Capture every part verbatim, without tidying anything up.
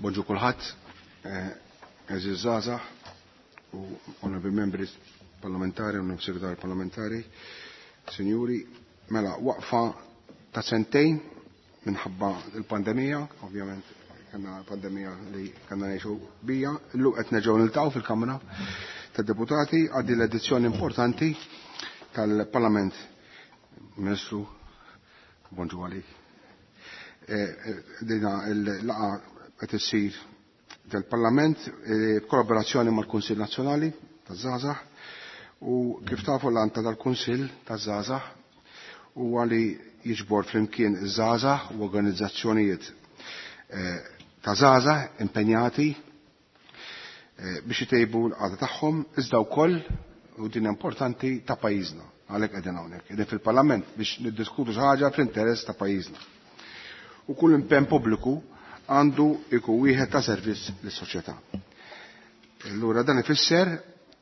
Bonġu kulħadd, għeżież żgħażagħ u onorevoli membri parlamentari, onorevoli segretarju parlamentari, sinjuri, mela waqfa ta' sentejn minħabba il-pandemija, ovvjament kellna pandemija li kellna ngħixu bija, illum qed nerġgħu niltaqgħu fil-Kamra tad-Deputati għal din l-edizzjoni importanti tal-Parlament. Ministru, bonġu għalik. Dina il-laqgħa qed issir del-Parlament b'kollaborazzjoni mal-Kunsill Nazzjonali taż-Żgħażagħ u kif tafu l-għan tal-Kunsill taż-Żgħażagħ huwa li jiġbor flimkien iż-żgħażagħ u organizzazzjonijiet ta' żgħażagħ impenjati biex itejbu l-qagħda tagħhom iżda wkoll u din importanti ta' pajjiżna. Għalhekk qegħdin hawnhekk, qegħdin fil-Parlament biex niddiskutu xi ħaġa fl-interess ta' pajjiżna. U kull impenn pubbliku għandu jkun wieħed ta' servizz lis-soċjetà. Allura dan ifisser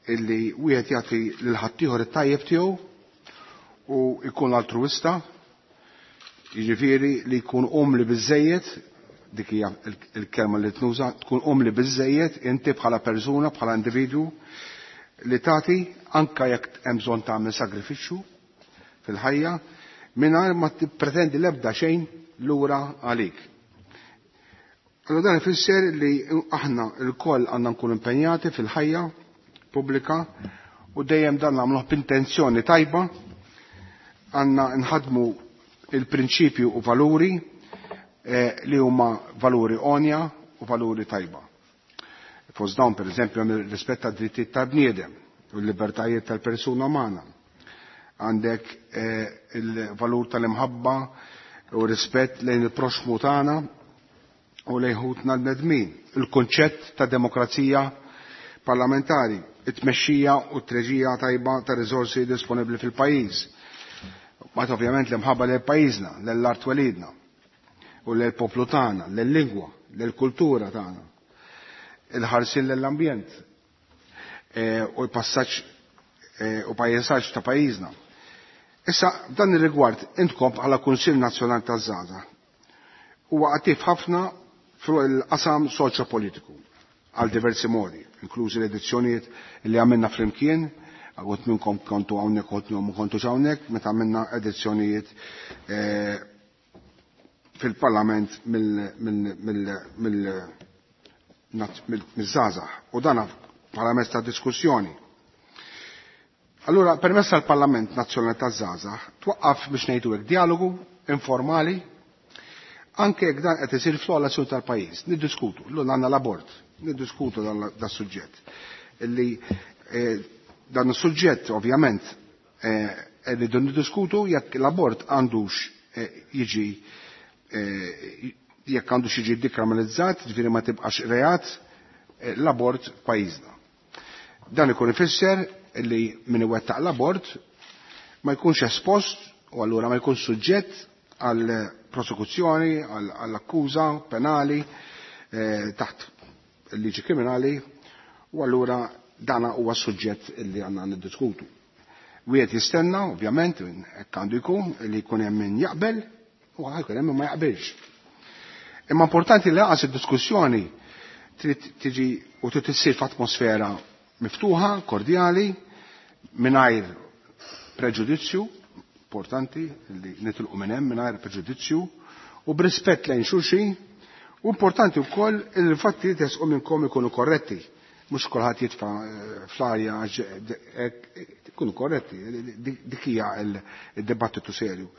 illi wieħed jagħti lil ħaddieħor it-tajjeb tiegħu u jkun altruwista, jiġifieri li jkun umli biżejjed, dik hija il-kelma li tnuża, tkun umli biżejjed inti bħala persuna, bħala individwu li tagħti anke jekk hemm bżonn tagħmel sagrifiċċju fil-ħajja mingħajr ma tippretendi l-ebda xejn lura għalik. Allora dan ifisser li aħna lkoll għandna nkunu impenjati fil-ħajja pubblika u dejjem dan nagħmluh b'intenzjoni tajba, għandna nħadmu il-prinċipju u valuri li huma valuri onja u valuri tajba. Fost dawn pereżempju hemm ir-rispett tad-drittijiet tal-bniedem u l-libertajiet tal-persuna umana. Għandek il-valur tal-imħabba u rispett lejn il-proxmu tagħna u lejn ħutna l-bnedmin, il-kunċett ta' demokrazija parlamentari, it-tmexxija u t-treġija tajba ta' riżorsi disponibbli fil-pajjiż. Mbagħad ovvjament l-imħabba lejn pajjiżna, lejn art twelidna u lejn poplu tagħna, lejn lingwa, lejn kultura tagħna. Il-ħarsien lill-ambjent u l-passaġġ u pajjiżaġġ ta' pajjiżna. Issa f'dan ir-rigward intkom bħala Kunsill Nazzjonali taż-Żgħażagħ huwa attiv ħafna fuq il-qasam soċjopolitiku għal diversi modi, inklużi l-edizzjonijiet li għamilna flimkien, għot minnkom kontu hawnhekk, għot minnkom kontu hawnhekk, meta għamilna edizzjonijiet fil-Parlament mill-żgħażagħ u dan bħala mezz ta' diskussjoni. Allura permezz tal-Parlament Nazzjonali taż-Żgħażagħ twaqqaf biex ngħidu hekk dialogu informali anke jekk dan qed isir fl-ogħla tal-pajjiż, niddiskutu, llum għandna l-abort, niddiskutu dan suġġett. Illi dan is-suġġett ovvjament rridu niddiskutu jekk l-abort għandux jiġi jekk għandux jiġi dikriminalizzat, ġifieri ma tibqax reat l-abort f'pajjiżna. Dan ikun ifisser li min iwettaq l-abort ma jkunx espost u allura ma jkunx suġġett għal prosekuzzjoni, għall akkuża penali taħt il-liġi kriminali u allura dana huwa suġġett li għandna niddiskutu. Wieħed jistenna, ovvjament, hekk għandu jkun, li jkun hemm min jaqbel u jkun hemm min ma jaqbilx. Imma importanti li lanqas id-diskussjoni trid tiġi u trid issir f'atmosfera miftuħa, kordjali, mingħajr preġudizzju, importanti li nitilqu minn hemm mingħajr preġudizzju, u b'rispett lejn xulxin, u importanti wkoll li l-fatti li tesqu minnkom ikunu korretti. Mhux kulħadd jitfa' fl-arja ikunu korretti, dik hija d-dibattitu serju.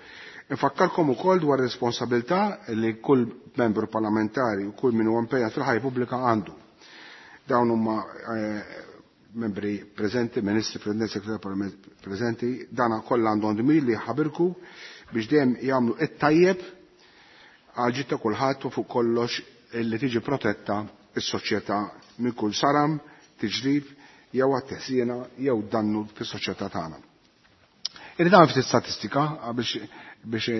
Infakkarkom ukoll dwar responsabilità li kull membru parlamentari u kull min huwa impenjat fil-ħajja pubblika għandu. Dawn huma membri preżenti, ministri, president, segretarju preżenti, dana kollha għandhom dmir li jħabirku biex dejjem jagħmlu it-tajjeb għal ġid ta' kulħadd u fuq kollox li tiġi protetta s-soċjetà minn kull saram, tiġrib jew għat-teħsina jew dannu fis-soċjetà tagħna. Irrid nagħmel ftit statistika biex biex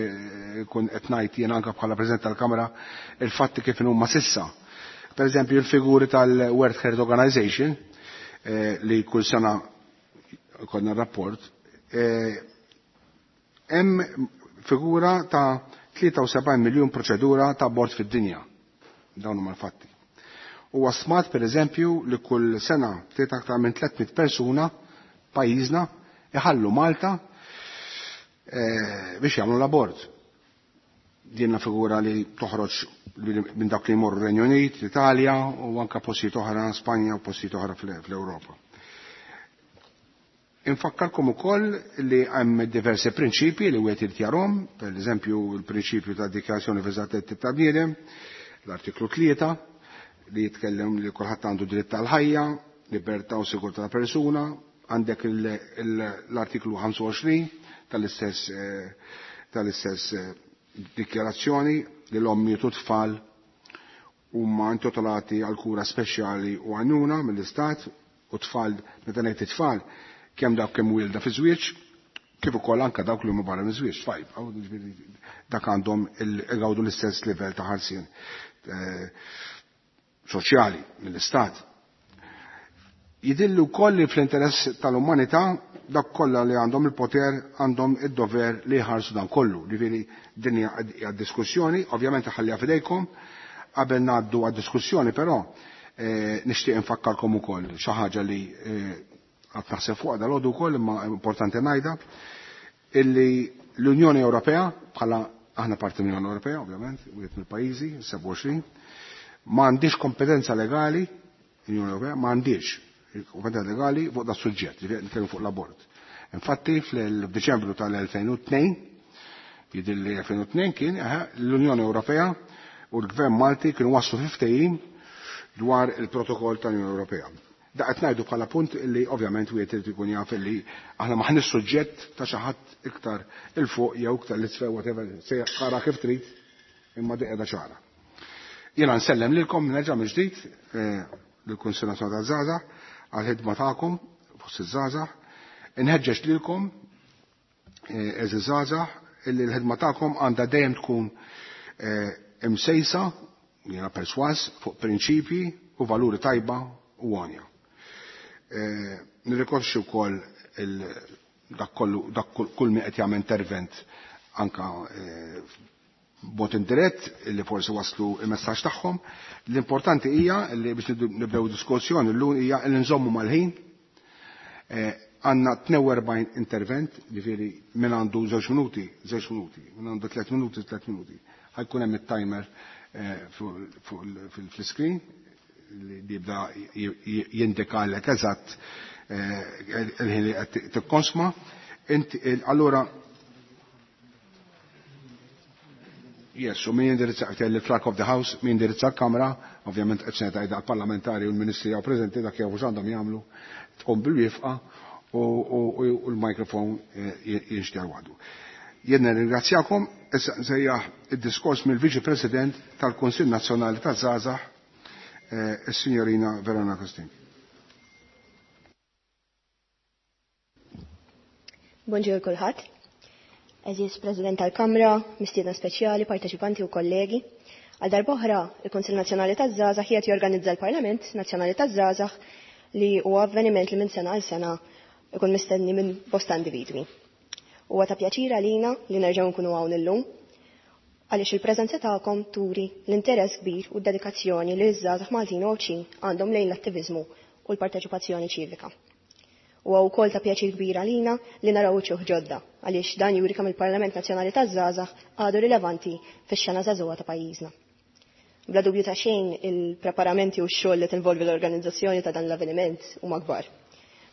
ikun qed ngħid jien anke bħala President tal-Kamra il-fatti kif huma sissa. Per eżempju il-figuri tal-World Health Organization li kull sena konna rapport, hemm figura ta' tlieta u sebgħin miljun proċedura ta' abort fid-dinja. Dawn huma l-fatti. Huwa stmat pereżempju li kull sena ftit aktar minn tliet mitt persuna pajjiżna iħallu Malta biex jagħmlu l-abort. Din figura li toħroġ minn dak li jmorru Renju Unit, l-Italja u anke postijiet oħra Spanja u postijiet oħra fl-Ewropa. Infakkarkom ukoll li hemm diversi prinċipji li wieħed irid jarhom, pereżempju l-prinċipju ta' Dikjarazzjoni Universali tad-Drittijiet tal-Bniedem, l-artiklu tlieta li jitkellem li kulħadd għandu dritt tal-ħajja, libertà u sigurtà ta' persuna, għandek l-artiklu ħamsa u għoxrin tal-istess tal-istess dikjarazzjoni li l-ommijiet u tfal huma intitolati għal kura speċjali u għajnuna mill-istat, u tfal, meta ngħid it-tfal, kemm dawk kemm wielda fi żwieġ, kif ukoll anke dawk li huma barra minn żwieġ, tfal, dak għandhom igawdu l-istess livell ta' ħarsien soċjali mill-istat. Jidillu wkoll li fl-interess tal-umanità dak kollha li għandhom il-poter għandhom id-dover li jħarsu dan kollu. Ġifieri din hija diskussjoni, ovvjament ħalliha f'idejkom. Qabel ngħaddu għad-diskussjoni però nixtieq infakkarkom ukoll xi ħaġa li qed naħseb fuqha dalgħodu wkoll, imma importanti ngħidha, illi l-Unjoni Ewropea, bħala aħna parti mill-Unjoni Ewropea ovvjament, wieħed mill-pajjiżi, sebgħa u għoxrin, ma għandix kompetenza legali, l-Unjoni Ewropea ma għandix kompetenza legali fuq da suġġett, ġifieri nitkellmu fuq l-abort. Infatti fl-Diċembru tal-elfejn u tnejn, jidhir li elfejn u tnejn kien, l-Unjoni Ewropea u l-Gvern Malti kienu waslu fi ftehim dwar il-protokoll tal-Unjoni Ewropea. Da qed ngħidu bħala punt li ovvjament wieħed irid ikun jaf li aħna m'aħniex suġġett ta' xi ħadd iktar il fuq jew iktar l-isfel, whatever, se jaqra kif trid, imma di qiegħda ċara. Jiena nsellem lilkom nerġa' mill-ġdid lill-Kunsill Nazzjonali taż-Żgħażagħ għall-ħidma tagħkom fost iż-żgħażagħ. Inħeġġeġ lilkom għeżież żgħażagħ illi l-ħidma tagħkom għandha dejjem tkun imsejsa, jiena perswas, fuq prinċipji u valuri tajba u għonja. Nirrikonoxxi wkoll dak kollu, dak kull min qed jagħmel intervent anka b'mod indirett li forsi waslu il-messaġġ tagħhom. L-importanti hija li biex nibdew diskussjoni llum hija li nżommu mal-ħin. Għandna tnejn u erbgħin intervent, ġifieri min għandu żewġ minuti, żewġ minuti, min għandu tliet minuti, tliet minuti. Ħajkun hemm it-timer fuq fl-screen li jibda jindikalek eżatt il-ħin li qed tikkonsma. Allura yes, u min jindirizza il-clerk of the house, min jindirizza l-kamra, ovvjament qed se ngħid għall-parlamentari u l-ministri jew preżenti dak jew x'għandhom jagħmlu, tqum bil-wifqa u l-mikrofon jinxter waħdu. Jien nirringrazzjakom, issa nsejjaħ id-diskors mill-Viċi President tal-Kunsill Nazzjonali taż-Żgħażagħ, is-Sinjorina Verona Costin. Bonġur kulħadd. Eżis President tal-Kamra, mistiedna speċjali, parteċipanti u kollegi. Għal darb'oħra, il-Kunsill Nazzjonali taż-Żgħażagħ qiegħed jorganizza l-Parlament Nazzjonali taż-Żgħażagħ li huwa avveniment li minn sena għal sena ikun mistenni minn bosta individwi. Huwa ta' pjaċir għalina li nerġgħu nkunu hawn illum għaliex il-preżenza tagħkom turi l-interess kbir u d-dedikazzjoni li ż-żgħażagħ Maltin u Għawdxin għandhom lejn l-attiviżmu u l-parteċipazzjoni ċivika. Huwa wkoll ta' pjaċir kbir għalina li naraw uċuħ ġodda għaliex dan juri kemm il-Parlament Nazzjonali taż-Żgħażagħ għadu rilevanti fix-xena żagħżugħa ta' pajjiżna. Bla dubju ta' xejn il-preparamenti u x-xogħol li tinvolvi l-organizzazzjoni ta' dan l-avveniment huma kbar.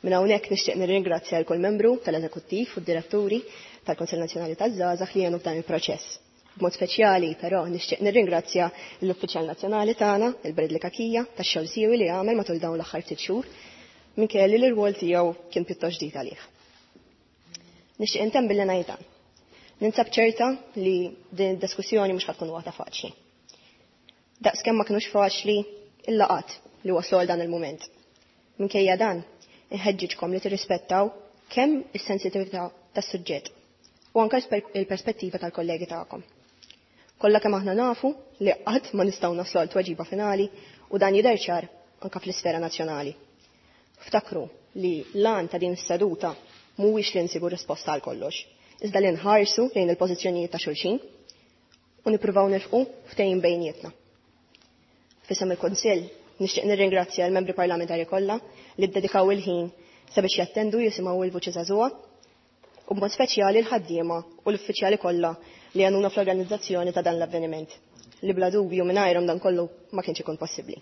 Minn hawnhekk nixtieq nirringrazzja l kull membru tal-Eżekuttiv u d-diretturi tal-Kunsill Nazzjonali taż-Żgħażagħ li għenu f'dan il-proċess. B'mod speċjali però nixtieq nirringrazzja l-Uffiċjal Nazzjonali tagħna, il-Bradley Cachia, tax-xogħol siewi li għamel matul dawn l-aħħar ftit xhur, minkejja li l-irwol tiegħu kien pjuttost ġdid għalih. Nixtieq intemm billi ngħid dan. Ninsab ċerta li din id-diskussjoni mhux ħatkun waħda faċli. Daqskemm ma kinux faċli il-laqat li waslu għal dan il-mument. Minkejja dan, inħeġġiġkom li tirrispettaw kemm is-sensitività tas-suġġett u anke il-perspettiva tal-kollegi tagħkom. Kollha kemm aħna nafu li qatt ma nistgħu naslu għal tweġiba finali u dan jidher ċar anke fl-isfera nazzjonali. Ftakru li l-għan ta' din is-seduta mhuwiex li nsibu risposta għal kollox, iżda li nħarsu lejn il-pożizzjonijiet ta' xulxin u nippruvaw nilħqu ftehim bejnietna. F'isem il-Kunsill Nixtieq nirringrazzja l-membri parlamentari kollha li ddedikaw il-ħin sabiex jattendu jisimgħu il-vuċi żagħżugħa u b'mod speċjali l-ħaddiema u l-uffiċjali kollha li għanuna fl-organizzazzjoni ta' dan l-avveniment li bla dubju mingħajrhom dan kollu ma kienx ikun possibbli.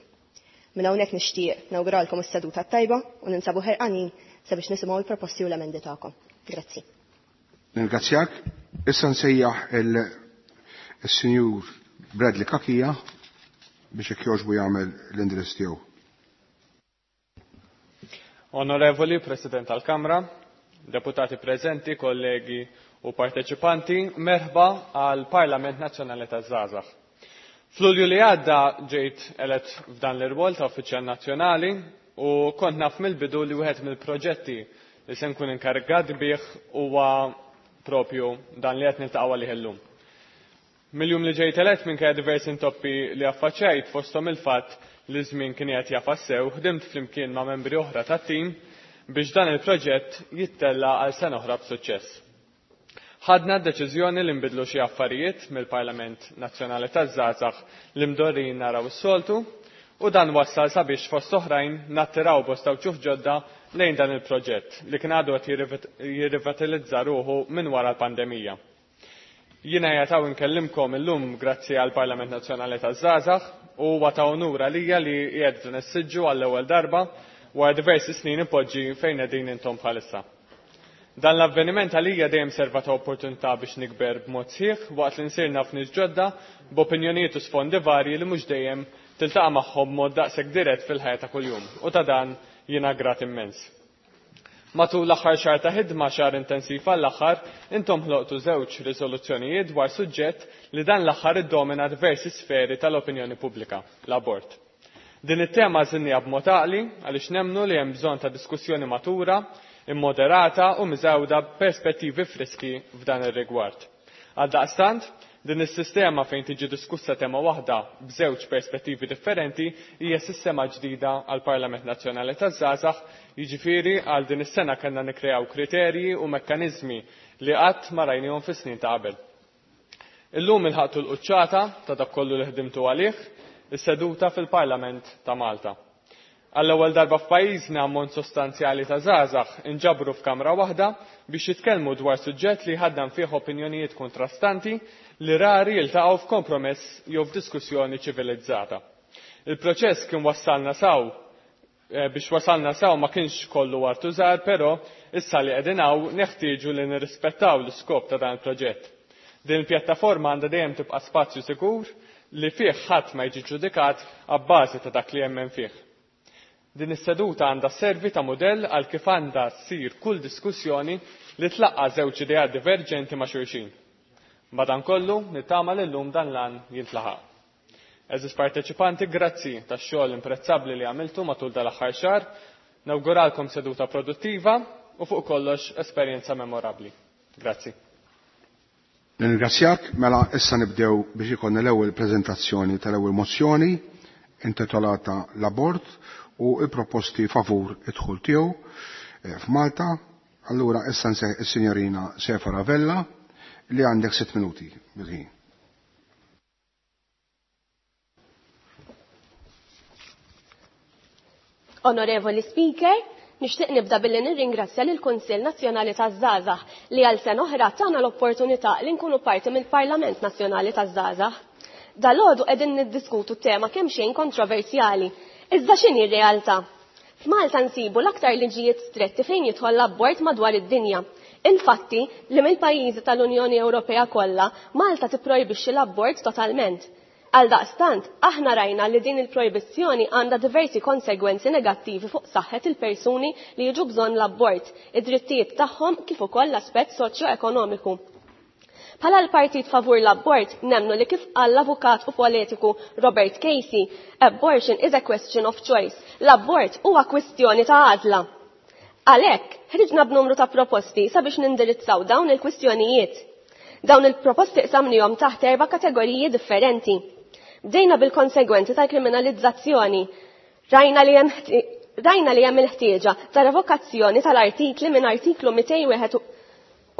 Minn hawnhekk nixtieq nawguralkom is-seduta tajba u ninsabu ħerqanin sabiex nisimgħu l-proposti u l-emendi tagħkom. Grazzi. Ningrazzjak. Issa nsejjaħ il-Sinjur Bradley Cachia biex jekk jogħġbu jagħmel l-indirizz tiegħu. Onorevoli President tal-Kamra, deputati preżenti, kollegi u parteċipanti, merħba għal Parlament Nazzjonali taż-Żgħażagħ. F'Lulju li għadda ġejt elett f'dan l-irwol ta' uffiċjal nazzjonali u kont naf mill-bidu li wieħed mill-proġetti li se nkun inkarigat bih huwa propju dan li qed niltaqgħu għalih illum. Mill-jum li ġejt elett minkejja diversi intoppi li affaċċjajt fosthom il-fatt li żmien kien qed jafas sew, ħdimt flimkien ma' membri oħra tat-tim biex dan il-proġett jittella għal sena oħra b'suċċess. Ħadna d-deċiżjoni li nbidlu xi affarijiet mill-Parlament Nazzjonali taż-Żgħażagħ li mdorrin naraw is-soltu u dan wassal sabiex fost oħrajn nattiraw bosta wċuħ ġodda lejn dan il-proġett li kien għadu qed jirrivitalizza ruħu minn wara l-pandemija. Jiena jataw nkellimkom illum grazzi għal Parlament Nazzjonali taż-Żgħażagħ u huwa ta' onur għalija li qiegħed dan is-siġġu għall-ewwel darba wara diversi snin ipoġġi fejn qegħdin intom bħalissa. Dan l-avveniment għalija dejjem serva ta' opportunità biex nikber b'mod sħiħ waqt li nsir naf nies ġodda b'opinjonijiet u sfondi varji li mhux dejjem tiltaqa' magħhom b'mod daqshekk dirett fil-ħajja ta' kuljum u ta' dan jiena grat immens. Matul l-aħħar xahar ta' ħidma, xahar intensiv għall-aħħar, intom ħloqtu żewġ riżoluzzjonijiet dwar suġġett li dan l-aħħar iddomina diversi sferi tal-opinjoni pubblika, l-abort. Din it-tema żinnija b'mod għaqli għaliex nemmnu li hemm bżonn ta' diskussjoni matura, immoderata u miżewda b'perspettivi friski f'dan ir-rigward. Għaldaqstant, din is-sistema fejn tiġi diskussa tema waħda b'żewġ perspettivi differenti hija sistema ġdida għal Parlament Nazzjonali taż-Żgħażagħ, jiġifieri għal din is-sena kellna nikkreaw kriterji u mekkaniżmi li qatt ma rajnihom fis-snin ta' qabel. Illum ilħaqtu l-quċċata ta' dak kollu li ħdimtu għalih, is-seduta fil-Parlament ta' Malta. Għall-ewwel darba f'pajjiżna ammont sostanzjali ta' żgħażagħ inġabru f'kamra waħda biex jitkellmu dwar suġġett li ħaddan fih opinjonijiet kontrastanti li rari jiltaqgħu f'kompromess jew f'diskussjoni ċivilizzata. Il-proċess kien wassalna saw biex wasalna saw ma kienx kollu artużar, però issa li qegħdin hawn neħtieġu li nirrispettaw l-iskop ta' dan il-proġett. Din il-pjattaforma għandha dejjem tibqa' spazju sikur li fih ħadd ma jiġi ġudikat abbażi ta' dak li jemmen fih. Din is-seduta għandha servi ta' mudell għal kif għandha ssir kull diskussjoni li tlaqqa' żewġ ideat diverġenti ma' xulxin. Madankollu nittama li llum dan l-għan jintlaħaq. Eżis parteċipanti, grazzi tax-xogħol imprezzabbli li għamiltu matul dal-aħħar xahar, nawguralkom seduta produttiva u fuq kollox esperjenza memorabbli. Grazzi. Nirringrazzjak, mela issa nibdew biex ikollna l-ewwel preżentazzjoni tal-ewwel mozzjoni intitolata l-abort u il-proposti favur id-dħul tiegħu f'Malta. Allura issa nseħ is-Sinjorina Sefa Vella li għandek sitt minuti bil-ħin. Onorevoli Speaker, nixtieq nibda billi nirringrazzja lill Kunsill Nazzjonali taż-Żgħażagħ li għal sena oħra tagħna l-opportunità li nkunu parti mill-Parlament Nazzjonali taż-Żgħażagħ. Dalgħodu qegħdin niddiskutu tema kemm xejn kontroversjali. Iżda x'inhi r-realtà? F'Malta nsibu l-aktar liġijiet stretti fejn jidħol l-abort madwar id-dinja. Infatti, li mill-pajjiżi tal-Unjoni Ewropea kollha, Malta tipprojbixxi l-abort totalment. Għaldaqstant, aħna rajna li din il-projbizzjoni għandha diversi konsegwenzi negattivi fuq saħħet il-persuni li jiġu bżonn l-abort, id-drittijiet tagħhom kif ukoll l-aspett soċjo-ekonomiku. Bħala l-partit favur l-abort, nemnu li kif qal l-avukat u politiku Robert Casey, abortion is a question of choice. L-abort huwa kwistjoni ta' għażla. Għalhekk, ħriġna b'numru ta' proposti sabiex nindirizzaw dawn il-kwistjonijiet. Dawn il-proposti qsamnihom taħt erba' kategoriji differenti. Bdejna bil-konsegwenzi tal-kriminalizzazzjoni. Rajna li hemm rajna li hemm il-ħtieġa ta' revokazzjoni tal-artikli minn artiklu mitejn wieħed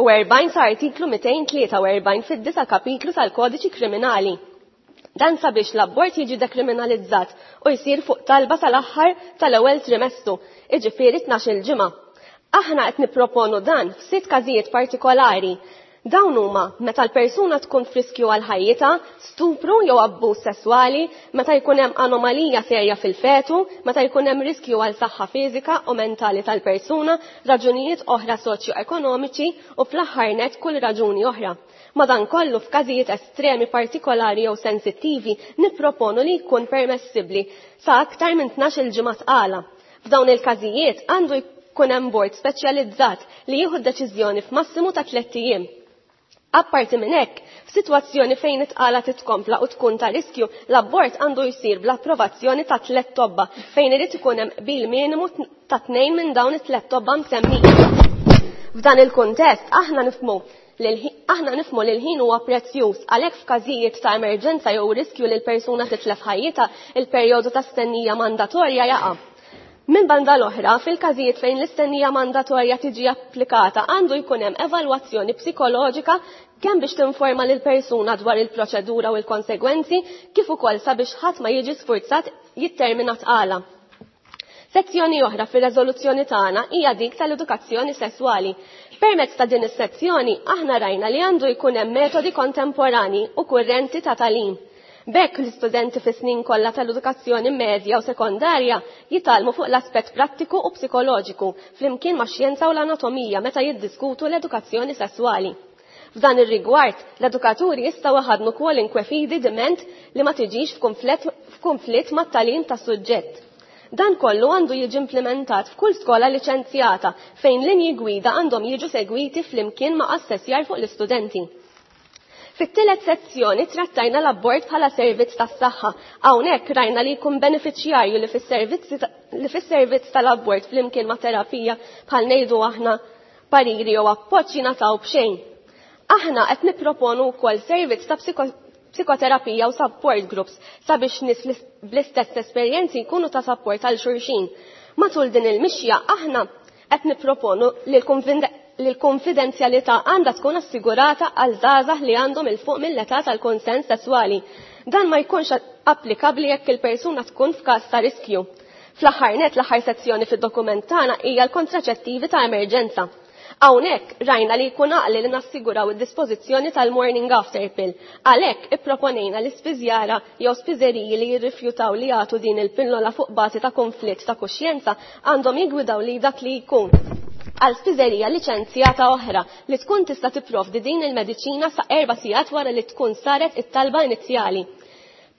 u erbgħin sa artiklu mitejn tlieta u erbgħin fid-disa' kapitlu tal-Kodiċi Kriminali. Dan sabiex l-abort jiġi dekriminalizzat u jsir fuq talba tal-aħħar tal-ewwel trimestru, jiġifieri tnax-il ġimgħa. Aħna qed nipproponu dan f'sitt każijiet partikolari. Dawn huma meta l-persuna tkun f'riskju għal ħajjitha, stupru jew abbuż sesswali, meta jkun hemm anomalija serja fil-fetu, meta jkun hemm riskju għal saħħa fiżika u mentali tal-persuna, raġunijiet oħra soċjo-ekonomiċi u fl-aħħar nett kull raġuni oħra. Madankollu f'każijiet estremi partikolari jew sensittivi nipproponu li jkun permessibbli sa aktar minn tnax-il ġimgħa tqala. F'dawn il-każijiet għandu jkun hemm bord speċjalizzat li jieħu d-deċiżjoni f'massimu ta' tliet ijiem. Apparti minn hekk, f'sitwazzjoni fejn it-tqala titkompla u tkun ta' riskju, l-abort għandu jsir bl-approvazzjoni ta' tliet tobba fejn irid ikun hemm qbil minimu ta' tnejn minn dawn it-tliet tobba msemmija. F'dan il-kuntest aħna nifhmu aħna nifhmu li l-ħin huwa prezzjuż, għalhekk f'każijiet ta' emerġenza jew riskju li l-persuna titlef ħajjitha, il-perjodu ta' stennija mandatorja jaqa'. Minn banda l-oħra, fil-każijiet fejn l-istennija mandatorja tiġi applikata għandu jkun hemm evalwazzjoni psikoloġika kemm biex tinforma lil persuna dwar il-proċedura u l-konsegwenzi, kif ukoll sabiex ħadd ma jiġi sfurzat jittermina tqala. Sezzjoni oħra fir-reżoluzzjoni tagħna hija dik tal-edukazzjoni sesswali. Permezz ta' din is-sezzjoni aħna rajna li għandu jkun hemm metodi kontemporani u kurrenti ta' tagħlim. B'hekk l-istudenti fis-snin kollha tal-edukazzjoni medja u sekondarja jitgħallmu fuq l-aspett prattiku u psikoloġiku flimkien max-xjenza u l-anatomija meta jiddiskutu l-edukazzjoni sesswali. F'dan ir-rigward, l-edukaturi jistgħu iħaddnu kwalinkwe fidi diment li ma tiġix f'kunflitt mat-tagħlim tas-suġġett. Dan kollu għandu jiġi implementat f'kull skola liċenzjata fejn linji gwida għandhom jiġu segwiti flimkien ma' assessjar fuq l-istudenti. Fit-tielet sezzjoni trattajna l-abort bħala servizz tas-saħħa. Hawnhekk rajna li jkun benefiċjarju li fis-servizz tal-abort flimkien ma' terapija bħal ngħidu aħna pariri jew appoġġ jingħataw b'xejn. Aħna qed nipproponu wkoll servizz ta' psikoterapija u support groups sabiex nies bl-istess esperjenzi jkunu ta' support għal xulxin. Matul din il-mixja aħna qed nipproponu li l-konfidenzjalità għandha tkun assigurata għal żgħażagħ li għandhom il fuq mill-età tal-konsens sesswali. Dan ma jkunx applikabbli jekk il-persuna tkun f'każ ta' riskju. Fl-aħħar nett, l-aħħar sezzjoni fid-dokument tagħna hija l-kontraċettivi ta' emerġenza. Hawnhekk rajna li jkun għaqli li nassiguraw id-dispożizzjoni tal-morning after pill. Għalhekk ipproponejna li spiżjara jew spiżeriji li jirrifjutaw li jagħtu din il-pillola fuq bażi ta' konflitt ta' kuxjenza għandhom jigwidaw li dak li jkun għal spiżerija liċenzjata oħra li tkun tista' tipprovdi din il-mediċina sa' erba' sigħat wara li tkun saret it-talba inizjali.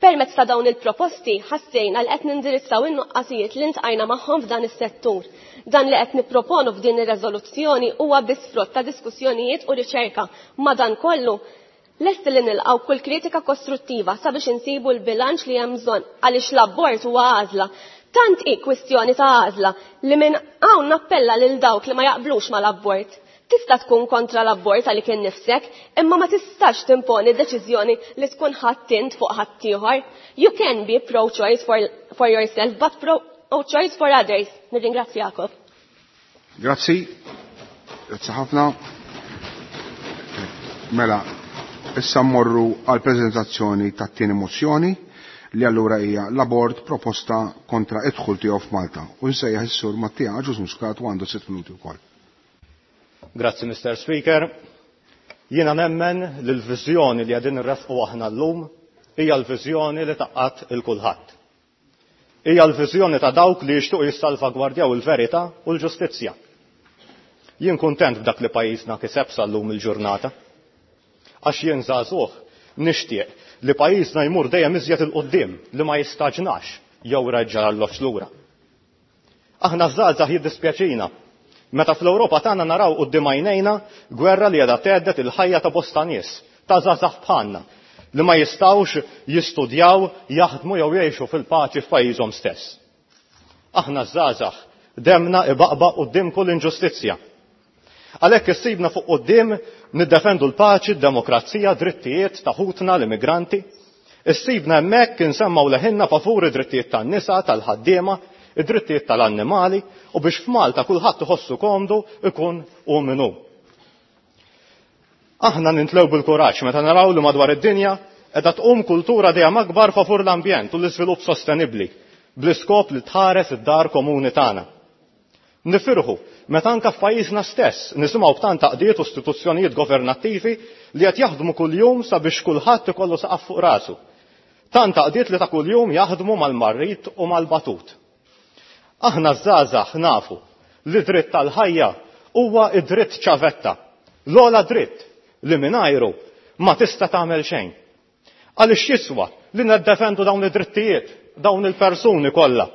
Permezz ta' dawn il-proposti ħassejna li qed nindirizzaw in-nuqqasijiet li ntqajna magħhom f'dan is-settur. Dan li qed nipproponu f'din ir-reżoluzzjoni huwa biss frott ta' diskussjonijiet u riċerka. Madankollu lesti li nilqgħu kull kritika kostruttiva sabiex insibu l-bilanċ li hemm bżonn għaliex l-abort huwa għażla. Tant hi kwistjoni ta' għażla li minn hawn nappella lil dawk li ma jaqblux mal-abort. Tista' tkun kontra l-abort għalik innifsek, imma ma tistax timponi deċiżjoni li tkun ħadd int fuq ħaddieħor. You can be pro-choice for, for yourself, but pro-choice for others. Nirringrazzjakom. Grazzi. Grazzi ħafna. Mela, issa mmorru għal preżentazzjoni tat-tieni mozzjoni li allura hija l-abort proposta kontra id-dħul tiegħu f'Malta. U nsejjaħ is-sur Mattia Agius Muscat u għandu sitt minuti wkoll. Grazzi, Mister Speaker. Jiena nemmen li l-viżjoni li qegħdin nressqu aħna llum hija l-viżjoni li taqgħad il kulħadd. Hija l-viżjoni ta' dawk li jixtiequ jissalvagwardjaw il-verità u l-ġustizzja. Jien kuntent b'dak li pajjiżna kiseb sal-lum il-ġurnata. Għax jien żagħżugħ nixtieq li pajjiżna jmur dejjem iżjed il quddiem li ma jistaġnax jew reġġa' l-loċ lura. Aħna żgħażagħ jiddispjaċina meta fl-Ewropa tagħna naraw quddiem għajnejna gwerra li qiegħda tgħeddet il-ħajja ta' bosta nies, ta' żgħażagħ bħalna, li ma jistgħux jistudjaw, jaħdmu jew jgħixu fil-paċi f'pajjiżhom stess. Aħna żgħażagħ demna ibaqbaq quddiem kull inġustizzja. Għalhekk issibna fuq quddiem niddefendu l-paċi, d-demokrazija, drittijiet ta' ħutna l-immigranti. Issibna hemmhekk insemmaw leħinna favur id-drittijiet tan-nisa, tal-ħaddiema, id-drittijiet tal-annimali u biex f'Malta kulħadd iħossu komdu ikun hu min hu. Aħna nintlew bil-kuraġġ meta naraw li madwar id-dinja qiegħda tqum kultura dejjem akbar favur l-ambjent u l-iżvilupp sostenibbli bl-iskop li tħares id-dar komuni tagħna. Nifirħu meta anke f'pajjiżna stess nisimgħu b'tant taqdiet u istituzzjonijiet governattivi li qed jaħdmu kuljum sabiex kulħadd ikollu saqaf fuq rasu. Tant taqdiet li ta' kuljum jaħdmu mal-marrit u mal-batut. Aħna żgħażagħ nafu li dritt tal-ħajja huwa id-dritt ċavetta, l-ogħla dritt li mingħajru ma tista' tagħmel xejn. Għaliex jiswa li niddefendu dawn id-drittijiet, dawn il-persuni kollha.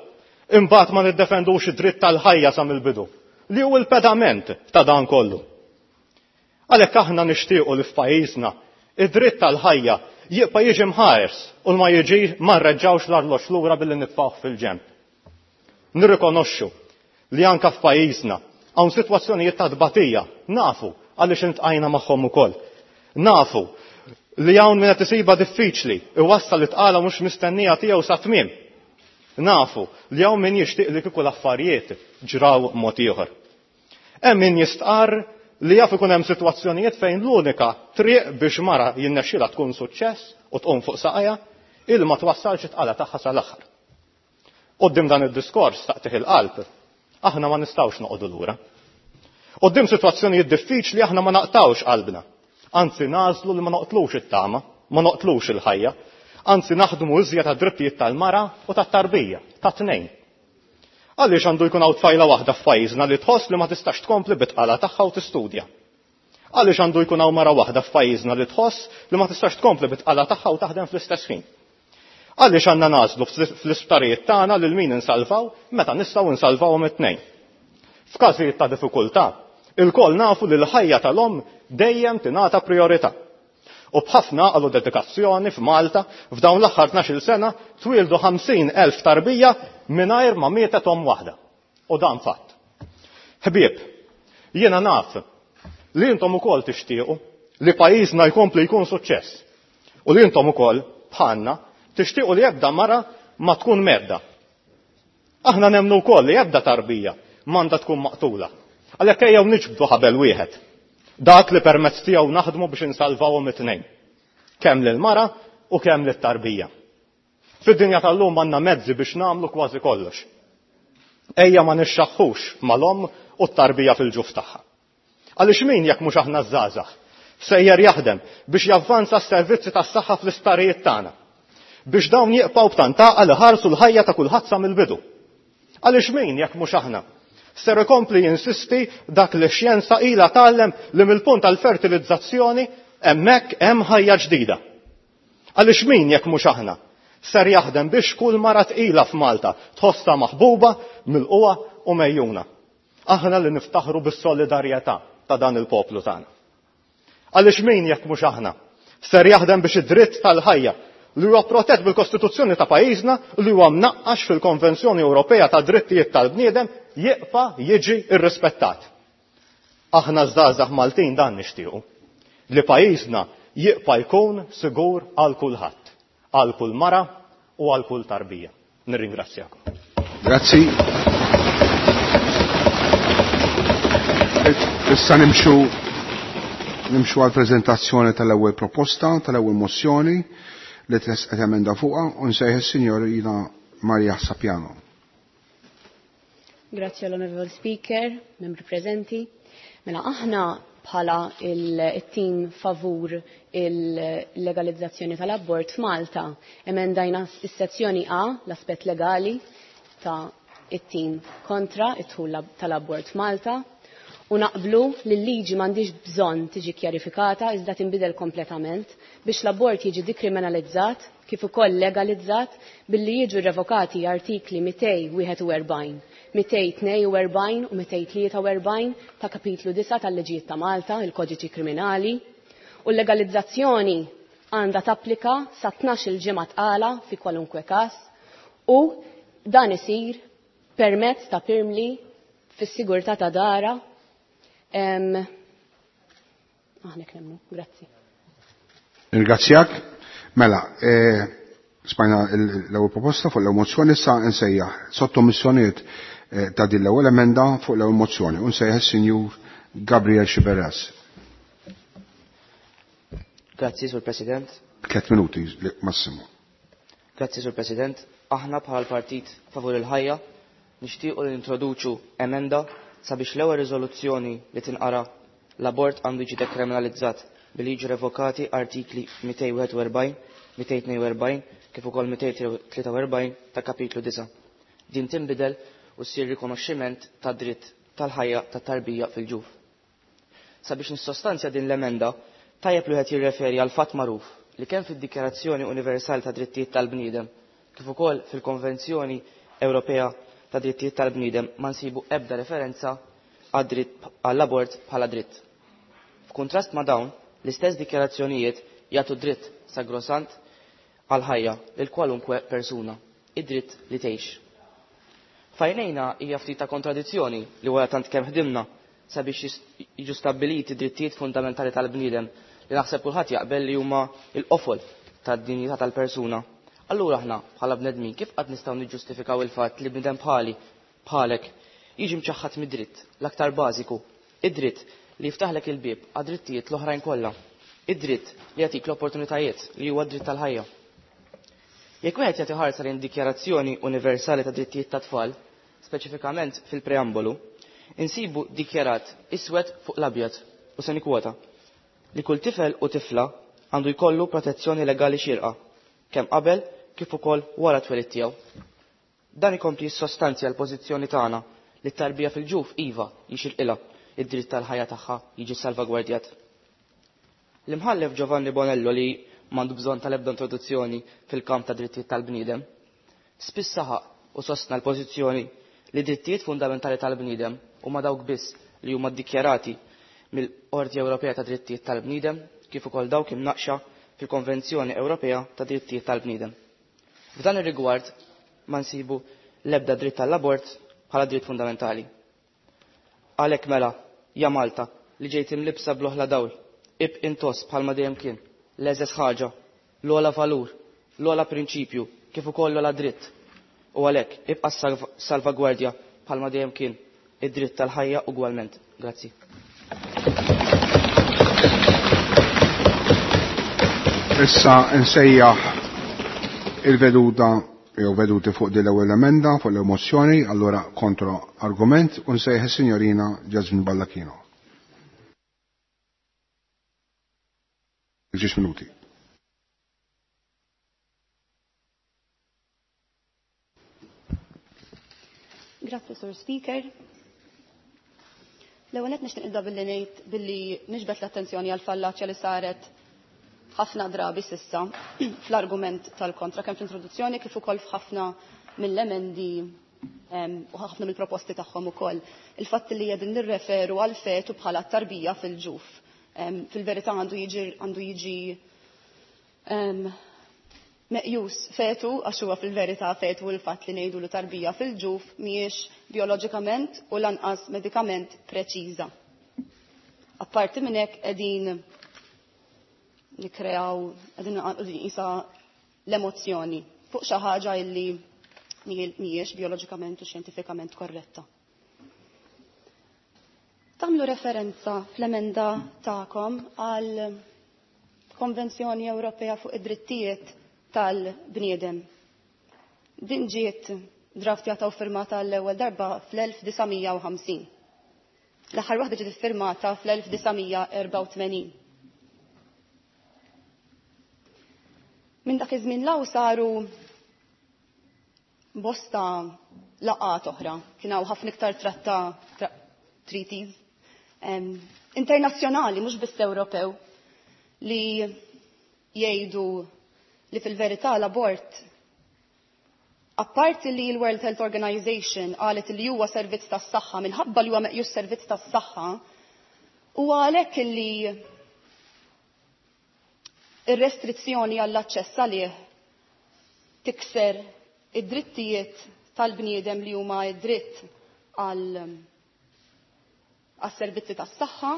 Imbagħad ma niddefendux id-dritt tal-ħajja sa mill-bidu, li hu l-pedament ta' dan kollu. Għalhekk aħna nixtiequ li f'pajjiżna id-dritt tal-ħajja jibqa' jiġi mħares u ma jiġi ma nreġġawx l-arloġġ lura billi nitfgħuh fil-ġenb. Nirrikonoxxu li anke f'pajjiżna hawn sitwazzjonijiet ta' tbatija, nafu għaliex intqajna magħhom ukoll. Nafu li hawn min qed isibha diffiċli iwassal it-tqala mhux mistennija tiegħu sa tmiem. Nafu li hawn min jixtieq li kieku l-affarijiet ġraw mod ieħor. Hemm min jistqarr li jaf ikun hemm sitwazzjonijiet fejn l-unika triq biex mara jinnexxilha tkun suċċess u tqum fuq saqajha il ma twassalx it-tqala tagħha sal-aħħar. Quddiem dan id-diskors taqtih il-qalb, aħna ma nistgħux noqogħdu lura. Quddiem sitwazzjonijiet diffiċli aħna ma naqtawx qalbna. Anzi nagħżlu li ma noqtlux it-tama, ma noqtlux il-ħajja, anzi naħdmu iżjed għad-drittijiet tal-mara u tat-tarbija, tat-tnejn. Għaliex għandu jkun hawn tfajla waħda f'pajjiżna li tħoss li ma tistax tkompli bit-tqala tagħha u tistudja? Għaliex għandu jkun hawn mara waħda f'pajjiżna li tħoss li ma tistax tkompli bit-tqala tagħha u taħdem fl-istess ħin? Għaliex għandna nagħżlu fl-isptarijiet tagħna lil min insalvaw meta nistgħu nsalvawhom it-tnejn? F'każijiet ta' diffikultà, ilkoll nafu li l-ħajja tal-omm dejjem tingħata priorità. U b'ħafna għalu dedikazzjoni f'Malta f'dawn l-aħħar tnax-il sena twieldu ħamsin elf tarbija mingħajr ma mietet omm waħda. U dan fatt. Ħbieb, jiena naf li intom ukoll tixtiequ li pajjiżna jkompli jkun suċċess. U li intom ukoll bħalna tixtiequ li ebda mara ma tkun medda. Aħna nemmnu wkoll li ebda tarbija m'għandha tkun maqtula. Għalhekk ejjew niġbdu ħabel wieħed. Dak li permezz tiegħu naħdmu biex insalvawhom it-tnejn. Kemm lil-mara u kemm lit-tarbija. Fid-dinja tal-lum għandna mezzi biex nagħmlu kważi kollox. Ejja ma nixxaħħux mal-omm u t-tarbija fil-ġuf tagħha. Għaliex min jekk mhux aħna żgħażagħ sejjer jaħdem biex javvanza s-servizzi tas-saħħa fl-isptarijiet tagħna, biex dawn jibqgħu b'tant għaqal li ħarsu l-ħajja ta' kulħadd sa mill-bidu. Għaliex min jekk mhux aħna ser ikompli jinsisti dak li x-xjenza ilha tgħallem li mill-punt tal-fertilizzazzjoni hemmhekk hemm ħajja ġdida. Għaliex min jekk mhux aħna ser jaħdem biex kull mara tqila f'Malta tħossha maħbuba, milquha u mejjuna. Aħna li niftaħru bis-solidarjetà ta' dan il-poplu tagħna. Għaliex min jekk mhux aħna ser jaħdem biex id-dritt tal-ħajja li huwa protett bil-Kostituzzjoni ta' pajjiżna li huwa mnaqqax fil-Konvenzjoni Ewropea ta' Drittijiet tal-Bniedem jibqa' jiġi rrispettat. Aħna żgħażagħ Maltin dan nixtiequ, li pajjiżna jibqa' jkun sigur għal kulħadd, għal kull mara u għal kull tarbija. Nirringrazzjakom. Grazzi. Issa nimxu, nimxu għal prezentazzjoni tal-ewwel proposta, tal-ewwel mozzjoni li tresqet emenda fuqha u nsejħ is-Sinjorina Maria Sapiano. Grazie all'onorevole Speaker, membri prezenti. Mela aħna bħala il-team favur il-legalizzazzjoni tal-abort f'Malta emendajna s-sezzjoni A, l-aspett legali ta' it-team kontra it-dħul tal-abort f'Malta, u naqblu li l-liġi m'għandix bżonn tiġi kjarifikata iżda tinbidel kompletament biex l-abort jiġi dikriminalizzat kif ukoll legalizzat billi jiġu revokati artikli mitej wieħed u erbgħin, mitej tnej u erbgħin u mitej tlieta u erbgħin ta' kapitlu disa' tal-Liġijiet ta' Malta, il-Kodiċi Kriminali, u l-legalizzazzjoni għandha tapplika sa tnax-il ġimgħa tqala fi kwalunkwe każ u dan isir permezz ta' pirmli fis-sigurtà ta' dara. Em, aħna knemmu, grazzi. Ringrazzjak. Mela, eh, smajna l-ewwel proposta fuq l-ewwel mozzjoni, issa nsejjaħ sottomissjonijiet, eh, ta' din l-ewwel emenda fuq l-ewwel mozzjoni u nsejjaħ is-Sinjur Gabriel Sciberras. Grazzi, Sur President. Tliet minuti massimu. Grazzi, Sur President. Aħna bħala l-Partit Favur il-Ħajja nixtiequ li nintroduċu emenda sabiex l-ewwel riżoluzzjoni li tinqara l-abort għandu jiġi dekriminalizzat billi jiġu revokati artikli mitejn u wieħed u erbgħin, mitejn u tnejn u erbgħin kif ukoll mitejn u tlieta u erbgħin ta' kapitlu disa'. Din tinbidel u ssir rikonoxximent ta' dritt tal-ħajja tat-tarbija fil-ġuf. Sabiex nissostanzja din l-emenda, tajjeb li wieħed jirreferi għal fatt magħruf li kemm fid-Dikjarazzjoni Universali ta' Drittijiet tal-Bniedem kif ukoll fil-Konvenzjoni Ewropea ta' Drittijiet tal-Bniedem ma nsibu ebda referenza għad-dritt għall-abort bħala dritt. F'kuntrast ma' dawn, l-istess dikjarazzjonijiet jagħtu dritt sagrosant għal-ħajja lil kwalunkwe persuna, id-dritt li tgħix. Fajnejna hija ftit ta' kontradizzjoni li wara tant kemm ħdimna sabiex jiġu stabbiliti drittijiet fundamentali tal-bniedem li naħseb kulħadd jaqbel li huma l-qofol tad-dinjità tal-persuna. Allura aħna bħala bnedmin kif qatt nistgħu niġġustifikaw il-fatt li bniedem bħali bħalek jiġi mċaħħad mid-dritt l-aktar bażiku, id-dritt li jiftaħlek il-bieb għad-drittijiet l-oħrajn kollha, id-dritt li jagħtik l-opportunitajiet li huwa d-dritt tal-ħajja. Jekk wieħed jagħti ħarsa lejn Dikjarazzjoni Universali ta' Drittijiet tat-Tfal, speċifikament fil-preambolu, insibu dikjarat iswed fuq l-abjad u se nikkwota li kull tifel u tifla għandu jkollu protezzjoni legali xierqa, kemm qabel kif ukoll wara t-twelid tiegħu. Dan ikompli jissostanzja l-pożizzjoni tagħna li t-tarbija fil-ġuf iva jixirqilha id-dritt tal-ħajja tagħha jiġi salvagwardjat. L-imħallef Giovanni Bonello li m'għandu bżonn tal-ebda introduzzjoni fil-kamp ta' drittijiet tal-bniedem, spiss saħaq u sostna l-pożizzjoni li drittijiet fundamentali tal-bniedem huma dawk biss li huma ddikjarati mill-Qorti Ewropea ta' Drittijiet tal-Bniedem kif ukoll dawk imnaqxa fil-Konvenzjoni Ewropea ta' Drittijiet tal-Bniedem. F'dan ir-rigward ma nsibu l-ebda dritt tal-abort bħala dritt fundamentali. Għalhekk mela, ja Malta, li ġejt imlibsa bl-oħla dawl, ibq intoss bħalma dejjem kien, l-eżes ħaġa, l-ogħla valur, l-ogħla prinċipju, kif ukoll l-ogħla dritt. U għalhekk ibqa' salvagwardja bħalma dejjem kien id-dritt tal-ħajja ugwalment. Grazzi. Issa nsejjaħ il-veduta jew veduti fuq din l-ewwel emenda fuq l-mozzjoni, allura kontra argument u nsejjaħ is-Sinjorina Jasmine Ballacchino. Ġiex minuti. Grazzi, Sur Speaker. L-ewwel qed nixtieq nibda billi ngħid billi niġbed l-attenzjoni għal fallaċja li saret ħafna drabi sissa fl-argument tal-kontra kemm fl-introduzzjoni kif ukoll f'ħafna mill-emendi u ħafna mill-proposti tagħhom ukoll. Il-fatt li qegħdin nirreferu għal fetu bħala tarbija fil-ġuf. Fil-verità għandu jiġi għandu jiġi meqjus fetu għax huwa fil-verità fetu l-fatt li ngħidu li tarbija fil-ġuf mhijiex bioloġikament u lanqas medikament preċiża. Apparti minn hekk qegħdin nikkreaw qegħdin qisha l-emozzjoni fuq xi ħaġa illi mhijiex bioloġikament u xjentifikament korretta. Tagħmlu referenza fl-emenda tagħkom għal Konvenzjoni Ewropea fuq id-drittijiet tal-bniedem. Din ġiet draftjata u firmata l-ewwel darba fl-elf disa' mija u ħamsin. L-aħħar waħda ġiet iffirmata fl-elf disa' mija erbgħa u tmenin. Minn dak iż-żmien law saru bosta laqgħat oħra, kien hawn ħafna iktar tratta tra, treaties um, internazzjonali, mhux biss Ewropew, li jgħidu li fil-verità l-abort, apparti li l-World Health Organization qalet li huwa servizz tas-saħħa, minħabba li huwa meqjus servizz tas-saħħa, huwa għalhekk li ir-restrizzjoni għall-aċċess għalih tikser id-drittijiet tal-bniedem li huma id-dritt għal għas-servizzi tas-saħħa,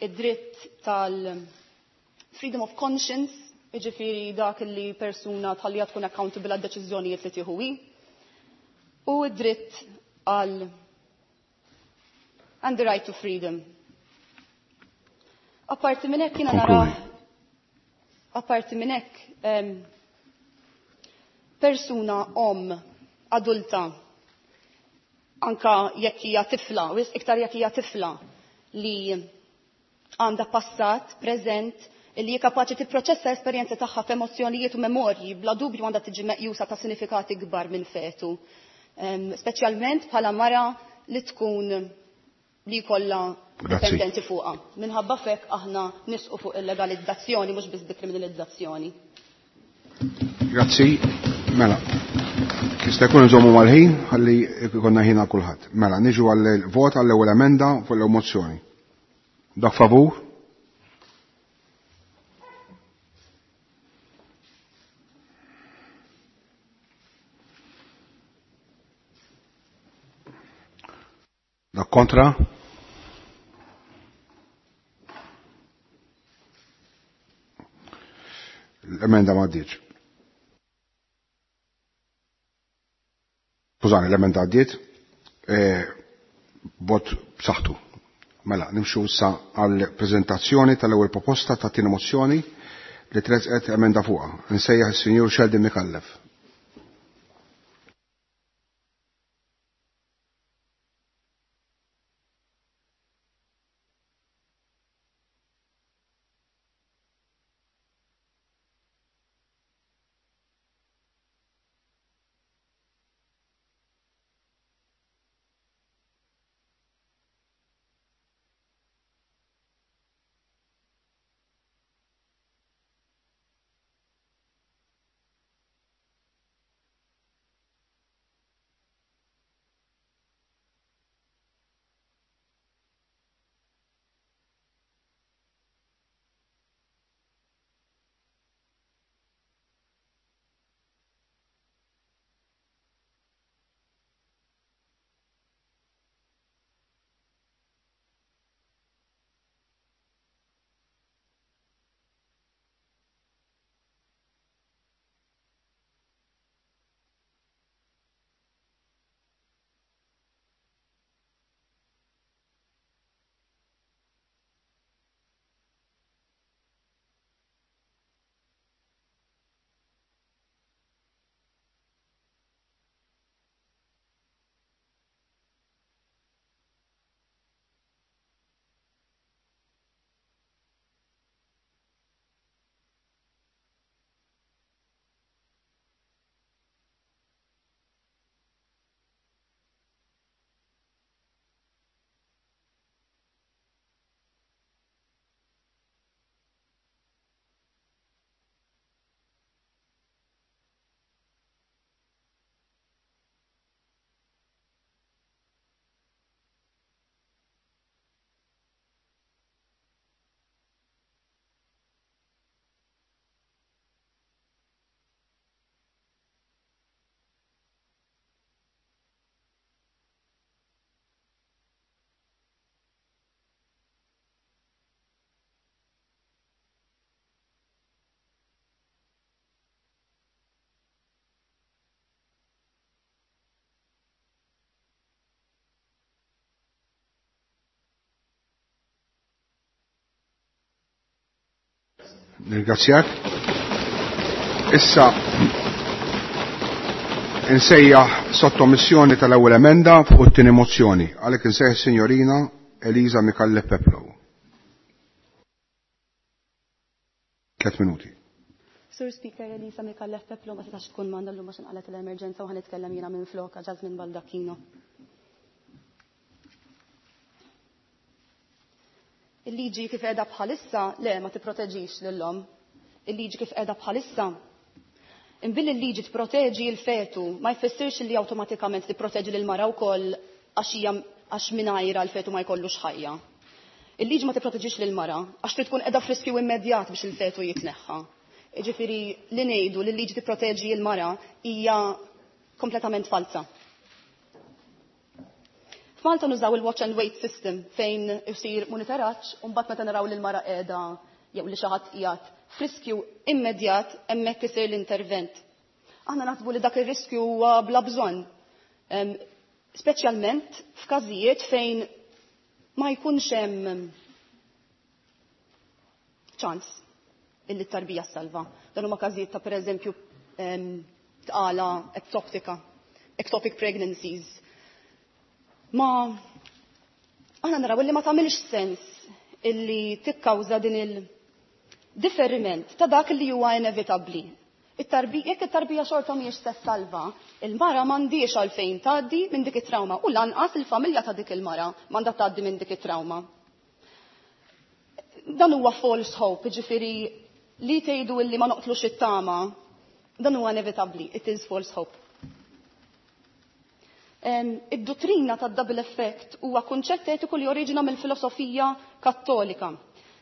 id-dritt tal-freedom of conscience, jiġifieri dak li persuna tħallija tkun accountable għad-deċiżjonijiet li tieħu hi, u id-dritt għal and the right to freedom. Apparti minn hekk jiena nara Apparti minn hekk, persuna om adulta, anka jekk hija tifla, iktar jekk hija tifla li għandha passat, preżent, li hija kapaċi tipproċessa esperjenza tagħha f'emozzjonijiet u memorji, bla dubju għandha tiġi meqjusa ta' sinifikati kbar minn fetu. Speċjalment bħala mara li tkun li jkollha dipendenti fuqha. Minħabba fek aħna nisqu fuq il-legalizzazzjoni mhux biss dekriminalizzazzjoni. Grazzi. Mela, jista' jkun nżommu mal-ħin ħalli jkollna ħin għal kulħadd. Mela, niġu għall-vot għall-ewwel emenda fuq l-ewwel mozzjoni. Dak favur? Dak kontra? L-emenda ma għaddietx. Skużani, l-emenda għaddiet, vot b'saħħtu. Mela, nimxu issa għall-preżentazzjoni tal-ewwel proposta ta' tieni mozzjoni li tressqet emenda fuqha. Insejjaħ is-Sinjur Sheldon Micallef. Nirgrazzjak. Issa insejjaħ sottomissjoni tal-ewwel emenda fuq it-tieni mozzjoni. Għalhekk insejjaħ is-Sinjorina Eliza Micallef Peplow. Tliet minuti. Sur Speaker, Elisa Micallef Peplow ma setax tkun magħna llum għax inqalet l-emerġenza u ħanitkellem jiena minn floka Jasmine Baldacchino. Il-liġi kif qiegħda bħalissa le ma tipproteġix lil-omm. Il-liġi kif qiegħda bħalissa. Imbilli l-liġi tipproteġi l-fetu ma jfissirx li awtomatikament tipproteġi lil mara wkoll għax hija għax mingħajra l-fetu ma jkollux ħajja. Il-liġi ma tipproteġix lil mara għax trid tkun qiegħda f'riskju immedjat biex il-fetu jitneħħa. Jiġifieri li ngħidu li l-liġi tipproteġi l-mara hija kompletament falsa. F'Malta nużaw il-watch and wait system fejn isir monitoraġġ u mbagħad meta naraw li l-mara qiegħda jew li xi ħadd qiegħed f'riskju immedjat hemmhekk isir l-intervent. Aħna naħsbu li dak ir-riskju huwa bla bżonn. Speċjalment f'każijiet fejn ma jkunx hemm ċans illi t-tarbija salva. Dan huma każijiet ta' pereżempju tqala ektoptika, ectopic pregnancies. Ma aħna naraw illi ma tagħmilx sens illi tikkawża din il-differiment ta' dak li huwa inevitabbli. Jekk it-tarbija xorta mhijiex se salva, il-mara m'għandix għalfejn tgħaddi minn dik it-trauma u lanqas il-familja ta' dik il-mara m'għandha tgħaddi minn dik it-trauma. Dan huwa false hope, jiġifieri li tgħidu illi ma noqtlux it-tama, dan huwa inevitabbli, it is false hope. Id-dottrina tad-double effect huwa kunċett etiku li oriġina mill-filosofija kattolika.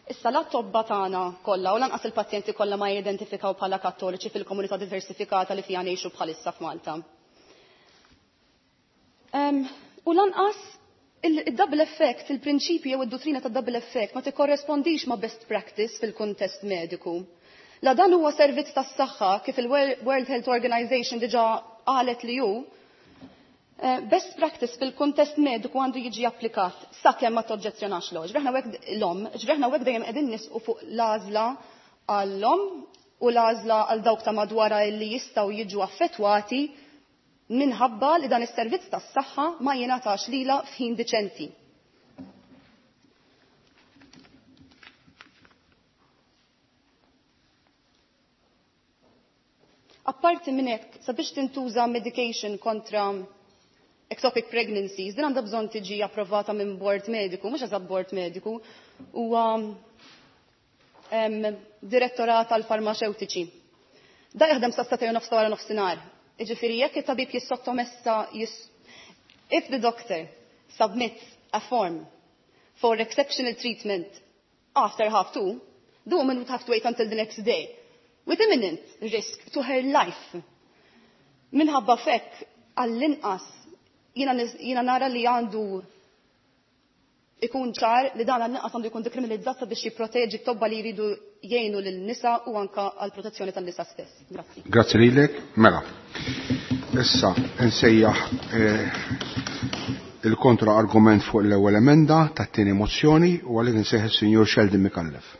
Issa la tobba tagħna kollha u lanqas il-pazjenti kollha ma jidentifikaw bħala kattoliċi fil-komunità diversifikata li fiha ngħixu bħalissa f'Malta. U lanqas il-double effect, il-prinċipju jew id-dottrina tad-double effect ma tikkorrespondix ma' best practice fil-kuntest mediku. La dan huwa servizz tas-saħħa kif il-World Health Organization diġà qalet li hu, best practice fil-kuntest mediku għandu jiġi applikat sakemm ma toġġezzjonax l Ġreħna hekk l-omm, ġreħna hekk dejjem qegħdin nisqu fuq l-għażla għall-omm u l-għażla għal dawk ta' madwarha li jistgħu jiġu affettwati minħabba li dan is-servizz tas-saħħa ma jingħatax lilha f'ħin diċenti. Apparti minn hekk, sabiex tintuża medication kontra ectopic pregnancies, din għandha bżonn tiġi approvata minn bord mediku, mhux eżatt bord mediku, huwa direttorat għal farmaceutiċi. Da jaħdem sa satej nofs wara nofsinhar. Jiġifieri jekk it-tabib jissottomessa if the doctor submits a form for exceptional treatment after half two, the woman would have to wait until the next day with imminent risk to her life. Minħabba fekk għall-inqas jiena nara li għandu ikun ċar li dan għall-inqas għandu jkun dekriminalizzat biex jipproteġi t-tobba li jridu jgħinu lin-nisa u anka għall-protezzjoni tan-nisa stess. Grazzi. Grazzi lilek. Mela. Issa nsejjaħ il-kontra argument fuq l-ewwel emenda tat-tieni mozzjoni u għalhekk insejjaħ is-Sinjur Sheldon Micallef.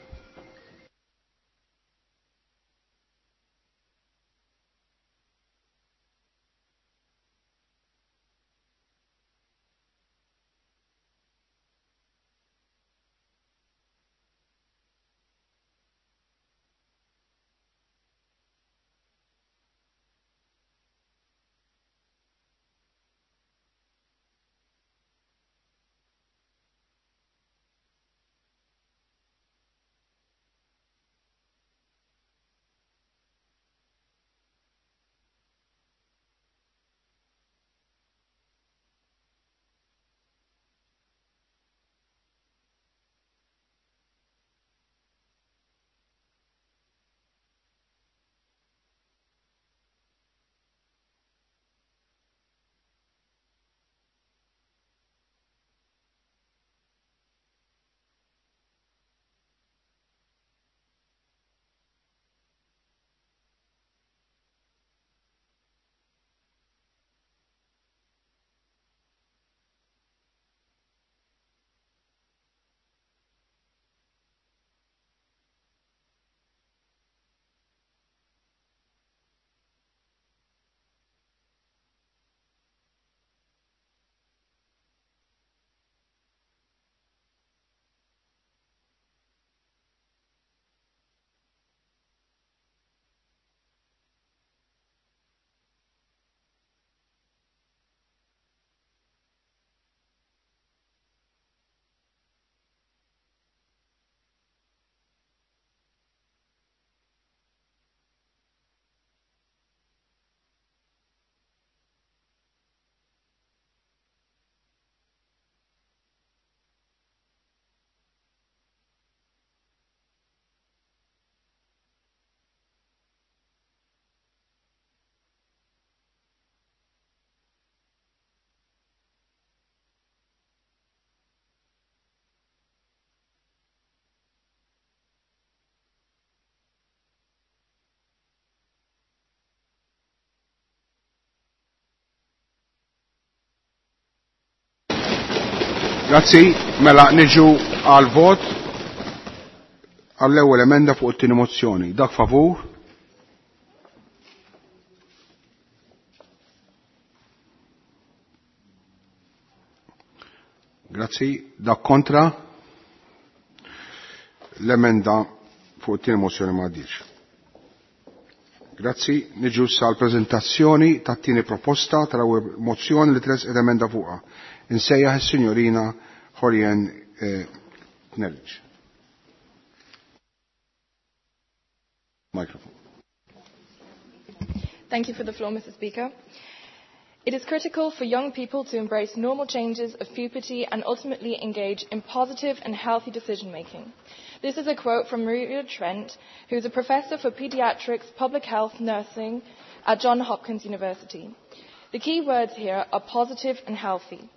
Grazzi, mela niġu għal vot. għall-ewwel emenda fuq it-tieni mozzjoni. Dak favur? Grazzi. Dak kontra? L-emenda fuq it-tieni mozzjoni ma għaddietx. Grazzi. Niġu issa għall-preżentazzjoni tat-tieni proposta tal-ewwel mozzjoni li tressqet emenda fuqha. Insejjaħ is-Sinjorina Jorien Knellic. Microphone. Thank you for the floor, Mister Speaker. It is critical for young people to embrace normal changes of puberty and ultimately engage in positive and healthy decision-making. This is a quote from Maria Trent, who is a professor for pediatrics, public health, nursing at Johns Hopkins University. The key words here are positive and healthy.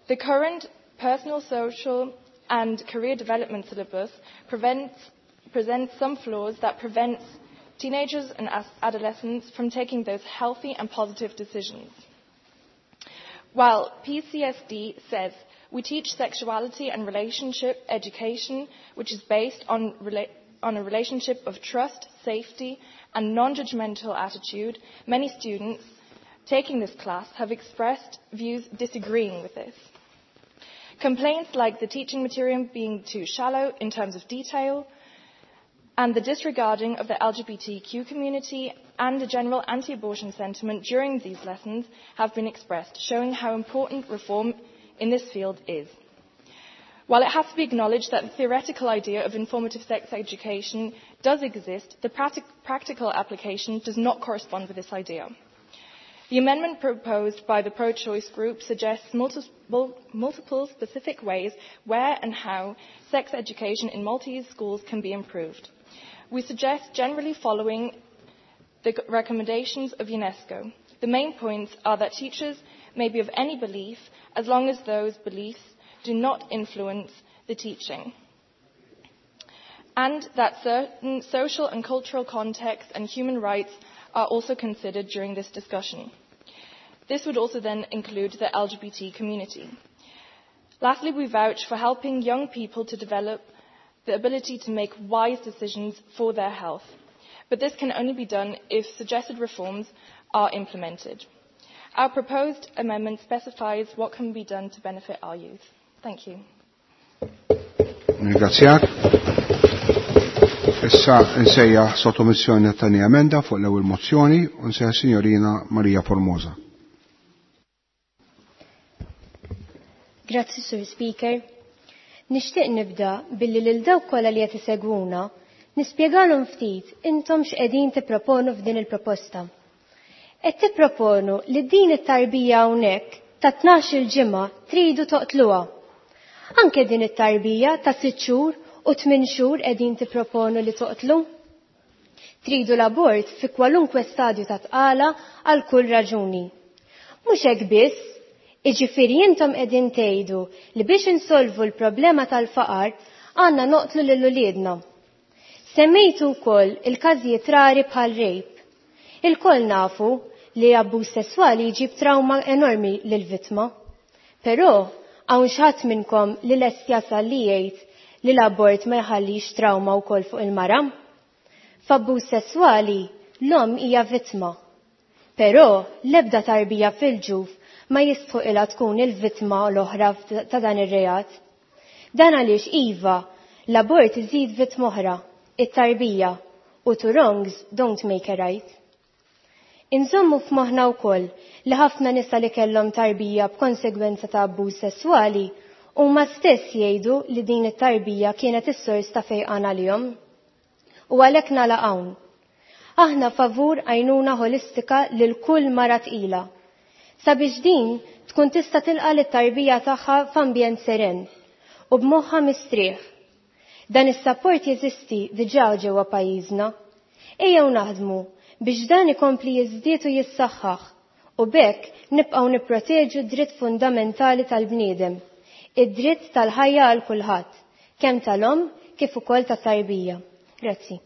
The current personal, social, and career development syllabus prevents, presents some flaws that prevents teenagers and adolescents from taking those healthy and positive decisions. While P C S D says we teach sexuality and relationship education, which is based on, rela- on a relationship of trust, safety, and non-judgmental attitude, many students taking this class have expressed views disagreeing with this. Complaints like the teaching material being too shallow in terms of detail, and the disregarding of the L G B T Q community and the general anti-abortion sentiment during these lessons have been expressed, showing how important reform in this field is. While it has to be acknowledged that the theoretical idea of informative sex education does exist, the practic- practical application does not correspond with this idea. The amendment proposed by the pro-choice group suggests multiple, multiple specific ways where and how sex education in Maltese schools can be improved. We suggest generally following the recommendations of UNESCO. The main points are that teachers may be of any belief as long as those beliefs do not influence the teaching, and that certain social and cultural contexts and human rights are also considered during this discussion. This would also then include the L G B T community. Lastly, we vouch for helping young people to develop the ability to make wise decisions for their health. But this can only be done if suggested reforms are implemented. Our proposed amendment specifies what can be done to benefit our youth. Thank you. Ringrazzjak. Issa nsejjaħ sottomissjoni tat-tieni emenda fuq l-ewwel mozzjoni u nsejjaħ Signorina Maria Formosa. Grazzi, Sur Speaker. Nixtieq nibda billi lil dawk kollha li qed isegwuna nispjegalhom ftit intom x'qegħdin tipproponu f'din il-proposta. Qed tipproponu li din it-tarbija hawnhekk ta' tnax-il ġimgħa tridu toqtluha. Anke din it-tarbija ta' sitt xhur u tmien xhur qegħdin tipproponu li toqtlu. Tridu l-abort fi kwalunkwe stadju ta' tqala għal kull raġuni. Mhux hekk biss, iġifieri intom qegħdin tgħidu li biex insolvu l-problema tal-faqar għandna noqtlu lil uliedna. Semmejtu wkoll il-każijiet rari bħal rape. Il-koll nafu li abbuż sesswali jġib trauma enormi lill-vittma. Però hawn xi ħadd minnkom li lest jasal li jgħid li l-abort ma jħallix trauma wkoll fuq il-mara. F'abbuż sesswali l-omm hija vittma. Però l-ebda tarbija fil-ġuf ma jistħuqilha tkun il-vittma l-oħra ta' dan ir-reat. Dan għaliex iva, l-abort iżid vittma oħra, it-tarbija, u two wrongs don't make a right. Inżommu f'moħħna wkoll li ħafna nisa li kellhom tarbija b'konsegwenza ta' abbuż sesswali huma stess jgħidu li din it-tarbija kienet is-sors ta' fejqan għalihom. U għalhekk nagħlaq hawn. Aħna favur għajnuna ħolistika lil kull mara tqila, sabiex din tkun tista' tilqa' lit-tarbija tagħha f'ambjent seren u b'moħħa mistrieħ. Dan is-sapport jeżisti diġà ġewwa pajjiżna. Ejjew naħdmu biex dan ikompli jiżdied u jissaħħaħ u b'hekk nibqgħu nipproteġu d-dritt fundamentali tal-bniedem, id-dritt tal-ħajja għal kulħadd, kemm tal-omm kif ukoll tat-tarbija. Grazzi.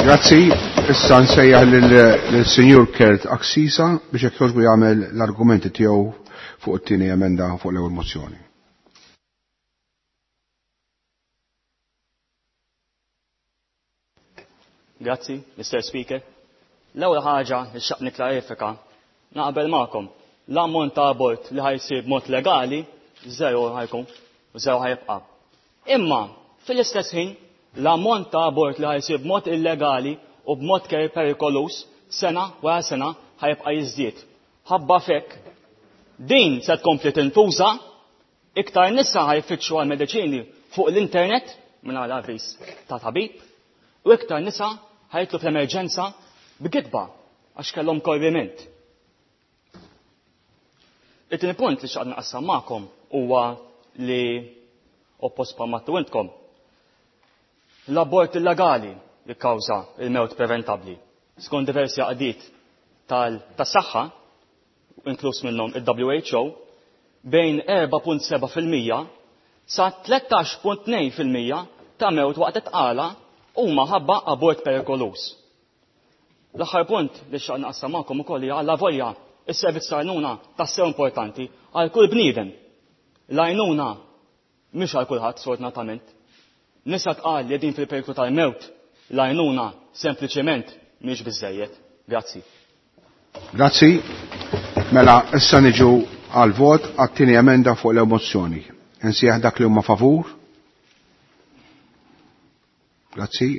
Grazzi. Issa nsejjaħ lil-Sinjur Kurt Axisa biex jekk jogħġbu jagħmel l-argumenti tiegħu fuq it-tieni emenda fuq l-ewwel mozzjoni. Grazzi, Mister Speaker. L-ewwel ħaġa li xtaqt nikklarifika naqbel magħkom. L-ammont ta' abort li ħa jsir b'mod legali zero ħa jkun u zero ħa jibqa'. Imma fil-istess ħin l-ammont ta' abort li ħa jsir b'mod illegali u b'mod perikolus sena wara sena ħa jibqa' jiżdied. Ħabba f'hekk din se tkompli tintuża, iktar nisa ħa jfittxu għal mediċini fuq l-internet mingħajr avviż ta' tabib u iktar nisa ħa jidħlu fl-emerġenza b'gidba għax kellhom korriment. It-tieni punt li xtaqt naqsam magħkom huwa li oppost bħalma intkom. L-abort illegali jikkawża il-mewt preventabbli. Skont diversi għaqdiet tas-saħħa, inkluż minnhom il-W H O, bejn erbgħa punt sebgħa fil-mija sa tlettax punt tnejn fil-mija ta' mewt waqt it-tqala huma ħabba abort perikolus. L-aħħar punt li xtaqt naqsam magħkom ukoll hija avolja is-servizz ta' għajnuna tassew importanti għal kull bniedem. L-għajnuna mhix għal kulħadd, sfortunatament. Nisa tqal li din fil-periklu tal-mewt, l-għajnuna sempliċement mhix biżejjed. Grazzi. Grazzi. Mela, issa niġu għal vot għat-tieni emenda fuq l-mozzjoni. Insejjaħ dak li huma favur. Grazzi.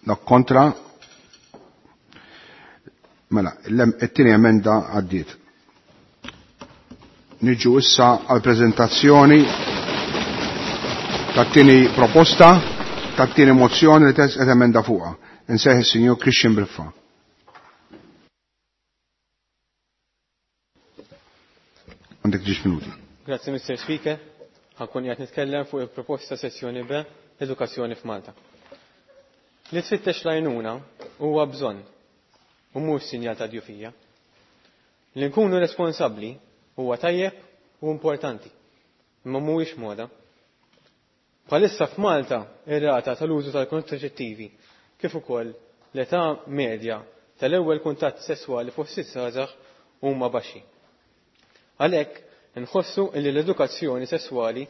Dak kontra. Mela, it-tieni emenda għaddiet. Niġu issa għal prezentazzjoni tat-tieni proposta, tat-tieni mozzjoni li qed emenda fuqha. Insejjaħ is-Sinjur Christian Briffa. Għandek ġiex minuti. Grazzi, Mister Speaker. Ħa nkun qiegħed nitkellem fuq il-proposta sezzjoni B, edukazzjoni f'Malta. Li tfittex l-għajnuna huwa bżonn u mhux sinjal ta' djufija. Li nkunu responsabbli huwa tajjeb u importanti, imma mhuwiex moda. Bħalissa f'Malta ir-rata tal-użu tal-kontraċettivi kif ukoll l-età medja tal-ewwel kuntatt sesswali fost iż-żgħażagħ huma baxxi. Għalhekk inħossu li l-edukazzjoni sesswali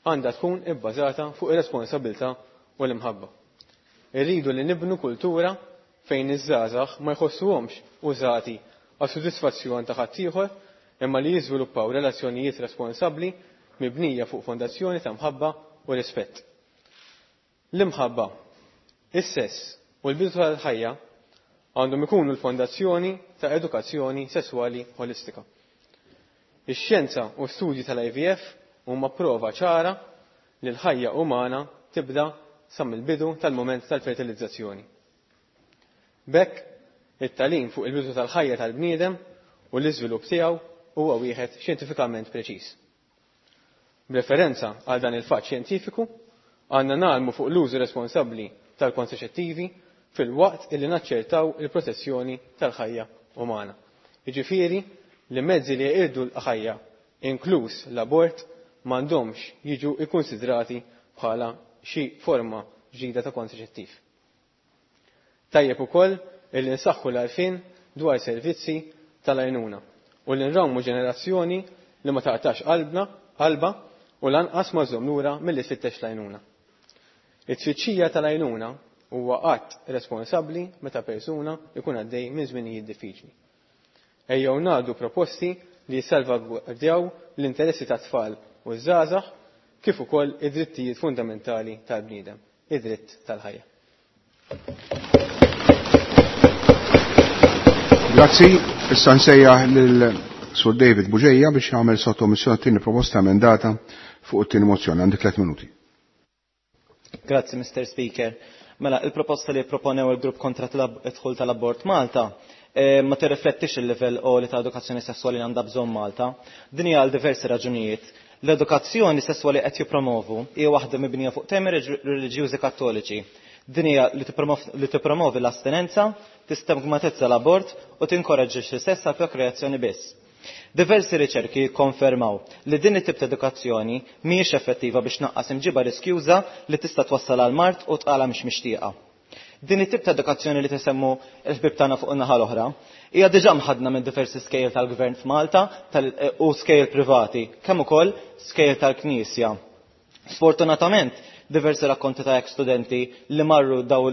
għandha tkun ibbażata fuq ir-responsabilità u l-imħabba. Irridu li nibnu kultura fejn iż-żgħażagħ ma jħossuhomx użati għal sodisfazzjon ta' ħaddieħor, imma li jiżviluppaw relazzjonijiet responsabbli mibnija fuq fondazzjoni ta' mħabba u rispett. L-imħabba, is-sess u l-bidu tal-ħajja għandhom ikunu l-fondazzjoni ta' edukazzjoni sesswali holistika. Ix-xjenza u studji tal-I V F huma prova ċara li l-ħajja umana tibda sa mill-bidu tal-moment tal-fertilizzazzjoni. B'hekk, it-tagħlim fuq il-bidu tal-ħajja tal-bniedem u l-iżvilupp tiegħu huwa wieħed xjentifikament preċiż. B'referenza għal dan il-fatt xjentifiku, għandna ngħallmu fuq l-użu responsabbli tal-kontraċettivi filwaqt illi naċċertaw il-protezzjoni tal-ħajja umana. Jiġifieri li mezzi li jeqirdu l-ħajja, inkluż l-abort, m'għandhomx jiġu ikkonsidrati bħala xi forma ġdida ta' kontraċettiv. Tajjeb ukoll illi nsaħħu l-għarfien dwar servizzi tal-għajnuna u li nrawmu ġenerazzjoni li ma taqtax qalbna qalba u lanqas ma żomm lura milli tfittex l-għajnuna. It-tfittxija tal-għajnuna huwa qatt responsabbli meta persuna jkun għaddej minn żminijiet diffiċli. Ejjew ngħaddu proposti li jissalvagwardjaw l-interessi tat-tfal u ż-żgħażagħ kif ukoll id-drittijiet fundamentali tal-bniedem, id-dritt tal-ħajja. Grazzi, issa nsejjaħ lil Sur David Bugeja biex jagħmel sottomissjoni tieni proposta emendata fuq it-tieni mozzjoni. Għandek tliet minuti. Grazzi, Mister Speaker. Mela, il-proposta li proponew il-grupp kontra id-dħul tal-abort Malta eh, ma tirriflettix il-livell li ta' edukazzjoni sessuali li għandha bżonn Malta. Din hija għal diversi raġunijiet. L-edukazzjoni sessuali qed jippromovu hija waħda mibnija fuq temi reliġjużi kattoliċi. Din hija li tippromovi l-astinenza, tistigmatizza l-abort u tinkoraġġixxi sess għal prokreazzjoni biss. Diversi riċerki jikkonfermaw li din it-tip ta' edukazzjoni mhijiex effettiva biex tnaqqas imġiba riskjuża li tista' twassal għal mard u tqala mhix mixtieqa. Din it-tip ta' edukazzjoni li tisemmu l-ħbib tagħna fuq in-naħa l-oħra hija diġà mħadna minn diversi skejjel tal-gvern f'Malta u skejjel privati, kemm ukoll skejjel tal-Knisja. Sfortunatament, diversi rakkonti ta' ex studenti li marru daw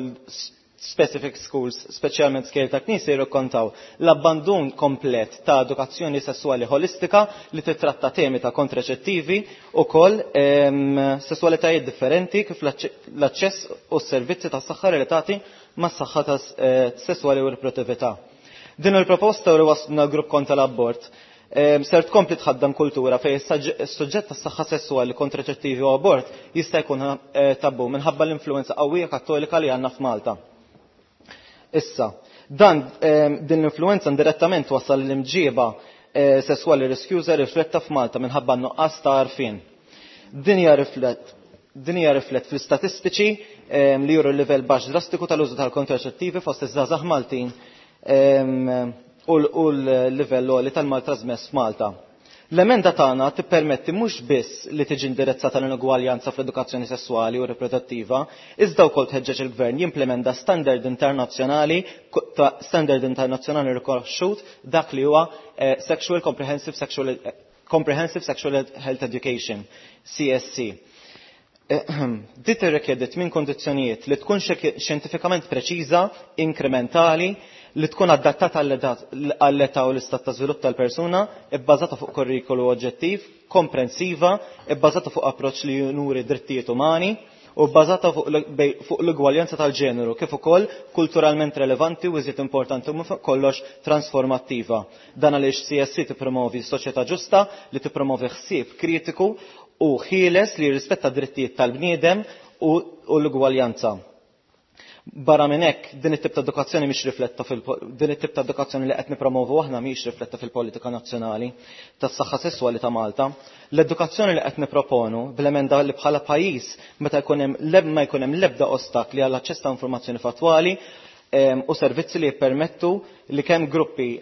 specific schools, speċjalment skejjel ta' knisja, jirrakkontaw l-abbandun komplet ta' edukazzjoni sessuali holistika li titratta temi ta' kontraċettivi u koll sessualitajiet differenti kif l-aċċess u s-servizzi ta' saħħa relatati ma' saħħa ta' sessuali u riproduttività. Din il-proposta u waslna grupp kontra l-abort ser tkompli tħaddam kultura fej is-suġġett tas-saħħa sessuali, kontraċettivi u abort jista' jkun tabu minħabba l-influenza qawwija kattolika li għandna f'Malta. Issa, dan din l-influenza indirettament wassal l-imġiba sessuali riskjuża rifletta f'Malta minħabba nuqqas ta' għarfien. Din hija riflett din hija riflett fl-istatistiċi li juru l-livell baxx drastiku tal-użu tal-kontraċettivi fost iż-żgħażagħ Maltin u l-livell għoli tal-mal trasmess f'Malta. L-emenda tagħna tippermetti mhux biss li tiġi indirizzata l-inugwaljanza fl-edukazzjoni sessuali u riproduttiva, iżda wkoll tħeġġeġ il-gvern jimplementa standard internazzjonali standard internazzjonali rikonoxxut dak li huwa Sexual Comprehensive Sexual Comprehensive Sexual Health Education, C S C. Dit tirrikjedi tmien kondizzjonijiet li tkun xjentifikament preċiża, inkrementali, li tkun adattata għall-età u l-istat ta' żvilupp tal-persuna, ibbażata fuq kurrikulu oġġettiv, komprensiva, ibbażata fuq approċċ li junuri drittijiet umani u bbażata fuq l-ugwaljanza tal-ġeneru, kif ukoll kulturalment relevanti u iżjed importanti u fuq kollox transformattiva. Dan għaliex C S C tippromovi soċjetà ġusta li tippromovi ħsieb kritiku u ħieles li jirrispetta drittijiet tal-bniedem u l-ugwaljanza. Barra minn hekk, din it-tip ta' edukazzjoni mhix rifletta fil din it-tip ta' edukazzjoni li qed nippromovu aħna mhix rifletta fil-politika nazzjonali tas-saħħa sesswali ta' Malta. L-edukazzjoni li qed nipproponu bl-emenda li bħala pajjiż meta jkun hemm ma jkun hemm l-ebda ostakli għall aċċess ta' informazzjoni fattwali u servizzi li jippermettu li kemm gruppi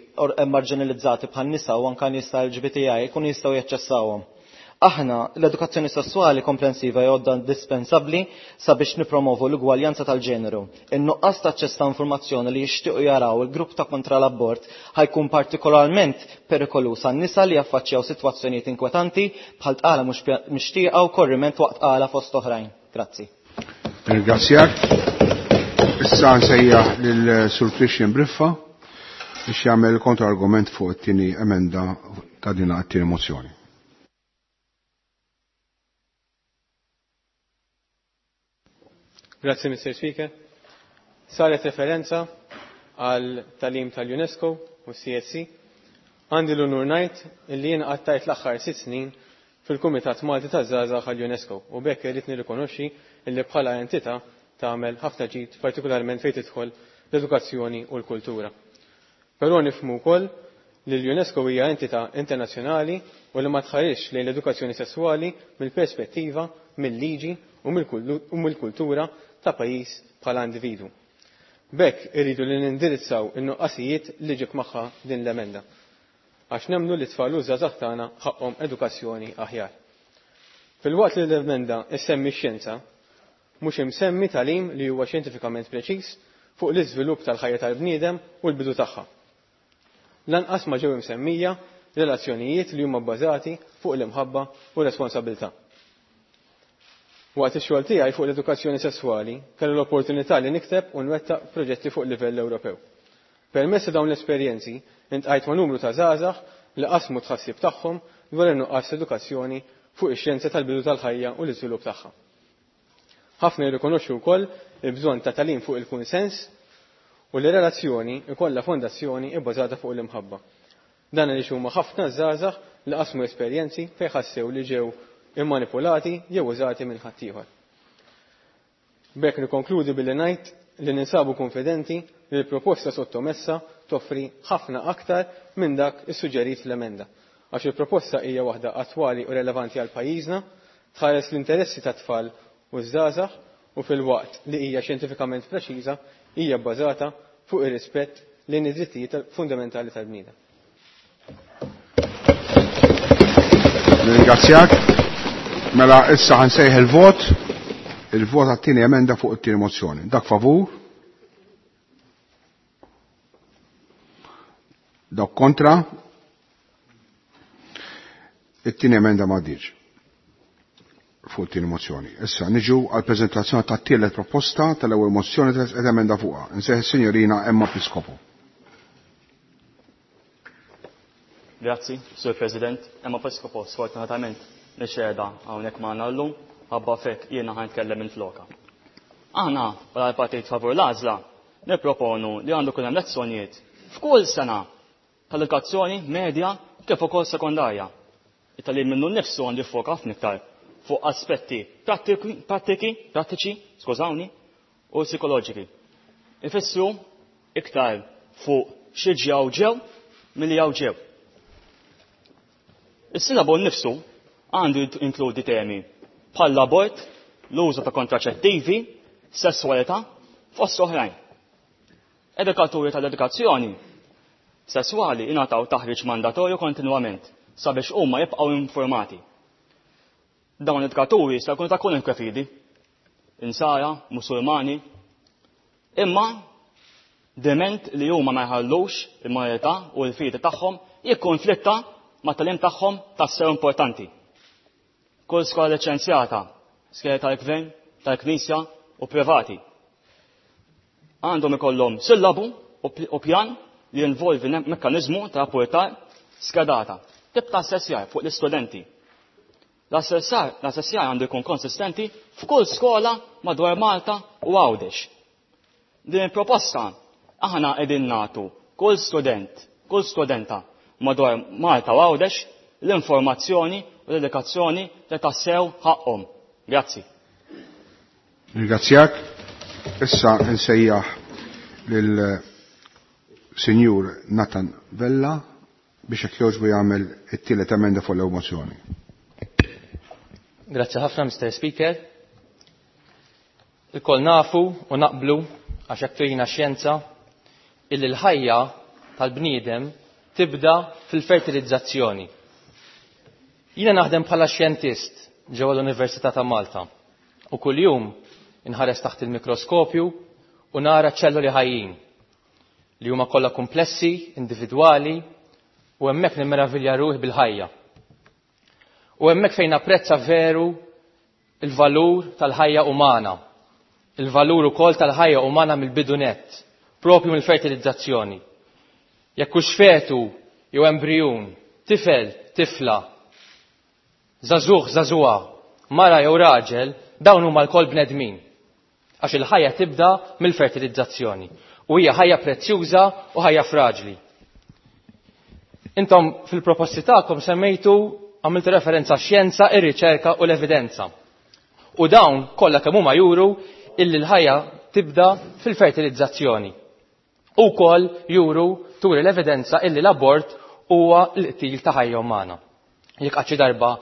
marginalizzati bħal nisa u anke nies tal L G B T I jkunu jistgħu jaċċessawhom. Aħna l-edukazzjoni sessuali komprensiva għodda indispensabbli sabiex nipromovu l-ugwaljanza tal-ġeneru. In-nuqqas ta' aċċess ta' informazzjoni li jixtiequ jaraw il-grupp ta' kontra l-abort ħajkun partikolarment perikoluż għan-nisa li jaffaċċjaw sitwazzjonijiet inkwetanti bħal tqala mhux mixtieqa u korriment waqt tqala fost oħrajn. Grazzi. Ringrazzjak. Issa nsejjaħ lil Sur Christian Briffa biex jagħmel kontra-argument fuq it-tieni emenda ta' din it-tieni mozzjoni. Grazie, Mister Speaker. Saret referenza għal talim tal-UNESCO u C S C. Għandi l-unur ngħid illi jien qattajt l-aħħar sitt snin fil-Kumitat Malti taż-Żgħażagħ għall-UNESCO u bekk irrid nirrikonoxxi illi bħala entità tagħmel ħafna ġid partikolarment fejn tidħol l-edukazzjoni u l-kultura. Però nifhmu wkoll li l-UNESCO hija entità internazzjonali u li ma tħarisx lejn l-edukazzjoni sesswali mill-perspettiva, mill-liġi u mill-kultura ta' pajjiż bħala individwu. B'hekk irridu li nindirizzaw in-nuqqasijiet li ġib magħha din l-emenda. Għax nemmnu li tfal u żgħażagħ tagħna ħaqhom edukazzjoni aħjar. Filwaqt li l-emenda issemmi x-xjenza, mhux imsemmi tagħlim li huwa xjentifikament preċiż fuq l-iżvilupp tal-ħajja tal-bniedem u l-bidu tagħha. Lanqas ma ġew imsemmija relazzjonijiet li huma bbażati fuq l-imħabba u r-responsabilità. Waqt ix-xogħol tiegħi fuq l-edukazzjoni sesswali kellu l-opportunità li nikteb u nwettaq proġetti fuq livell Ewropew. Permezz ta' dawn l-esperjenzi intqajt ma' numru ta' żgħażagħ li qasmu tħassib tagħhom dwar in-nuqqas edukazzjoni fuq ix-xjenza tal-bidu tal-ħajja u l-iżvilupp tagħha. Ħafna jirrikonoxxu wkoll il-bżonn ta' tagħlim fuq il-kunsens u li relazzjoni ikollha fondazzjoni bbażata fuq l-imħabba. Dan għaliex huma ħafna żgħażagħ li qasmu esperjenzi fejn ħassew li ġew immanipulati jew użati minn ħaddieħor. B'hekk nikkonkludi billi ngħid li ninsabu konfidenti li l-proposta sottomessa toffri ħafna aktar minn dak issuġġerit fl-emenda. Għax il-proposta hija waħda attwali u relevanti għal pajjiżna, tħares l-interessi tat-tfal u żgħażagħ u fil-waqt li hija xjentifikament preċiża hija bbażata fuq ir-rispett lejn id-drittijiet fundamentali tal-bniedem. Ringrazzjak. Mela issa ħansejħ il-vot, il-vot għat-tieni emenda fuq it-tieni mozzjoni. Dak favur? Dak kontra? It-tieni emenda ma għaddietx. fuq it-tieni mozzjoni. Issa niġu għal preżentazzjoni tat-tielet proposta tal-ewwel mozzjoni tal emenda fuqha. Insejħ is-Sinjorina Emma Piscopo. Grazzi, Sur President. Emma Piscopo, sfortunatament, mhix qiegħda hawnhekk magħna llum, ħabba fek jiena ħa nitkellem minn floka. Aħna bħala l-Partit Favur l-Għażla nipproponu li għandu jkun hemm lezzjonijiet f'kull sena tal-edukazzjoni medja kif ukoll sekondarja. It-tagħlim minnu nnifsu għandu jiffoka ħafna iktar fuq aspetti prattiki, prattiċi, skużawni, u psikoloġiki. Ifissru iktar fuq xi ġew ġew milli jew ġew. Is-silabu nnifsu għandu jinkludi temi bħal l-abort, l-użu ta' kontraċettivi, sesswalità, fost oħrajn. Edukaturi tal-edukazzjoni sesswali ingħataw taħriġ mandatorju kontinwament sabiex huma jibqgħu informati. Dawn l-edukaturi jista' jkunu ta' kwalunkwe fidi, insara, musulmani, imma dement li huma ma jħallux il-moralità u l-fidi tagħhom jikkonflitta ma' tagħlim tagħhom tassew importanti. Kull skola liċenzjata, skejjel tal-gvern, tal-knisja u privati, għandhom ikollhom sillabu u pjan li jinvolvi mekkaniżmu ta' rapportar skedata. Tip ta' assessjar fuq l-istudenti. L-assessjar għandu jkun konsistenti f'kull skola madwar Malta u Għawdex. Din il-proposta aħna qegħdin nagħtu kull student, kull studenta madwar Malta u Għawdex l-informazzjoni u l-edukazzjoni li tassew ħaqhom. Grazzi. Ringrazzjak. Issa nsejjaħ lil Sinjur Nathan Vella biex hekk jogħġbu jagħmel it-tielet emenda fuq l-ewwel mozzjoni. Grazzi ħafna, Mister Speaker. Ilkoll nafu u naqblu għax hekk turina xjenza illi l-ħajja tal-bniedem tibda fil-fertilizzazzjoni. Jiena naħdem bħala xjentist ġewwa l-Università ta' Malta u kuljum inħares taħt il-mikroskopju u nara ċelluli ħajjin li huma kollha komplessi, individwali, u hemmhekk nimmeravilja ruħi bil-ħajja. U hemmhekk fejn napprezza veru il-valur tal-ħajja umana, il-valur ukoll tal-ħajja umana mill-bidu nett, propju mill-fertilizzazzjoni. Jekk hux fetu jew embrijun, tifel, tifla, żagħżugħ, żagħżugħa, mara jew raġel, dawn huma lkoll bnedmin. Għax il-ħajja tibda mill-fertilizzazzjoni. U hija ħajja prezzjuża u ħajja fraġli. Intom fil-proposti tagħkom semmejtu, għamiltu referenza xjenza, ir-riċerka u l-evidenza. U dawn kollha kemm huma juru illi l-ħajja tibda fil-fertilizzazzjoni. U wkoll juru turi l-evidenza illi l-abort huwa l-qtil ta' ħajja umana. Jekk qatt xi darba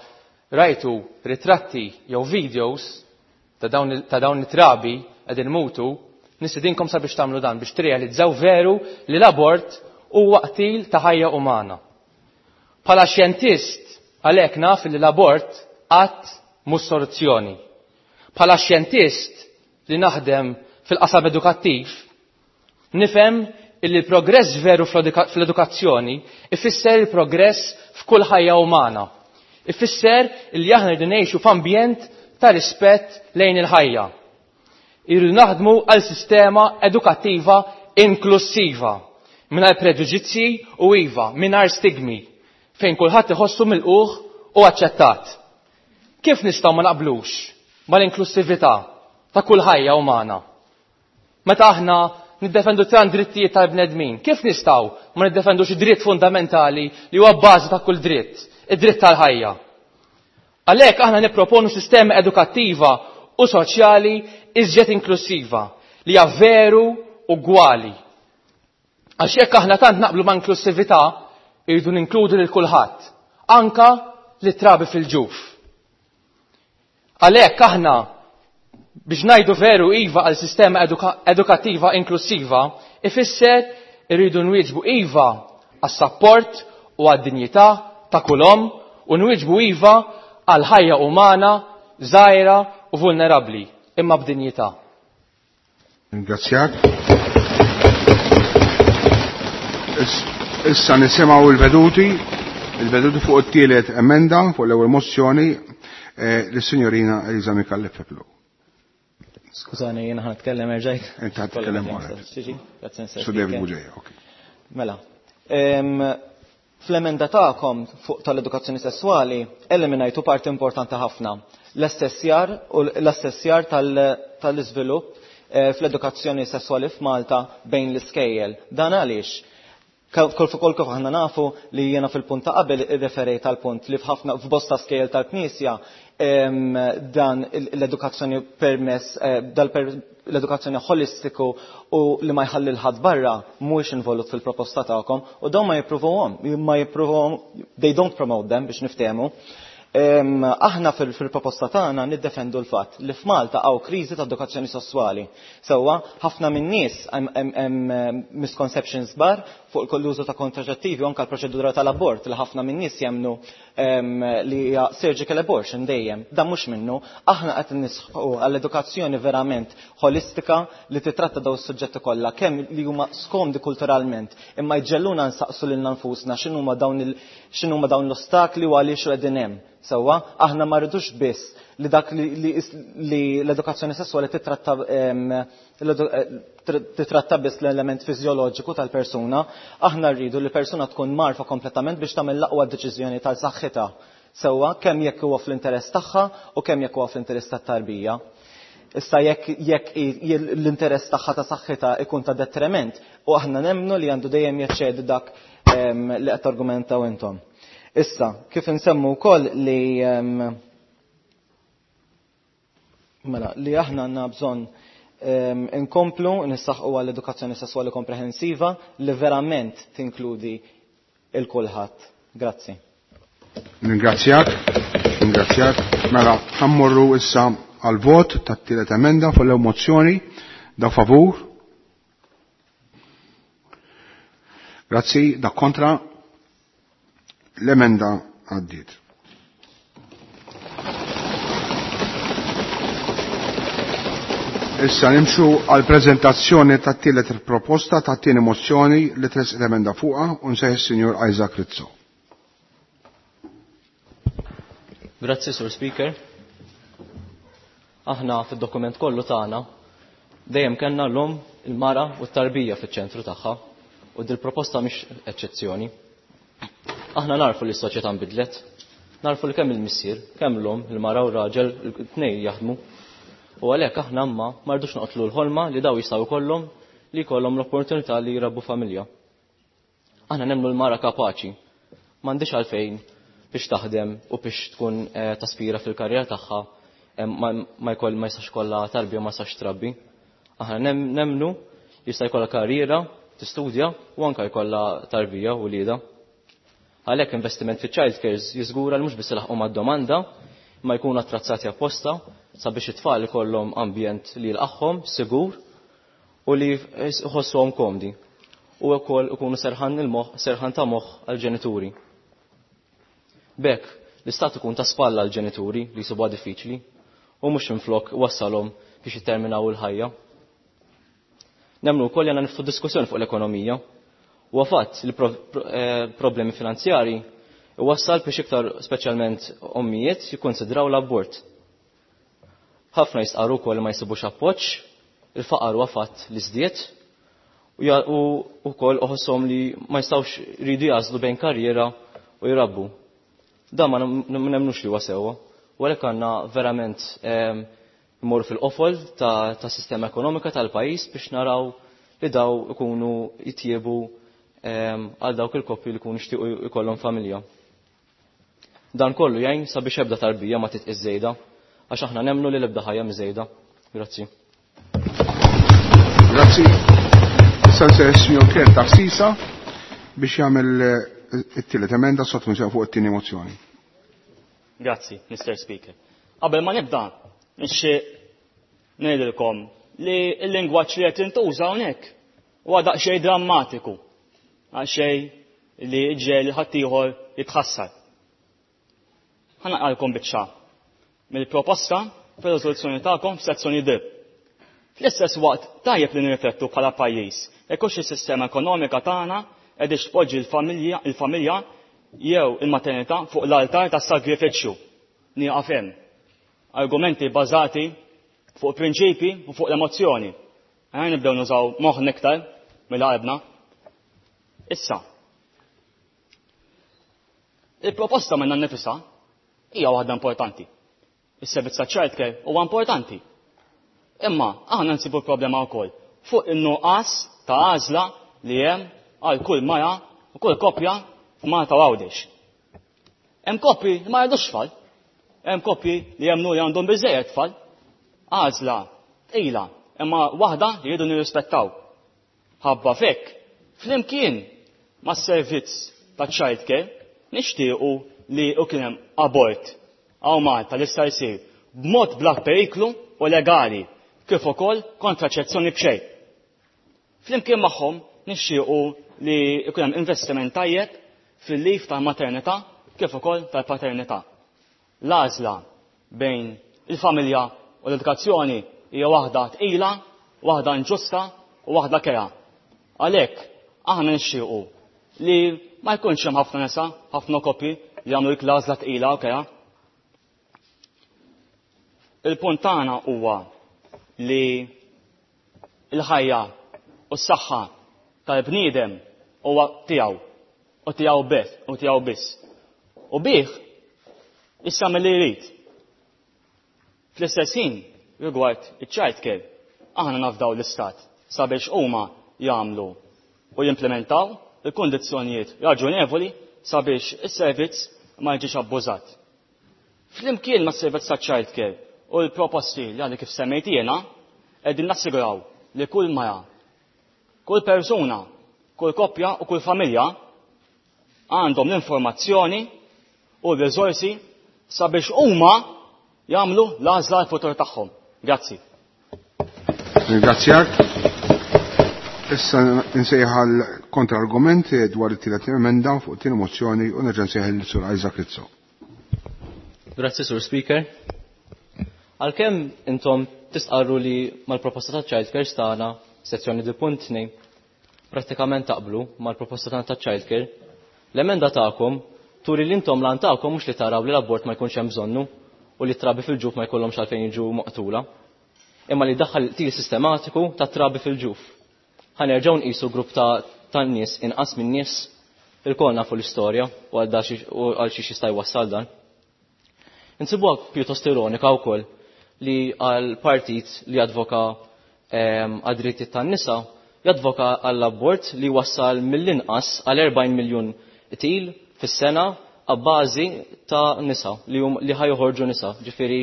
rajtu ritratti jew videos ta' dawn, ta' dawn it-trabi qegħdin mutu, nistedinkom sabiex tagħmlu dan biex tirrealizzaw veru li l-abort huwa qtil ta' ħajja umana. Bħala xjentist għalhekk naf li l-abort qatt mhux soluzzjoni. Bħala xjentist li naħdem fil-qasam edukattiv, nifhem illi l-progress veru fl-edukazzjoni ifisser il-progress f'kull ħajja umana. Ifisser illi aħna rridu ngħixu f'ambjent ta' rispett lejn il-ħajja. Irridu naħdmu għal sistema edukattiva inklusiva, mingħajr preġudizzji u iva, mingħajr stigmi, fejn kulħadd iħossu milquh u aċċettat. Kif nistgħu ma naqblux mal-inklusività ta' kull ħajja umana? Meta aħna niddefendu tant drittijiet tal-bnedmin, kif nistgħu ma niddefendux id-dritt fundamentali li huwa bażi ta' kull dritt, id-dritt tal-ħajja? Għalhekk aħna nipproponu sistema edukattiva u soċjali iżjed inklusiva li hija veru ugwali. Għax jekk aħna tant naqblu ma' inklusività, irridu ninkludu lil kulħadd, anka li trabi fil-ġuf. Għalhekk aħna biex ngħidu veru iva għal sistema eduka-, edukattiva inklusiva, ifisser irridu nwieġbu iva għas-sapport u għad-dinjità ta' kull omm u nwieġbu iva għal ħajja umana, żgħira u vulnerabbli, imma b'dinjità. Ringrazzjak. Issa nisimgħu il-veduti, il-veduti fuq it-tielet emenda fuq l-ewwel mozzjoni Eh, Lis-Sinjorina Eliza Micallef Peplow. Skużani, jiena ħa nitkellem erġajt. Inti ħa titkellem wara. Sur David Bugeja, ok. Mela. Fl-emenda tagħkom fuq tal-edukazzjoni sessuali eliminajtu parti importanti ħafna. L-assessjar u l-assessjar tal-iżvilupp eh, fl-edukazzjoni sessuali f'Malta bejn l-iskejjel. Dan għaliex? Kol fuq kol kif aħna nafu li jiena fil-punt ta' qabel irreferejt tal-punt li f'ħafna f'bosta skejjel tal-Knisja dan l-edukazzjoni permess eh, l-edukazzjoni holistiku u li ma jħalli l-ħadd barra mhuwiex involut fil-proposta tagħkom u dawn ma jippruvuhom, ma jippruvuhom, they don't promote them biex niftehmu. Aħna fil-proposta tagħna niddefendu l-fatt li f'Malta hawn kriżi ta' edukazzjoni sessuali. Sewwa, ħafna min-nies hemm misconceptions kbar fuq l-użu ta' kontraċettivi u anke l-proċedura tal-abort li ħafna min-nies jemmnu li hija surgical abortion dejjem. Dan mhux minnu, aħna qed nisħu għall-edukazzjoni verament holistika li titratta daw is-suġġetti kollha kemm li huma skomdi kulturalment imma jġelluna nsaqsu lilna nfusna x'inhuma dawn il x'inhuma dawn l-ostakli u għaliex qegħdin hemm. Sewwa, aħna ma rridux biss li dak li l-edukazzjoni sessuali titratta titratta biss l-element fiżjoloġiku tal-persuna, aħna rridu li persuna tkun marfa kompletament biex tagħmel l-aqwa deċiżjoni tal-saħħitha. Sewwa, kemm jekk huwa fl-interess tagħha u kemm jekk huwa fl-interess tat-tarbija. Issa jekk jekk l-interess tagħha ta' saħħitha ikun ta' detriment u aħna nemmnu li għandu dejjem jaċċedi dak li qed argumentaw intom. Issa, kif insemmu wkoll li mela li aħna għandna bżonn inkomplu nissaħqu għall-edukazzjoni sesswali komprehensiva li verament tinkludi il kulħadd. Grazzi. Ningrazzjak, ningrazzjak. Mela, ħammorru issa għal-vot tat-tielet emenda fuq l mozzjoni da favur. Grazzi, da kontra. L-emenda għaddiet. Issa nimxu għal prezentazzjoni tat-tielet proposta tat-tieni mozzjoni li tres l-emenda fuqha u nsejħ is-Sinjur Isaac Rizzo. Grazzi, Sur Speaker. Aħna fid-dokument kollu tagħna dejjem kellna l-omm, il-mara u t-tarbija fiċ-ċentru tagħha u dil-proposta mhix eċċezzjoni. Aħna narfu li s-soċjetà nbidlet, narfu li kemm il-missier, kemm l-omm, il-mara u r-raġel, it-tnejn jaħdmu. U għalhekk aħna imma ma rridux noqtlu l-ħolma li daw jistgħu jkollhom li jkollhom l-opportunità li jrabbu familja. Aħna nemmnu l-mara kapaċi, m'għandix għalfejn biex taħdem u biex tkun taspira fil-karriera tagħha ma jkoll ma jistax kollha tarbija ma jistax trabbi. Aħna nemmnu jista' jkollha karriera, tistudja u anke jkollha tarbija u lieda. Għalhekk investiment fi child cares jiżgura li mhux biss ilaħqu mad-domanda, ma jkunu attrazzati apposta sabiex it-tfal ikollhom ambjent li jilqagħhom sigur u li jħossuhom komdi. U wkoll ikunu serħan il-moħħ, serħan ta' moħħ għall-ġenituri. B'hekk l-istat ikun ta' spalla għall-ġenituri li jsibuha diffiċli u mhux minflok wassalhom biex jitterminaw il-ħajja. Nemmnu wkoll li għandna niftu diskussjoni fuq l-ekonomija. U fatt li problemi finanzjari wassal biex iktar speċjalment ommijiet jikkonsidraw l-abort. Ħafna jistqarru wkoll li ma jsibux appoġġ, il-faqar huwa fatt li żdied u wkoll uħosshom li ma jistgħux jridu jażlu bejn karriera u jrabbu. Dan ma nemmnux li huwa sewwa, u għalhekk għandna verament immorru fil-qofol ta' sistema ekonomika tal-pajjiż biex naraw li daw ikunu jitjiebu għal dawk il-koppji li jkunu jixtiequ jkollhom familja. Dan kollu jgħin sabiex ebda tarbija ma titqis żejda, għax aħna nemmnu li l-ebda ħajja miżejda. Grazzi. Grazzi. Issa nsejħ is-Sinjur Claire Tassisa biex jagħmel it-tielet emenda sottomissjoni fuq it-tieni mozzjoni. Grazzi, Mister Speaker. Qabel ma nibda, nixtieq ngħidilkom li l-lingwaġġ li qed intuża hawnhekk huwa daqsxejn drammatiku, daqsxejn li ġiegħel ħaddieħor jitħassar. Ħa naqralkom biċċa mill-proposta fir-riżoluzzjoni tagħkom f'sezzjoni D. Fl-istess waqt tajjeb li nirriflettu bħala pajjiż jekk hux is-sistema ekonomika tagħna qegħdix tpoġġi l-familja jew il-maternità fuq l-altar tas-sagrifiċċju. Nieqaf hemm. Argumenti bażati fuq prinċipi u fuq l-emozzjoni. Ejja nibdew nużaw moħħna iktar mill-qalbna. Issa, il-proposta minna nnifisha hija waħda importanti. Is-servizz ta' childcare huwa importanti. Imma aħna nsibu problema wkoll fuq in-nuqqas ta' għażla li hemm għal kull mara u kull koppja f'Malta u Għawdex. Hemm koppji li ma jridux tfal, hemm koppji li jemmnu li għandhom biżejjed tfal. Għażla tqila, imma waħda li jridu nirrispettaw. Ħabba fek, flimkien mas-servizz ta' childcare nixtiequ li u kien hemm abort hawn Malta li sta jsir b'mod bla periklu u legali kif ukoll kontraċezzjoni b'xejn. Flimkien magħhom nixtiequ li jkun hemm investiment tajjeb fil-leave tal-maternità kif ukoll tal-paternità. L-għażla bejn il-familja u l-edukazzjoni hija waħda tqila, waħda inġusta u waħda kerha. Għalhekk aħna nixtiequ li ma jkunx hemm ħafna nisa, ħafna koppji li jagħmlu dik l-għażla tqila u kerha. Il-punt tagħna huwa li l-ħajja u s-saħħa tal-bniedem huwa tiegħu u tiegħu biss u tiegħu biss. U bih issa milli jrid. Fl-istess ħin rigward iċ-child care, aħna nafdaw l-istat sabiex huma jagħmlu u jimplementaw il-kundizzjonijiet raġunevoli sabiex is-servizz ma jiġix abbużat. Flimkien ma' servizz ta' child care u l-proposti li għandi kif semmejt jiena, qegħdin nassiguraw li kull mara, kull persuna, kull koppja u kull familja għandhom l-informazzjoni u l-riżorsi sabiex huma jagħmlu l-għażla l-futur tagħhom. Grazzi. Ringrazzjak. Issa nsejjaħ għal kontra-argument dwar it-tielet emenda fuq it-tieni mozzjoni u nerġa' nsejjaħ lil Sur Isaac Rizzo. Grazzi, Sur Speaker. Għalkemm intom tistqarru li mal-proposta ta' child care tagħna, sezzjoni D punt tnejn, prattikament taqblu mal-proposta tagħna ta' child care, l-emenda tagħkom turi li intom lan tagħkom mhux li taraw li l-abort ma jkunx hemm bżonnu u li trabi fil-ġuf ma jkollhomx għalfejn jiġu maqtula, imma li daħħal til sistematiku ta' trabi fil-ġuf. Ħa nerġgħu nqisu grupp ta' ta' nies inqas minn nies ilkoll nafu l-istorja u għal għal xiex jista' jwassal dan. Insibuha pjuttost ironika wkoll li għal partit li advoka għad-drittijiet tan-nisa jadvoka għall-abort li wassal mill-inqas għal erbgħin miljun til fis-sena għabbażi ta' nisa li hum li ħajħorġu nisa, ġifieri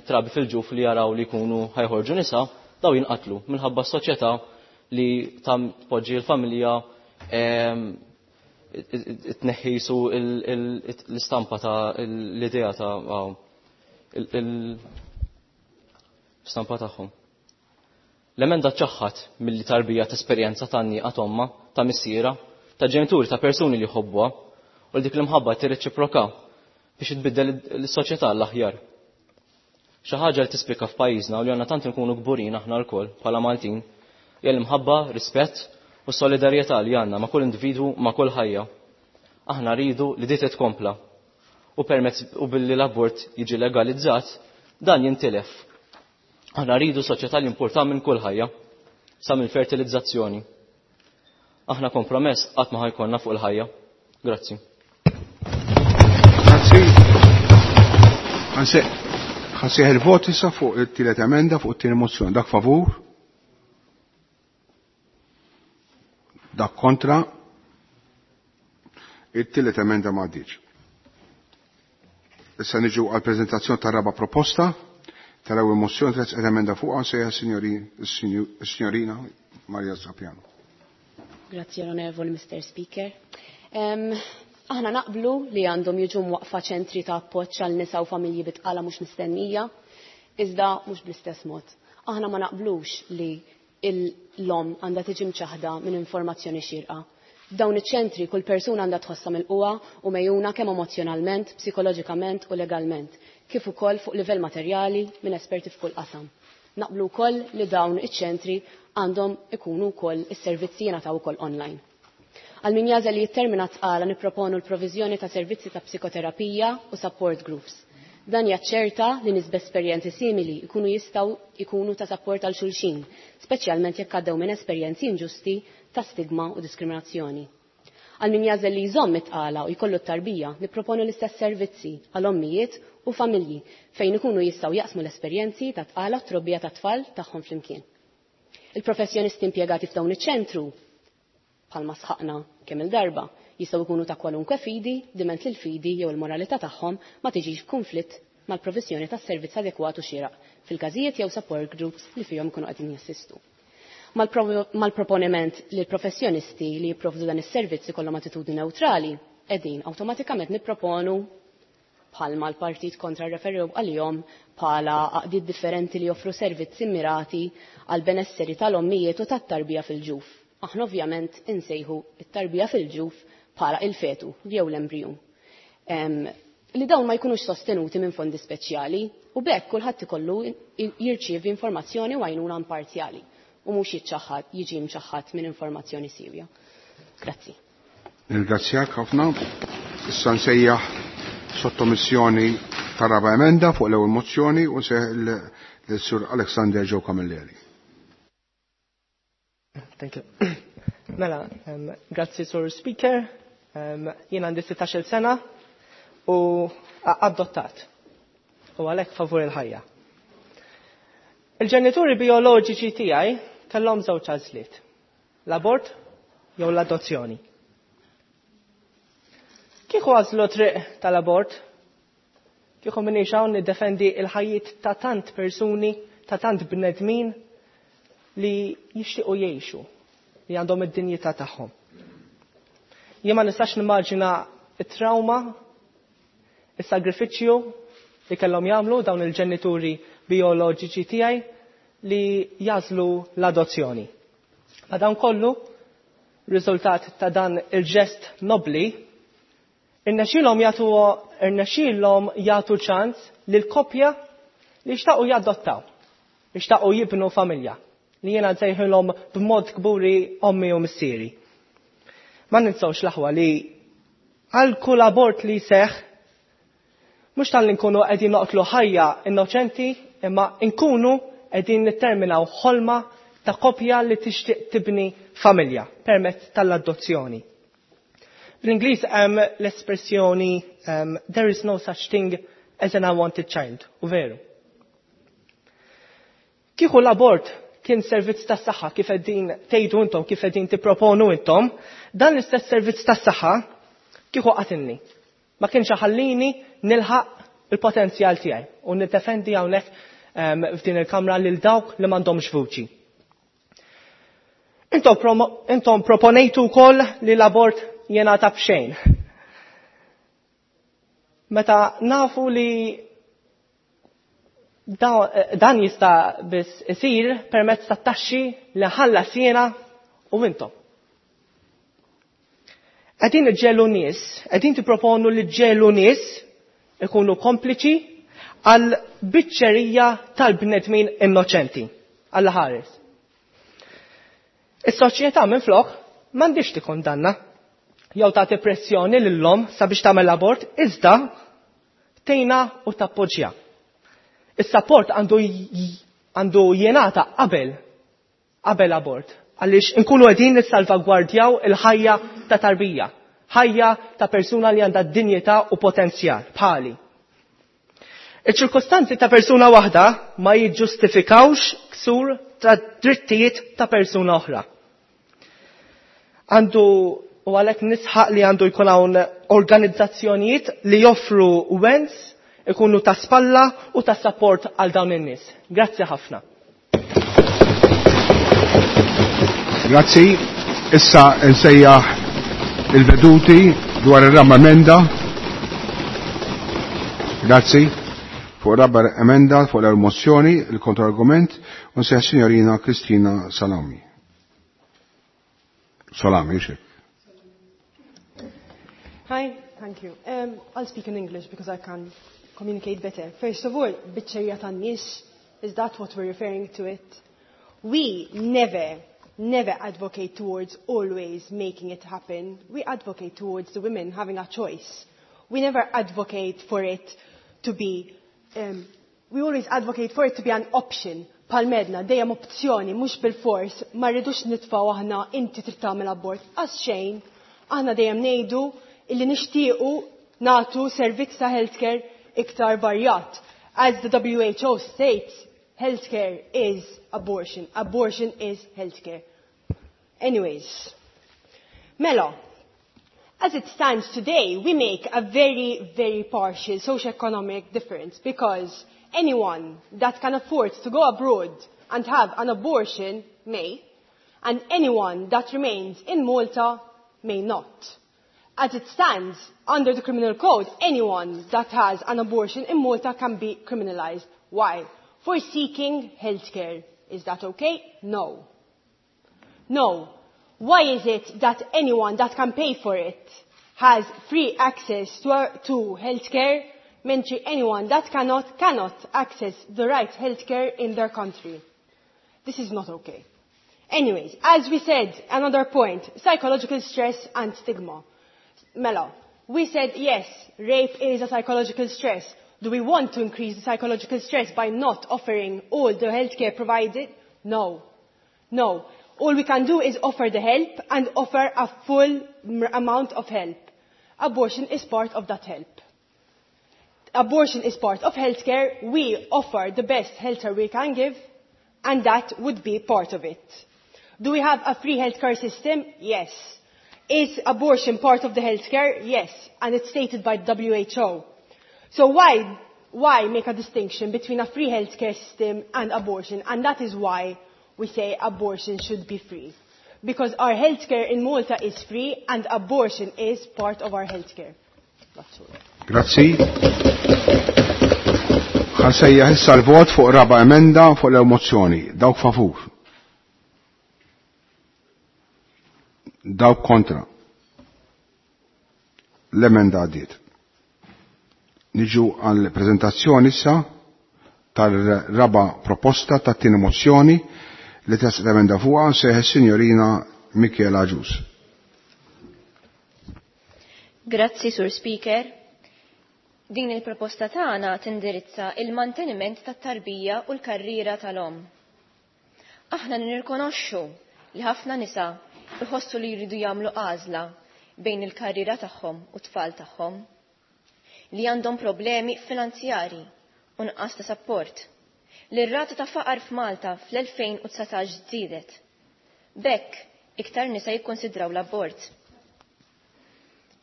trabi fil-ġuf li jaraw li jkunu ħajħorġu nisa, daw jinqatlu minħabba s-soċjetà li tam tpoġġi l-familja tneħħisu l-istampa ta' l-idea ta' l-istampa tagħhom. L-emenda ċaħħat milli tarbija ta' esperjenza ta' nieqa tomma, ta' missiera, ta' ġenituri, ta' persuni li jħobbuha u li dik l-imħabba tirreċiproka biex tbiddel l-soċjetà l-aħjar. Xi ħaġa li tispikka f'pajjiżna u li għandna tant nkunu kburin aħna lkoll bħala Maltin hija l-imħabba, rispett u solidarjetà li għandna ma' kull individwu, ma' kull ħajja. Aħna rridu li dit tkompla u permezz u billi l-abort jiġi legalizzat dan jintilef. Aħna rridu soċjetà li importa minn kull ħajja sa mill fertilizzazzjoni. Aħna kompromess qatt ma ħajkonna fuq il-ħajja. Grazzi. Grazzi. Ħansejħ il-vot issa fuq it-tielet emenda fuq it-tieni mozzjoni. Dak favur? Dak kontra? It-tielet emenda ma għaddietx. Issa niġu għal preżentazzjoni tar-raba' proposta tal-ewwel mozzjoni tliet emenda fuqha nsejjaħ is-Sinjorina Maria Sapiano. Grazzi Onorevoli Mister Speaker. Um, aħna naqblu li għandhom jiġu mwaqfa ċentri ta' appoġġ għal nisa u familji bitqala mhux mistennija, iżda mhux bl-istess mod. Aħna ma naqblux li l-lom għandha tiġi mċaħda minn informazzjoni xierqa. F'dawn iċ-ċentri kull persuna għandha tħossha mill-qwa u mejjuna kemm emozjonalment, psikoloġikament u legalment, kif ukoll fuq livell materjali minn esperti f'kull qasam. Naqblu wkoll li dawn iċ-ċentri għandhom ikunu wkoll is-servizzi jingħataw ukoll online. Għal min jażel li jittermina tqala nipproponu l-proviżjoni ta' servizzi ta' psikoterapija u support groups. Dan jaċċerta li nies b'esperjenzi simili jkunu jistgħu jkunu ta' sapport għal xulxin, speċjalment jekk għaddew minn esperjenzi inġusti ta' stigma u diskriminazzjoni. Għal min jagħżel li jżomm it-tqala u jkollu t-tarbija, nipproponu l-istess servizzi għal ommijiet u familji fejn ikunu jistgħu jaqsmu l-esperjenzi ta' tqala u trobbija ta' tfal tagħhom flimkien. Il-professjonisti impjegati f'dawn iċ-ċentru bħalma sħaqna kemm il-darba jistgħu jkunu ta' kwalunkwe fidi diment li l-fidi jew il-moralità tagħhom ma tiġix f'kunflitt mal-provizjoni tas servizz adekwat u xieraq fil-każijiet jew support groups li fihom ikunu qegħdin jassistu. Mal-proponiment li l-professjonisti li jipprovdu dan is-servizz ikollhom attitudni neutrali, qegħdin awtomatikament nipproponu bħalma l-partit kontra referew għalihom bħala għaqdiet differenti li joffru servizzi mirati għal benesseri tal-ommijiet u tat-tarbija fil-ġuf. Aħna ovvjament insejħu it-tarbija fil-ġuf bħala il-fetu jew l-embrijun. Li dawn ma jkunux sostenuti minn fondi speċjali u b'hekk kulħadd ikollu jirċievi informazzjoni u għajnuna imparzjali u mhux jiċċaħħad jiġi mċaħħad minn informazzjoni siewja. Grazzi. Nirringrazzjak ħafna. Issa nsejjaħ sottomissjoni ta' raba emenda fuq l-ewwel mozzjoni u nsejjaħ lil-Sur Alexander Joe Camilleri. Thank you. Mela, um, grazzi Sur Speaker. Um, jien għandi sittax-il sena u adottat. U għalhekk favur il-ħajja. Il-ġenituri bioloġiċi tiegħi kellhom żewġ għażliet. L-abort jew l-adozzjoni. Kieku għażlu triq tal-abort, kieku minix hawn niddefendi il-ħajjiet ta' tant persuni, ta' tant bnedmin li jixtiequ jgħixu, li għandhom id-dinjità tagħhom. Jien ma nistax nimmaġina it-trauma, is-sagrifiċċju li kellhom jagħmlu dawn il-ġenituri bioloġiċi tiegħi li jażlu l-adozzjoni. Ma dan kollu, riżultat ta' dan il-ġest nobli, irnexxielhom jagħtu irnexxielhom jagħtu ċans lil koppja li xtaqu jadottaw, li xtaqu jibnu familja, li jiena nsejħilhom b'mod kburi ommi u missieri. Ma ninsawx l-aħwa li għal kull abort li seħ, mhux tal-li nkunu qegħdin noqtlu ħajja innoċenti, imma nkunu qegħdin nitterminaw ħolma ta' koppja li tixtieq tibni familja permezz tal-adozzjoni. Bl-Ingliż hemm l-espressjoni um, there is no such thing as an unwanted child, u veru. Kieku l-abort kien servizz tas-saħħa kif qegħdin tgħidu intom, kif qegħdin tipproponu intom, dan l-istess servizz tas-saħħa kieku qatilni. Ma kienx ħallini nilħaq il-potenzjal tiegħi u niddefendi hawnhekk um, f'din il-kamra lil dawk li m'għandhomx vuċi. Intom, promo, intom proponejtu wkoll li l-abort jingħata b'xejn. Meta nafu li dan jista' biss isir permezz ta' taxxi li ħallas jiena u intom. Qegħdin iġġelu nies, qegħdin tipproponu li ġġelu nies ikunu kompliċi għal biċċerija tal-bnedmin innoċenti, għal ħares. Is-soċjetà minflok m'għandix tikkondanna jew tagħti pressjoni lil-lom sabiex tagħmel abort, iżda tgħinha u tappoġġja. Is-support għandu għandu jingħata qabel qabel abort, għaliex inkunu qegħdin nissalvagwardjaw il-ħajja ta' tarbija, ħajja ta' persuna li għandha dinjità u potenzjal bħali. Iċ-ċirkostanzi ta' persuna waħda ma jiġġustifikawx ksur ta' drittijiet ta' persuna oħra. Għandu u għalhekk nisħaq li għandu jkun hawn organizzazzjonijiet li joffru wens, ikunu ta' spalla u ta' support għal dawn in-nies. Grazzi ħafna. Grazzi. Issa nsejjaħ il-veduti dwar ir-raba emenda. Grazzi. Fuq raba emenda, fuq l-mozzjoni, il-kontrargument, u nsejjaħ signorina Kristina Salami. Salami, xek. Hi, thank you. Um, I'll speak in English because I can communicate better. First of all, biċċerija tan-nies, is that what we're referring to it? We never, never advocate towards always making it happen. We advocate towards the women having a choice. We never advocate for it to be, um, we always advocate for it to be an option. Palmedna, dejjem opzjoni, mhux bil-fors, ma rridux nitfgħu aħna inti trid tagħmel abort. Għax xejn, aħna dejjem ngħidu illi nixtiequ nagħtu servizz ta' healthcare iktar varjat. As the W H O states, healthcare is abortion. Abortion is healthcare. Anyways, mela, as it stands today, we make a very, very partial socioeconomic difference because anyone that can afford to go abroad and have an abortion may, and anyone that remains in Malta may not. As it stands, under the criminal code, anyone that has an abortion in Malta can be criminalized. Why? For seeking healthcare. Is that okay? No. No. Why is it that anyone that can pay for it has free access to, uh, to healthcare, mentri anyone that cannot, cannot access the right healthcare in their country? This is not okay. Anyways, as we said, another point, psychological stress and stigma. Mela, we said yes, rape is a psychological stress. Do we want to increase the psychological stress by not offering all the healthcare provided? No. No. All we can do is offer the help and offer a full amount of help. Abortion is part of that help. Abortion is part of healthcare. We offer the best healthcare we can give, and that would be part of it. Do we have a free healthcare system? Yes. Is abortion part of the healthcare? Yes. And it's stated by the W H O. So why, why make a distinction between a free healthcare system and abortion? And that is why we say abortion should be free. Because our healthcare in Malta is free and abortion is part of our healthcare. That's all. Grazzi. Ħa nsejjaħ issa l-vot fuq raba emenda fuq l-mozzjoni. Dawk favur. Dawk kontra. L-emenda għaddiet. Niġu għal prezentazzjoni issa tal-raba proposta tat-tieni mozzjoni li tressqet l-emenda fuqha nsejjaħ is-Sinjorina Michela Agius. Grazzi, Sur Speaker. Din il-proposta tagħna tindirizza il-manteniment tat-tarbija u l-karriera tal-om. Aħna nirrikonoxxu li ħafna nisa jħossu li jridu jagħmlu għażla bejn il-karriera tagħhom u t-tfal tagħhom, li għandhom problemi finanzjari u nqas ta' sapport. Li r-rata ta' faqar f'Malta fl-elfejn u dsatax żdiedet. B'hekk iktar nisa jikkonsidraw l-abort.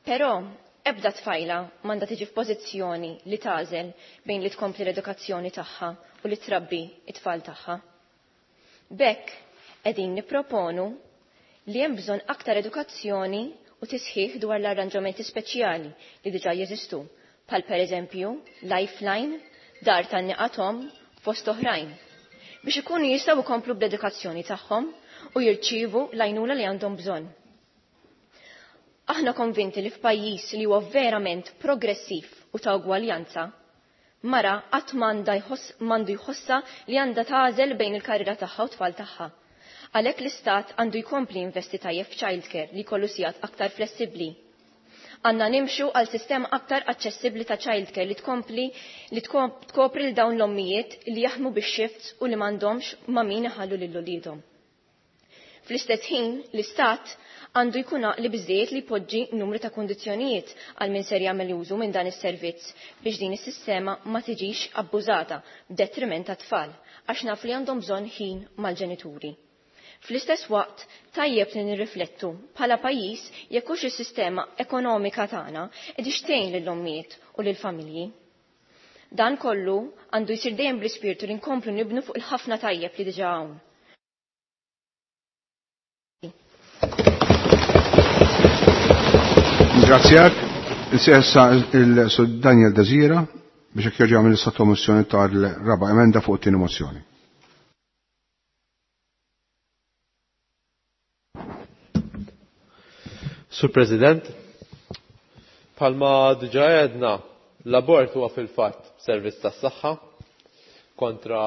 Però ebda tfajla m'għandha tiġi f'pożizzjoni li tagħżel bejn li tkompli l-edukazzjoni tagħha u li trabbi it-tfal tagħha. B'hekk qegħdin nipproponu li hemm bżonn aktar edukazzjoni u tisħiħ dwar l-arranġamenti speċjali li diġà jeżistu, bħal pereżempju Lifeline, Dar Tgħanniqa t'Omm, fost oħrajn, biex ikunu jistgħu jkomplu bl-edukazzjoni tagħhom u jirċievu l-għajnuna li għandhom bżonn. Aħna konvinti li f'pajjiż li huwa verament progressiv u ta' ugwaljanza, mara qatt m'għandu jħossa li għandha tagħżel bejn il-karriera tagħha u tfal tagħha. Għalhekk l-istat għandu jkompli investi tajjeb f'childcare li jkollu sigħat aktar flessibbli. Għandna nimxu għal sistema aktar aċċessibbli ta' childcare li tkompli li tkopri l dawn l-ommijiet li jaħdmu bix-shifts u li m'għandhomx ma' min iħallu lil uliedhom. Fl-istess ħin, l-istat għandu jkun li biżejjed li jpoġġi numru ta' kondizzjonijiet għal min ser jagħmel użu minn dan is-servizz biex din is-sistema ma tiġix abbużata b'detriment tat-tfal, għax naf li għandhom bżonn ħin mal-ġenituri. Fl-istess waqt, tajjeb li nirriflettu bħala pajjiż jekk hux is-sistema ekonomika tagħna qed tgħin lill-ommijiet u lill-familji. Dan kollu għandu jsir dejjem bl-ispirtu li nkomplu nibnu fuq il-ħafna tajjeb li diġà hawn. Ringrazzjak. Issa il-Sur Daniel Desira biex jekk jerġa' jagħmel is-sottomissjoni tal-raba emenda fuq it-tieni mozzjoni. Sur President, bħalma diġà għedna, l-abort huwa fil-fatt servizz tas-saħħa kontra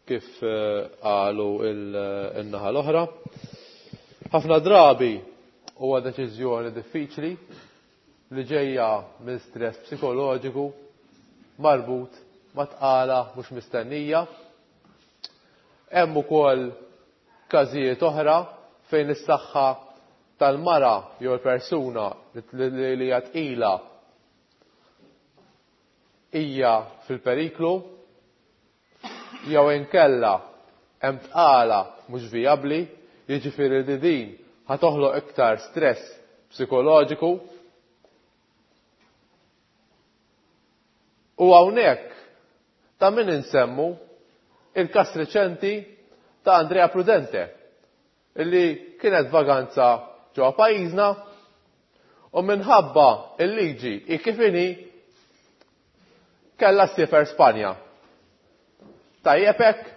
kif eh, qalu il-naħa l-oħra. Ħafna drabi huwa deċiżjoni diffiċli li ġejja minn stress psikoloġiku marbut ma' tqala mhux mistennija. Hemm ukoll każijiet oħra fejn is-saħħa tal-mara jew il-persuna li hija tqila hija fil-periklu jew inkella hemm tqala mhux vijabbli, jiġifieri li din ħa toħloq iktar stress psikoloġiku. U hawnhekk ta' min insemmu il-każ reċenti ta' Andrea Prudente illi kienet vaganza ġewwa pajjiżna u minħabba il-liġi i kif inhi kellha ssiefer Spanja. Tajjeb hekk?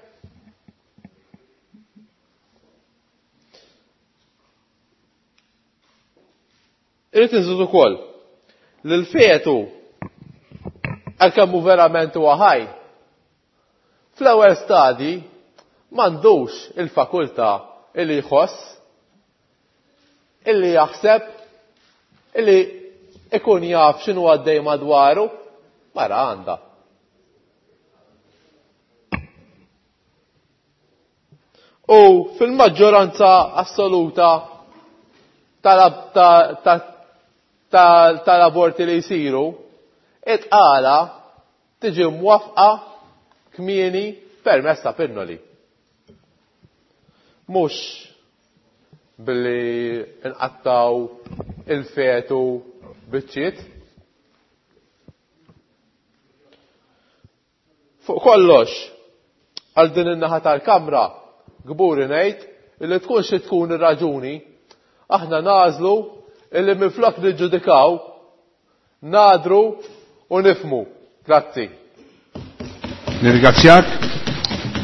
Irrid inżid ukoll li l-fetu għalkemm hu verament huwa ħaj, fl-ewwel stadji m'għandux il-fakultà illi jħoss, illi jaħseb, illi ikun jaf x'inhu għaddej madwaru, mara għandha. U fil-maġġoranza assoluta tal-aborti li jsiru, it-tqala tiġi mwafqa kmieni permezz ta' pinnoli. Mhux billi nqattaw il-fetu biċċiet. Fuq kollox, għal din in-naħa tal-kamra, kburi ngħid illi tkun xi tkun ir-raġuni, aħna nagħżlu illi minflok niġġudikaw, nadru u nifmu. Grazzi. Nirringrazzjak.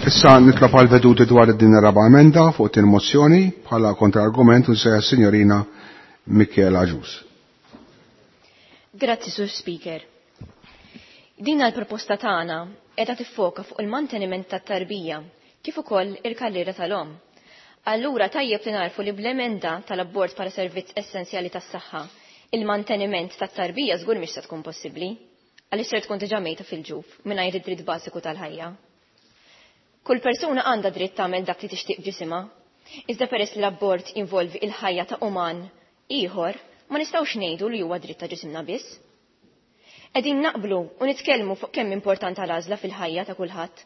Issa nitlob għal veduti dwar din ir-raba' emenda fuq din mozzjoni bħala kontra-argument u nsejjaħ is-Sinjorina Michela Agius. Grazzi, Sur Speaker. Din l-proposta tagħna qiegħda tiffoka fuq il-manteniment tat-tarbija kif ukoll il-karriera tal-omm. Allura tajjeb li narfu li bl-emenda tal-abort bħala servizz essenzjali tas-saħħa, il-manteniment tat-tarbija żgur mhix se tkun possibbli, għaliex ser tkun diġà mejta fil-ġuf mingħajr id-dritt bażiku tal-ħajja. Kull persuna għandha dritt tagħmel dak li tixtieq ġisimha, iżda peress li l-abort involvi il-ħajja ta' uman ieħor, ma nistgħux ngħidu li huwa dritt ta' ġisimna biss. Qegħdin naqblu u nitkellmu fuq kemm importanti l-għażla fil-ħajja ta' kulħadd,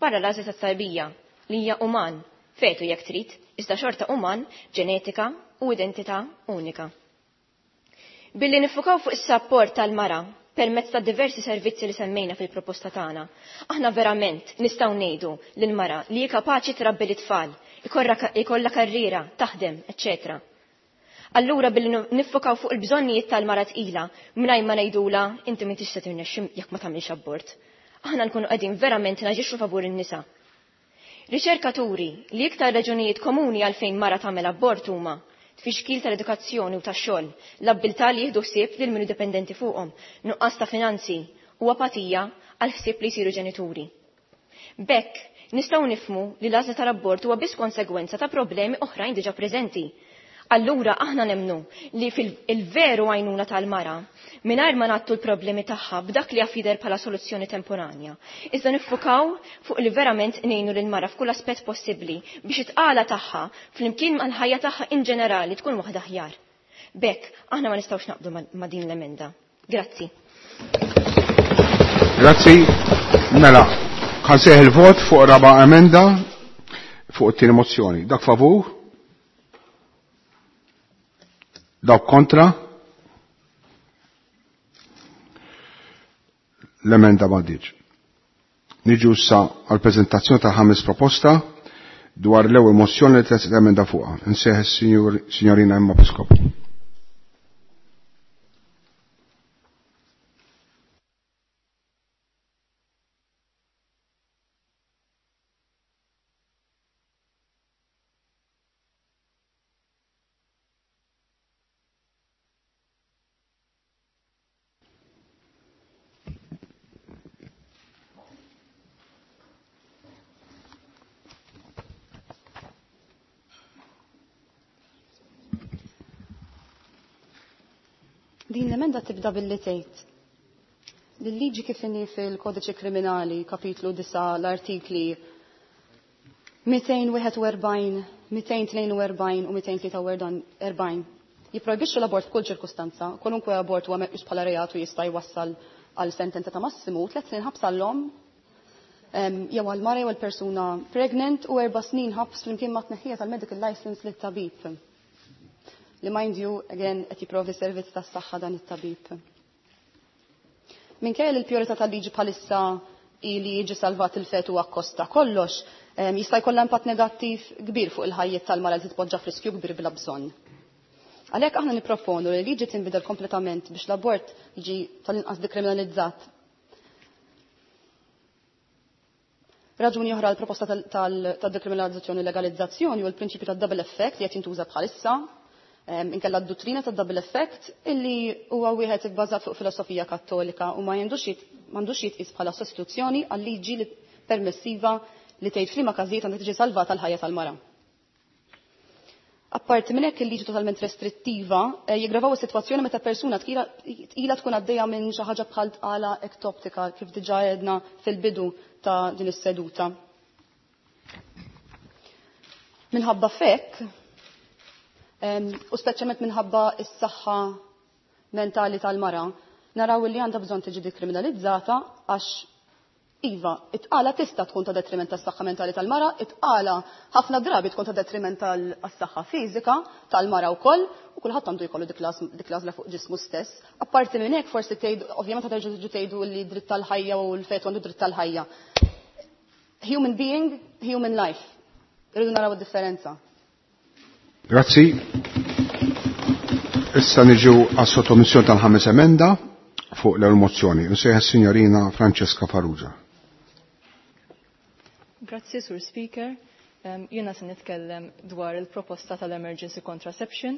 barra l-għażla tat-tarbija li hija uman, fetu jekk trid, iżda xorta uman, ġenetika u identità unika. Billi nifukaw fuq is-sapport tal-mara permezz ta' diversi servizzi li semmejna fil-proposta tagħna, aħna verament nistgħu ngħidu lil mara li hi kapaċi trabbi l-itfal, ikollha karriera, taħdem, eċċetera. Allura billi niffokaw fuq il-bżonnijiet tal-mara tqila mingħajr ma ngħidula inti m'intix se tirnexxi jekk ma tagħmilx abort. Aħna nkunu qegħdin verament naġixxu favur in-nisa. Riċerkaturi li iktar raġunijiet komuni għalfejn mara tagħmel abort huma tfixkil tal-edukazzjoni u tax-xogħol, l-abbiltà li jieħdu ħsieb lil min dipendenti fuqhom, nuqqas ta' finanzi u apatija għal ħsieb li jsiru ġenituri. B'hekk nistgħu nifhmu li l-għażla tal-abort huwa biss konsegwenza ta' problemi oħrajn diġà preżenti. Allura aħna nemnu li fil-veru għajnuna tal-mara mingħajr ma nagħtu l-problemi tagħha b'dak li jaf jidher bħala soluzzjoni temporanja. Iżda niffukaw fuq li verament ngħinu lil mara f'kull aspett possibbli biex it-tqala tagħha flimkien mal-ħajja tagħha in ġenerali tkun waħda aħjar. B'hekk aħna ma nistgħux naqbdu ma' din l-emenda. Grazzi. Grazzi. Mela, ħansejħ il-vot fuq raba' emenda fuq it-tieni mozzjoni. Dak favur? Dawk kontra? L-emenda m'għaddietx. Niġu issa għall-preżentazzjoni ta' ħames proposta dwar l-ewwel mozzjoni li tresqet emenda fuqha. Insejħ is-Sinjorina Emma Piscopo. Din l-emenda tibda billi tgħid L-liġi kif inhi fil-Kodiċi Kriminali, kapitlu disgħa, l-artikli mitejn wieħed u erbgħin, mitejn tnejn u erbgħin u mitejn tlieta u erbgħin jipprojbixxu l-abort f'kull ċirkustanza. Kwalunkwe abort huwa meqjus bħala reat u jista' jwassal għal sentenza ta' massimu tliet snin ħabs għall-omm jew għal mara jew għal persuna pregnant u erba' snin ħabs flimkien ma' tneħħija tal-medical license lit-tabib. Li, mind you, again, qed jipprovdi servizz tas-saħħa dan it-tabib. Minkejja li l-priorità tal-liġi bħalissa li jiġi salvat il-fetu akkost ta' kollox, jista' jkollha impatt negattiv kbir fuq il-ħajjiet tal-mara li titpoġġa f'riskju kbir bla bżonn. Għalhekk aħna nipproponu li liġi tinbidel kompletament biex l-abort jiġi tal-inqas dekriminalizzat. Raġuni oħra l-proposta tad-dekriminalizzazzjoni u legalizzazzjoni u l-prinċipju tad-double effect li qed jintuża bħalissa, inkella d-dottrina tad-double effect, illi huwa wieħed ibbażat fuq filosofija Kattolika u ma m'għandux jitqis bħala sostituzzjoni għal liġi permissiva li tgħid f'liema każijiet għandha tiġi salvata l-ħajja tal-mara. Apparti minn hekk, il-liġi totalment restrittiva eh, jiggravaw is-sitwazzjoni meta persuna tqila tkun għaddejja minn xi ħaġa bħal tqala ektoptika, kif diġà għedna fil-bidu ta' din is-seduta. Minħabba f'hekk, u speċjalment minħabba s-saħħa mentali tal-mara, naraw li għandha bżonn tiġi dikriminalizzata għax iva, it-tqala tista' tkun ta' detriment tas-saħħa mentali tal-mara, it-tqala ħafna drabi tkun ta' detriment tal-saħħa fiżika tal-mara wkoll, u kulħadd għandu jkollu dik l-għażla fuq ġismu stess. Apparti minn hekk, forsi tgħidu, ovvjament terġgħu tiġu tgħidu li dritt tal-ħajja u l-fetu għandu dritt tal-ħajja. Human being, human life. Irridu naraw id-differenza. Grazzi. Issa niġu għas-sottomissjoni tal-ħames emenda fuq l-mozzjoni. Nsejħ signorina Francesca Farrugia. Grazzi, Sur Speaker. Um, Jiena se nitkellem dwar il-proposta tal-emergency contraception.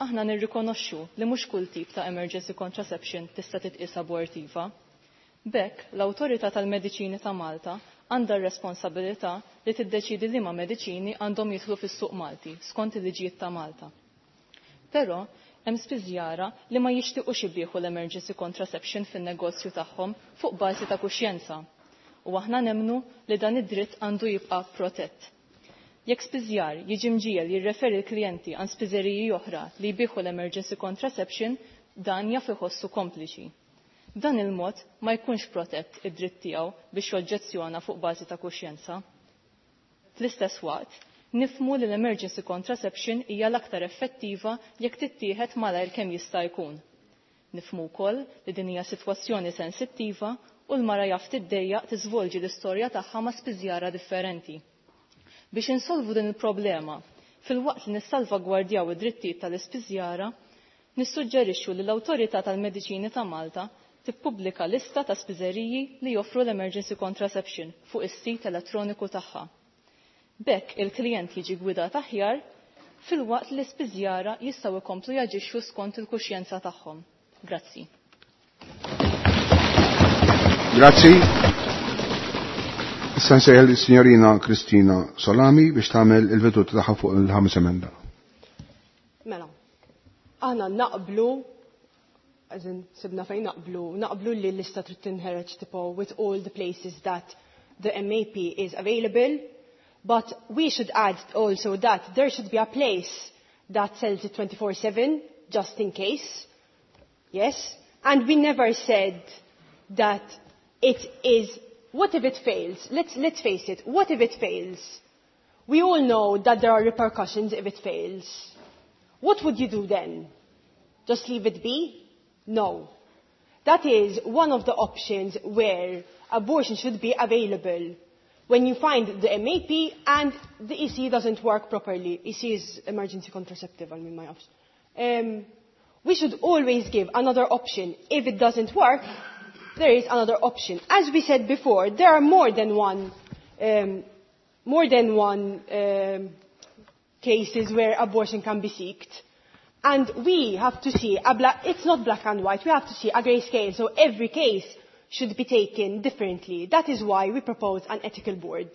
Aħna nirrikonoxxu li mhux kull tip ta' emergency contraception tista' titqis abortiva. B'hekk, l-Awtorità tal-Mediċini ta' Malta għandha r-responsabilità li tiddeċidi liema mediċini għandhom jidħlu fis-suq Malti skont il-liġijiet ta' Malta. Però hemm spiżjara li ma jixtiequx ibieħu l-emergency contraception fin-negozju tagħhom fuq bażi ta' kuxjenza. U aħna nemmnu li dan id-dritt għandu jibqa' protett. Jekk spiżjar jiġi mġiegħel jirreferi l-klijenti għand spiżeriji oħra li jbieħu l-emergency contraception, dan jaf iħossu kompliċi. Dan il-mod ma jkunx protett id-dritt tiegħu biex joġġezzjona fuq bażi ta' kuxjenza. Fl-istess waqt, nifhmu li l-emergency contraception hija l-aktar effettiva jekk tittieħed malajr kemm jista' jkun. Nifhmu wkoll li din hija sitwazzjoni sensittiva u l-mara jaf tiddejjaq tiżvolġi l-istorja tagħha ma' spiżjara differenti. Biex insolvu din il-problema, filwaqt li nissalvagwardjaw id-drittijiet tal-ispiżjara, nissuġġerixxu li l-Awtorità tal-Mediċini ta' Malta tippubblika lista ta' spiżeriji li joffru l-emergency contraception fuq is-sit elettroniku tagħha. B'hekk il-klijent jiġi gwidat aħjar filwaqt li l-ispiżjara jistgħu jkomplu jaġixxu skont il-kuxjenza tagħhom. Grazzi. Grazzi. Issa nsejħel is-Signorina Kristina Solami biex tagħmel il-veduta tagħha fuq il-ħames emenda. Mela, aħna naqblu, as in, sibna fejn naqblu, naqblu li l-lista trid tinħareġ tipo with all the places that the M A P is available, but we should add also that there should be a place that sells it twenty-four seven, just in case. Yes? And we never said that it is, what if it fails? Let's, let's face it, what if it fails? We all know that there are repercussions if it fails. What would you do then? Just leave it be? No. That is one of the options where abortion should be available. When you find the M A P and the E C doesn't work properly. E C is emergency contraceptive, I mean my option. Um, we should always give another option. If it doesn't work, there is another option. As we said before, there are more than one, um, more than one um, cases where abortion can be sought. And we have to see, a black, it's not black and white, we have to see a grey scale, so every case should be taken differently. That is why we propose an ethical board.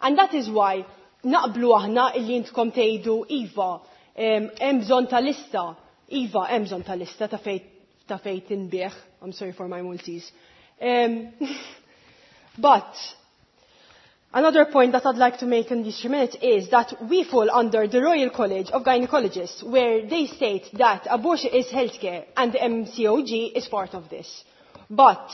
And that is why naqblu aħna illi intkom tgħidu iva, hemm bżonn ta' lista, iva hemm bżonn ta' lista ta' fejn ta' fejn tinbiegħ. I'm sorry for my Maltese. Um, but another point that I'd like to make in these three minutes is that we fall under the Royal College of Gynecologists, where they state that abortion is healthcare and the M C O G is part of this. But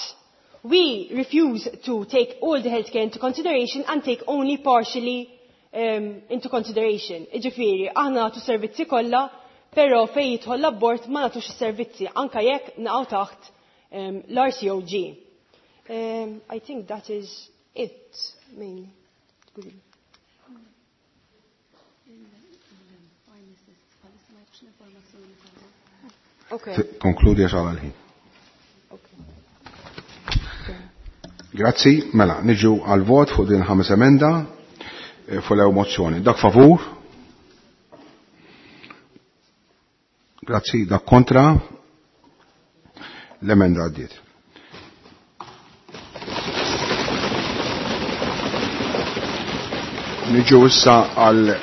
we refuse to take all the healthcare into consideration and take only partially um, into consideration. Iġifieri, aħna nagħtu servizzi kollha, però fejn jidħol l-abort ma nagħtux is-servizzi, anke jekk naqgħu taħt, um, l-R C O G. Um, I think that is it, mainly. Okay. Konkludi għax għal ħin. Grazzi, mela, niġu għal vot fuq din ħames emenda fuq l-ewwel mozzjoni. Dak favur? Grazzi, dak kontra? L-emenda għaddiet. Niġu issa għal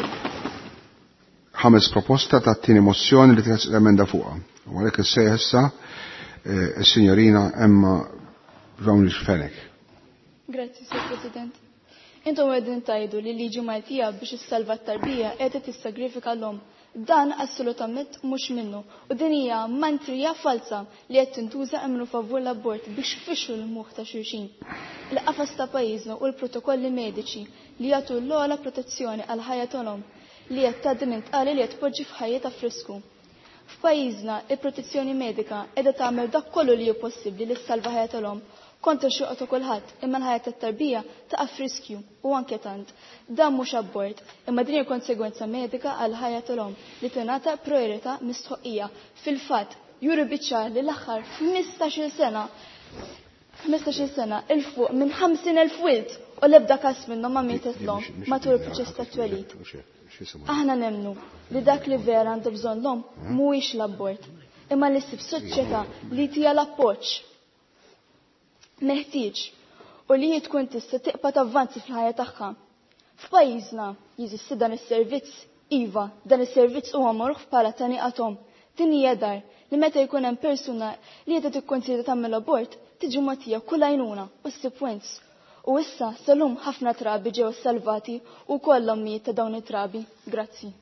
ħames proposta ta' tieni mozzjoni li tras l-emenda fuqha. U għalhekk issejjaħ issa is-Sinjorina Emma Brownlee Fenech. Grazzi, Sur President. Intom qegħdin tgħidu li liġi Maltija biex issalva t-tarbija qiegħda tissagrifika l-omm. Dan assolutament mhux minnu u din hija mantrija falsa li qed tintuża imru favur l-abort biex fixxu l-muħ ta' xulxin. Il-qafas ta' pajjiżna u l-protokolli mediċi li jagħtu l-ogħla protezzjoni għal ħajja tal-omm li qed tgħaddi minn tqali li qed tpoġġi f'ħajjitha f'risku. F'pajjiżna il-protezzjoni medika qiegħda tagħmel dak kollu li hu possibbli li ssalva ħajja tal-omm kontra xewqa ta' kulħadd, imma l-ħajja tat-tarbija taqa' f'riskju u anke tant. Dan mhux abort, imma din hija konsegwenza medika għal ħajja tal-omm li tingħata priorità mistħoqija. Fil-fatt, juri biċ-ċar li l-aħħar ħmistax-il sena, ħmistax-il sena il fuq minn ħamsin elf wild u l-ebda każ minnhom ma mietet l-omm matul il-proċess tat-twelid. Aħna nemmnu li dak li vera għandu bżonn l-omm mhuwiex l-abort, imma li ssib soċjetà li tija l-appoġġ meħtieġ u li hi tkun tista' tiqpa' tavvanzi fil-ħajja tagħha. F'pajjiżna jeżisti dan is-servizz, iva, dan is-servizz huwa magħruf bħala taniqa tom. Din hija dar li meta jkun hemm persuna li qiegħda tikkonsidra tagħmel abort tiġi mogħtija kull għajnuna u ssib wens. U issa salum ħafna trabi ġew salvati u kollhom ommijiet ta' dawn it-trabi. Grazzi.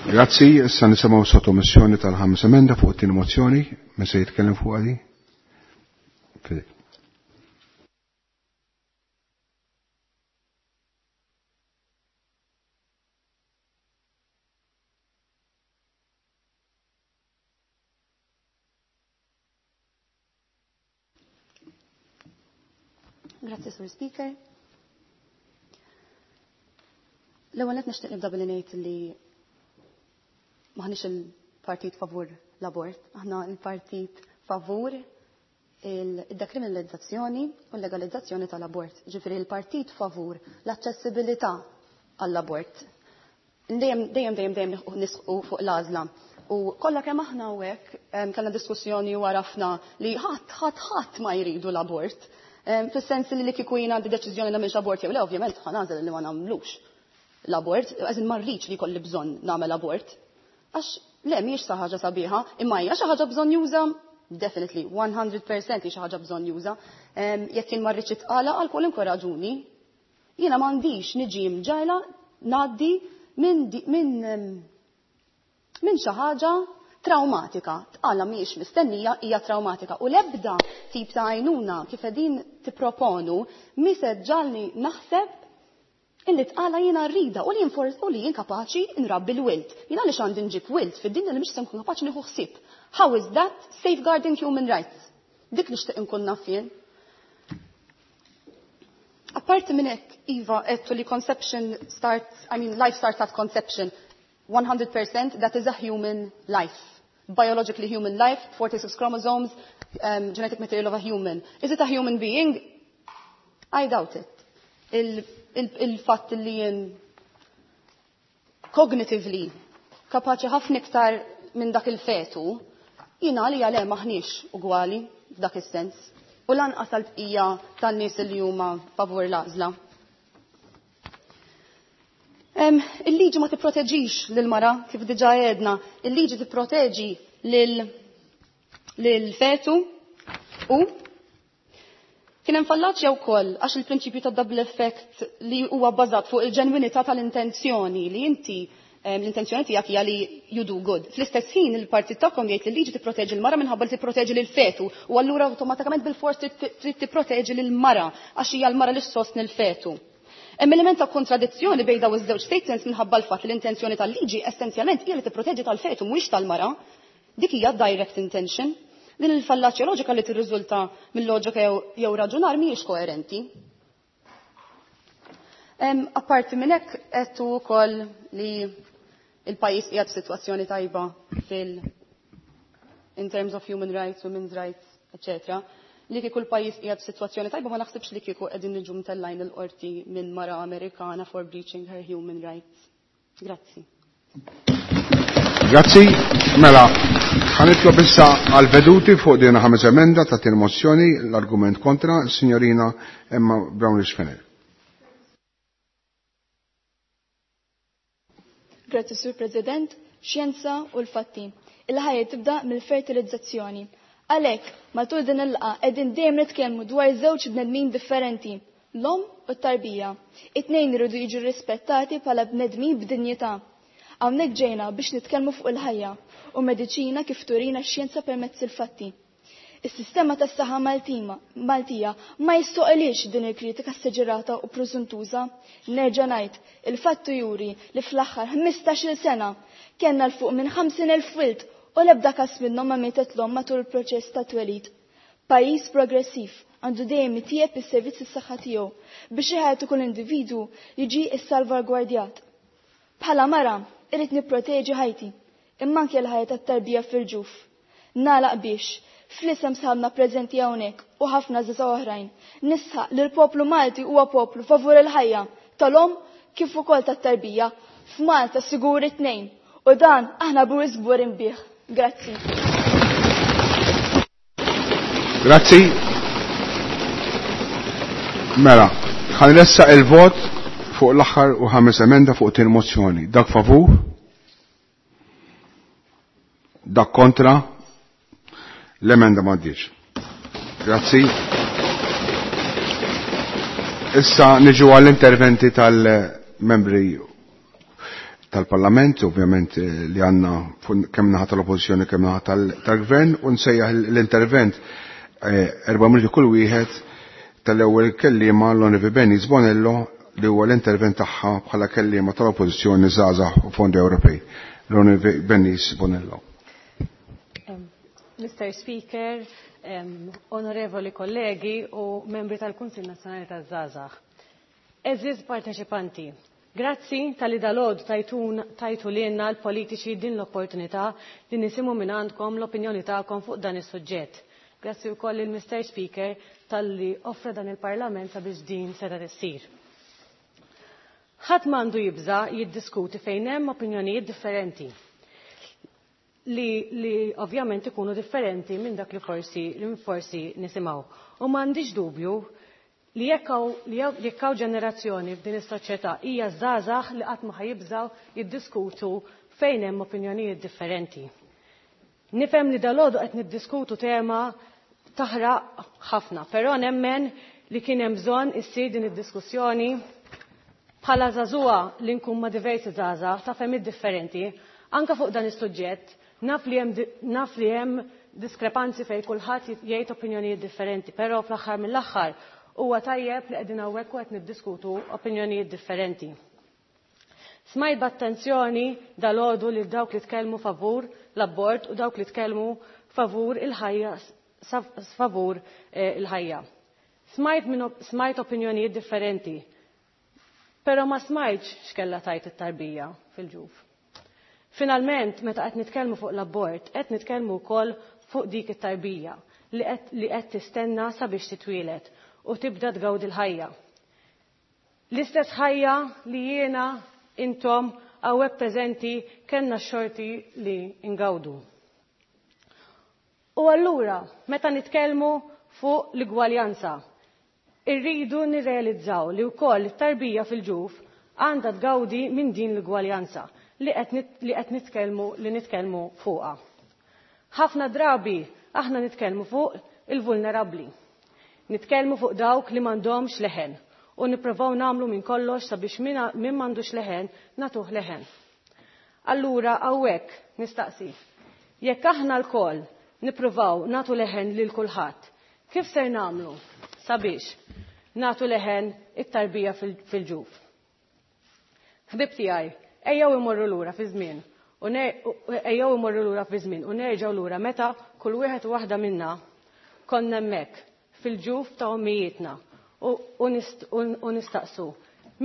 Grazzi, issa nisimgħu sottomissjoni tal-ħames emenda fuq it-tieni mozzjoni, min se jitkellem fuq għadi? Fidek. Grazzi, Sur Speaker. L-ewwel nett nixtieq nibda billi ngħid li maħniex il-partit favur l-abort, aħna il-partit favur il-dekriminalizzazzjoni u l-legalizzazzjoni tal-abort. Ġifieri il-partit favur l-aċċessibilità għall-abort. Dejjem, dejjem, dejjem, dejjem nisqu fuq l-għażla. U kollha kemm aħna hawnhekk, em, kellna diskussjoni u għarafna li ħadd, ħadd, ħadd ma jridu l-abort. Em, fis-sens li kieku jien għandi deċiżjoni nagħmilx abort jew le, ovvjament ħa nagħżel li ma nagħmlux l-abort, għażin ma rridx li jkolli bżonn nagħmel abort. Għax le mhijiex xi ħaġa sabiħa, imma hija xi ħaġa bżonn juża, definitely one hundred percent hi xi ħaġa bżonn juża. Em, jekk jien ma rridx itqala għal kwalunkwe raġuni, jiena m'għandix niġi mġajla ngħaddi minn di-, minn, em, minn xi ħaġa traumatika. Tqala mhijiex mistennija, hija traumatika. U l-ebda tip ta' għajnuna kif qegħdin tipproponu mi se ġalni naħseb illi tqala jiena rrida u li jien forsi u li jien kapaċi nrabbi l-wilt. Jiena għaliex għandi nġib wilt fid-dinja li mhix se nkun kapaċi nieħu ħsieb. How is that safeguarding human rights? Dik nixtieq inkun naf jien. Apparti minn hekk, iva, għedtu li conception starts, I mean, life starts at conception. one hundred percent that is a human life. Biologically human life, forty-six chromosomes, um, genetic material of a human. Is it a human being? I doubt it. Il-, il-, il-fatt li jien cognitively kapaċi ħafna iktar minn dak il-fetu, jiena għalija le maħniex ugwali f'dak is-sens. U lanqas għall-bqija tan-nies li huma favur l-għażla. Il-liġi ma tipproteġix lil-mara, kif diġà għedna, il-liġi tipproteġi lil-fetu u kien hemm fallaċja wkoll għax il-prinċipju ta' double effect li huwa bbażat fuq il-ġenwinità tal-intenzjoni li inti l-intenzjoni tiegħek hija li you do good. Fl-istess ħin il-partit tagħkom jgħid li l-liġi tipproteġi l-mara minħabba li tipproteġi lil-fetu u allura awtomatikament bil-fors trid tipproteġi lil-mara għax hija l-mara li ssostni l-fetu. Hemm element ta' kontradizzjoni bejn dawn iż-żewġ statements minħabba l-fatt li l-intenzjoni tal-liġi essenzjalment hija li tipproteġi tal-fetu mhuwiex tal-mara. Dik hija direct intention. Din il-fallaċja loġika li tirriżulta mill-loġika jew raġunar mhijiex koerenti. Apparti minn hekk qed ukoll li il-pajjiż qiegħed f'sitwazzjoni tajba fil in terms of human rights, women's rights, eccetera. Li kieku l-pajjiż qiegħed f'sitwazzjoni tajba ma naħsibx li kieku qegħdin niġu mtellajn il-qorti minn mara Amerikana for breaching her human rights. Grazzi. Grazzi. Mela, ħanitlob issa għal-veduti fuq din ħames emenda ta' tin mozzjoni l-argument kontra signorina Emma Brownlee Fenech. Grazzi, Sur President. Xjenza u l-fatti. Il-ħajja tibda mill-fertilizzazzjoni. Għalhekk, matul din il-laqgħa qegħdin dejjem nitkellmu dwar żewġ bnedmin differenti, l-omm u t-tarbija. It-tnejn iridu jiġu rispettati bħala bnedmin b'dinjità. Hawnhekk ġejna biex nitkellmu fuq il-ħajja u mediċina kif turina x-xjenza permezz il-fatti. Is-sistema tas-saħħa Maltija ma jistoqilix din il-kritika seġerata u preżuntuża. Nerġa' ngħid, il-fattu juri li fl-aħħar ħmistax-il sena kellna l fuq minn ħamsin elf wild u l-ebda każ minnhom ma mietet l-omm matul il-proċess ta' twelid. Pajjiż progressiv għandu dejjem itjieb is-servizz is-saħħa tiegħu biex iħajtu kull individwu jiġi ssalvagwardjat. Bħala mara irrid nipproteġi ħajti, imma anke l-ħajja tat-tarbija fil-ġuf. Nagħlaq biex fl-isem sħabna preżenti hawnhekk u ħafna żgħażagħ oħrajn, nisħaq li l-poplu Malti huwa poplu favur il-ħajja tal-omm kif ukoll tat-tarbija. F'Malta sigur it-tnejn u dan aħna bwis kburin bih. Grazzi. Grazzi. Mela, ħanressaq il-vot fuq l-aħħar u ħames emenda fuq tin mozzjoni. Dak favur? Dak kontra? L-emenda m'għaddiex. Grazzi. Issa niġu għall-interventi tal-membri tal-Parlament, ovvjament li għanna kemm naħa tal-Oppożizzjoni kemm naħa tal-Gvern, u nsejjaħ l-intervent erba' minuti kull wieħed tal-ewwel kelliema l-Onorevoli Benny Bonello li huwa l-intervent tagħha bħala kelliema tal-Oppożizzjoni żgħażagħ u Fondi Ewropej. L-Onorevoli Benny Bonello. Mister Speaker, um, onorevoli kollegi u membri tal-Kunsill Nazzjonali taż-Żgħażagħ. Eżiż parteċipanti, grazzi tal-li dalgħodu tajtu lilna l-politiċi din l-opportunità li nisimgħu minn għandkom l-opinjoni tagħkom fuq dan is-suġġett. Grazzi wkoll il Mister Speaker tal-li offra dan il-Parlament sabiex din seta' tissir. Ħadd m'għandu jibża' jiddiskuti fejn hemm opinjonijiet differenti li, li ovvjament ikunu differenti minn dak li forsi, li forsi nisimgħu. U m'għandix dubju li jekk hawn ġenerazzjoni f'din is-soċjetà hija żgħażagħ li qatt ma ħajibżgħu jiddiskutu fejn hemm opinjonijiet differenti. Nifhem li dalgħodu qed niddiskutu tema taħraq ħafna, però nemmen li kien hemm bżonn issir din id-diskussjoni bħala żagħżugħa li nkun ma' diversi żgħażagħ ta' fehmiet differenti, anke fuq dan is-suġġett. Naf li hemm naf li hemm diskrepanzi fejn kulħadd jgħid opinjonijiet differenti, però fl-aħħar mill-aħħar huwa tajjeb li qegħdin hawnhekk u qed niddiskutu opinjonijiet differenti. Smajt b'attenzjoni dalgħodu lil dawk li tkellmu favur l-abort u dawk li tkellmu favur il-ħajja favur il-ħajja. Smajt minn smajt opinjonijiet differenti, però ma smajtx x'kellha tajt it-tarbija fil-ġuf. Finalment, meta qed nitkellmu fuq l-abort, qed nitkellmu wkoll fuq dik it-tarbija li qed tistenna sabiex titwielet u tibda tgawdi l-ħajja. L-istess ħajja li jiena intom hawnhekk preżenti kellna x-xorti li ngawdu. U allura, meta nitkellmu fuq l-igwaljanza, irridu nirrealizzaw li wkoll it-tarbija fil-ġuf għandha tgawdi minn din l-ugwaljanza li qed nitkellmu li nitkellmu fuqha. Ħafna drabi aħna nitkellmu fuq il-vulnerabbli. Nitkellmu fuq dawk li m'għandhomx leħen u nippruvaw nagħmlu minn kollox sabiex min m'għandux leħen nagħtuh leħen. Allura hawnhekk nistaqsi, jekk aħna lkoll nippruvaw nagħtu leħen lil kulħadd, kif ser nagħmlu sabiex nagħtu leħen it-tarbija fil-ġuf? Ħbib tiegħi, ejjew imorru lura fi żmien u ejjew imorru lura fi żmien u nerġgħu lura meta kull wieħed u waħda minna konna hemmhekk fil-ġuf ta' ommijietna u nistaqsu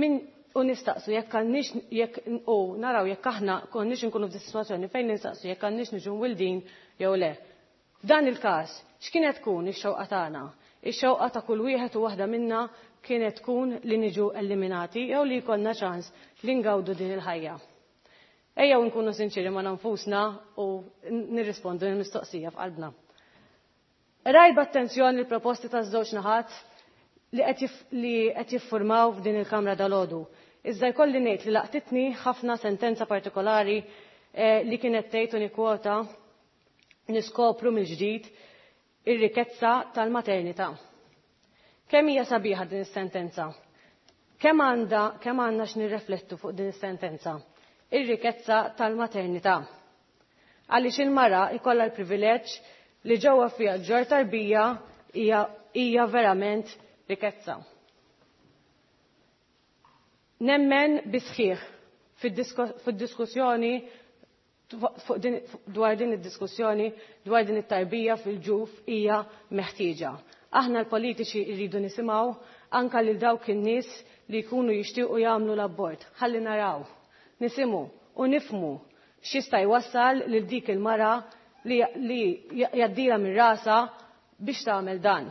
min u nistaqsu jekk għandniex jekk u naraw jekk aħna konniex inkunu f'din sitwazzjoni fejn nistaqsu jekk għandniex niġu mwildin jew le. F'dan il-każ, x'kienet tkun ix-xewqa tagħna? Ix-xewqa ta' kull wieħed u waħda minna kienet tkun li niġu eliminati jew li jkollna ċans li ngawdu din il-ħajja. Ejjew nkunu sinċiri ma' nfusna u nirrispondu l-mistoqsija f'qalbna. Rajt b'attenzjoni l-proposti taż-żewġ naħat li qed jiffurmaw f'din il-Kamra dalgħodu. Iżda jkolli ngħid li laqtitni ħafna sentenza partikolari li kienet tgħid u nikkwota niskopru mill-ġdid ir-rikezza tal-maternità. Kemm hija sabiħa din is-sentenza? Kemm għandha kemm għandna x'nirreflettu fuq din is-sentenza? Ir-rikezza tal-maternità. Għaliex il-mara jkollha l-privileġġ li ġewwa fiha ġor tarbija hija hija verament rikezza. Nemmen bisħiħ fid-diskussjoni dwar din id-diskussjoni dwar din it-tarbija fil-ġuf hija meħtieġa. Aħna l-politiċi rridu nisimgħu anka lil dawk in-nies li jkunu jixtiequ jagħmlu l-abort. Ħalli naraw, nisimgħu u nifhmu x'jista' jwassal lil dik il-mara li jgħaddilha minn rasha biex tagħmel dan.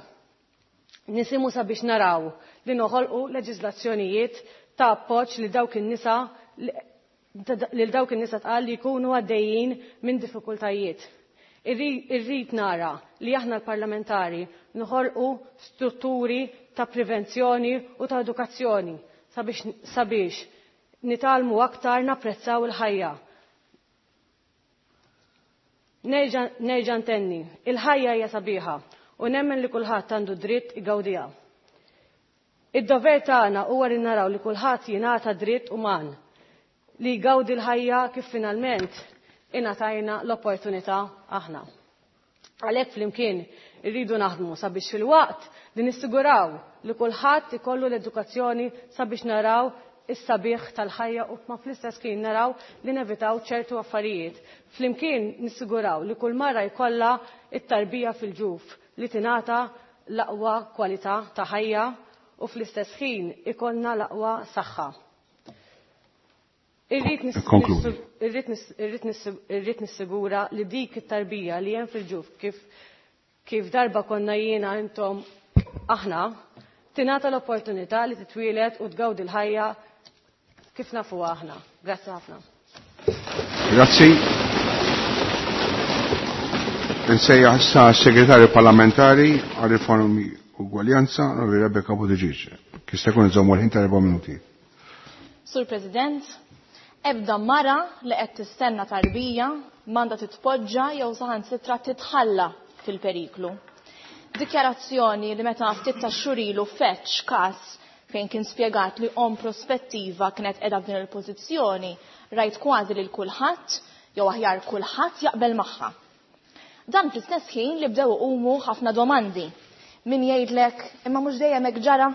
Nisimgħu sabiex naraw li noħolqu leġiżlazzjonijiet ta' appoġġ li dawk in-nisa lil dawk in-nisa tqal li jkunu għaddejjin minn diffikultajiet. Irrid nara li aħna l-parlamentari noħolqu strutturi ta' prevenzjoni u ta' edukazzjoni sabiex, sabiex nitgħallmu aktar napprezzaw il-ħajja. Nerġa' ntenni, il-ħajja hija sabiħa u nemmen li kulħadd għandu dritt igawdiha. Id-dover tagħna huwa li naraw li kulħadd jingħata dritt uman li jgawdi l-ħajja kif finalment ingħatajna l-opportunità aħna. Għalhekk flimkien irridu naħdmu sabiex fil-waqt li nissiguraw li kulħadd ikollu l-edukazzjoni sabiex naraw is-sabiħ tal-ħajja u ma fl-istess kien naraw li nevitaw ċertu affarijiet. Flimkien nissiguraw li kull mara jkollha it-tarbija fil-ġuf li tingħata l-aqwa kwalità ta' ħajja u fl-istess ħin ikollna l-aqwa saħħa. Irrid nissigura li dik it-tarbija li hemm fil-ġuf kif kif darba konna jiena intom aħna tingħata l-opportunità li titwielet u tgawdi l-ħajja kif nafuha aħna. Grazzi ħafna. Grazzi. Insejjaħ issa s-Segretarju Parlamentari għal Riformi Ugwaljanza, Onorevoli Rebecca Buttigieg. Kif se jkun iżommu l-ħin ta' erba' minuti. Sur President, ebda mara li qed tistenna tarbija m'għandha titpoġġa jew saħansitra titħalla fil-periklu. Dikjarazzjoni li meta ftit ta' xhur ilu feċ każ fejn kien spjegat li om prospettiva kienet qiegħda f'din il-pożizzjoni, rajt kważi lil kulħadd jew aħjar kulħadd jaqbel magħha. Dan fl-istess ħin li bdew iqumu ħafna domandi. Min jgħidlek imma mhux dejjem hekk ġara?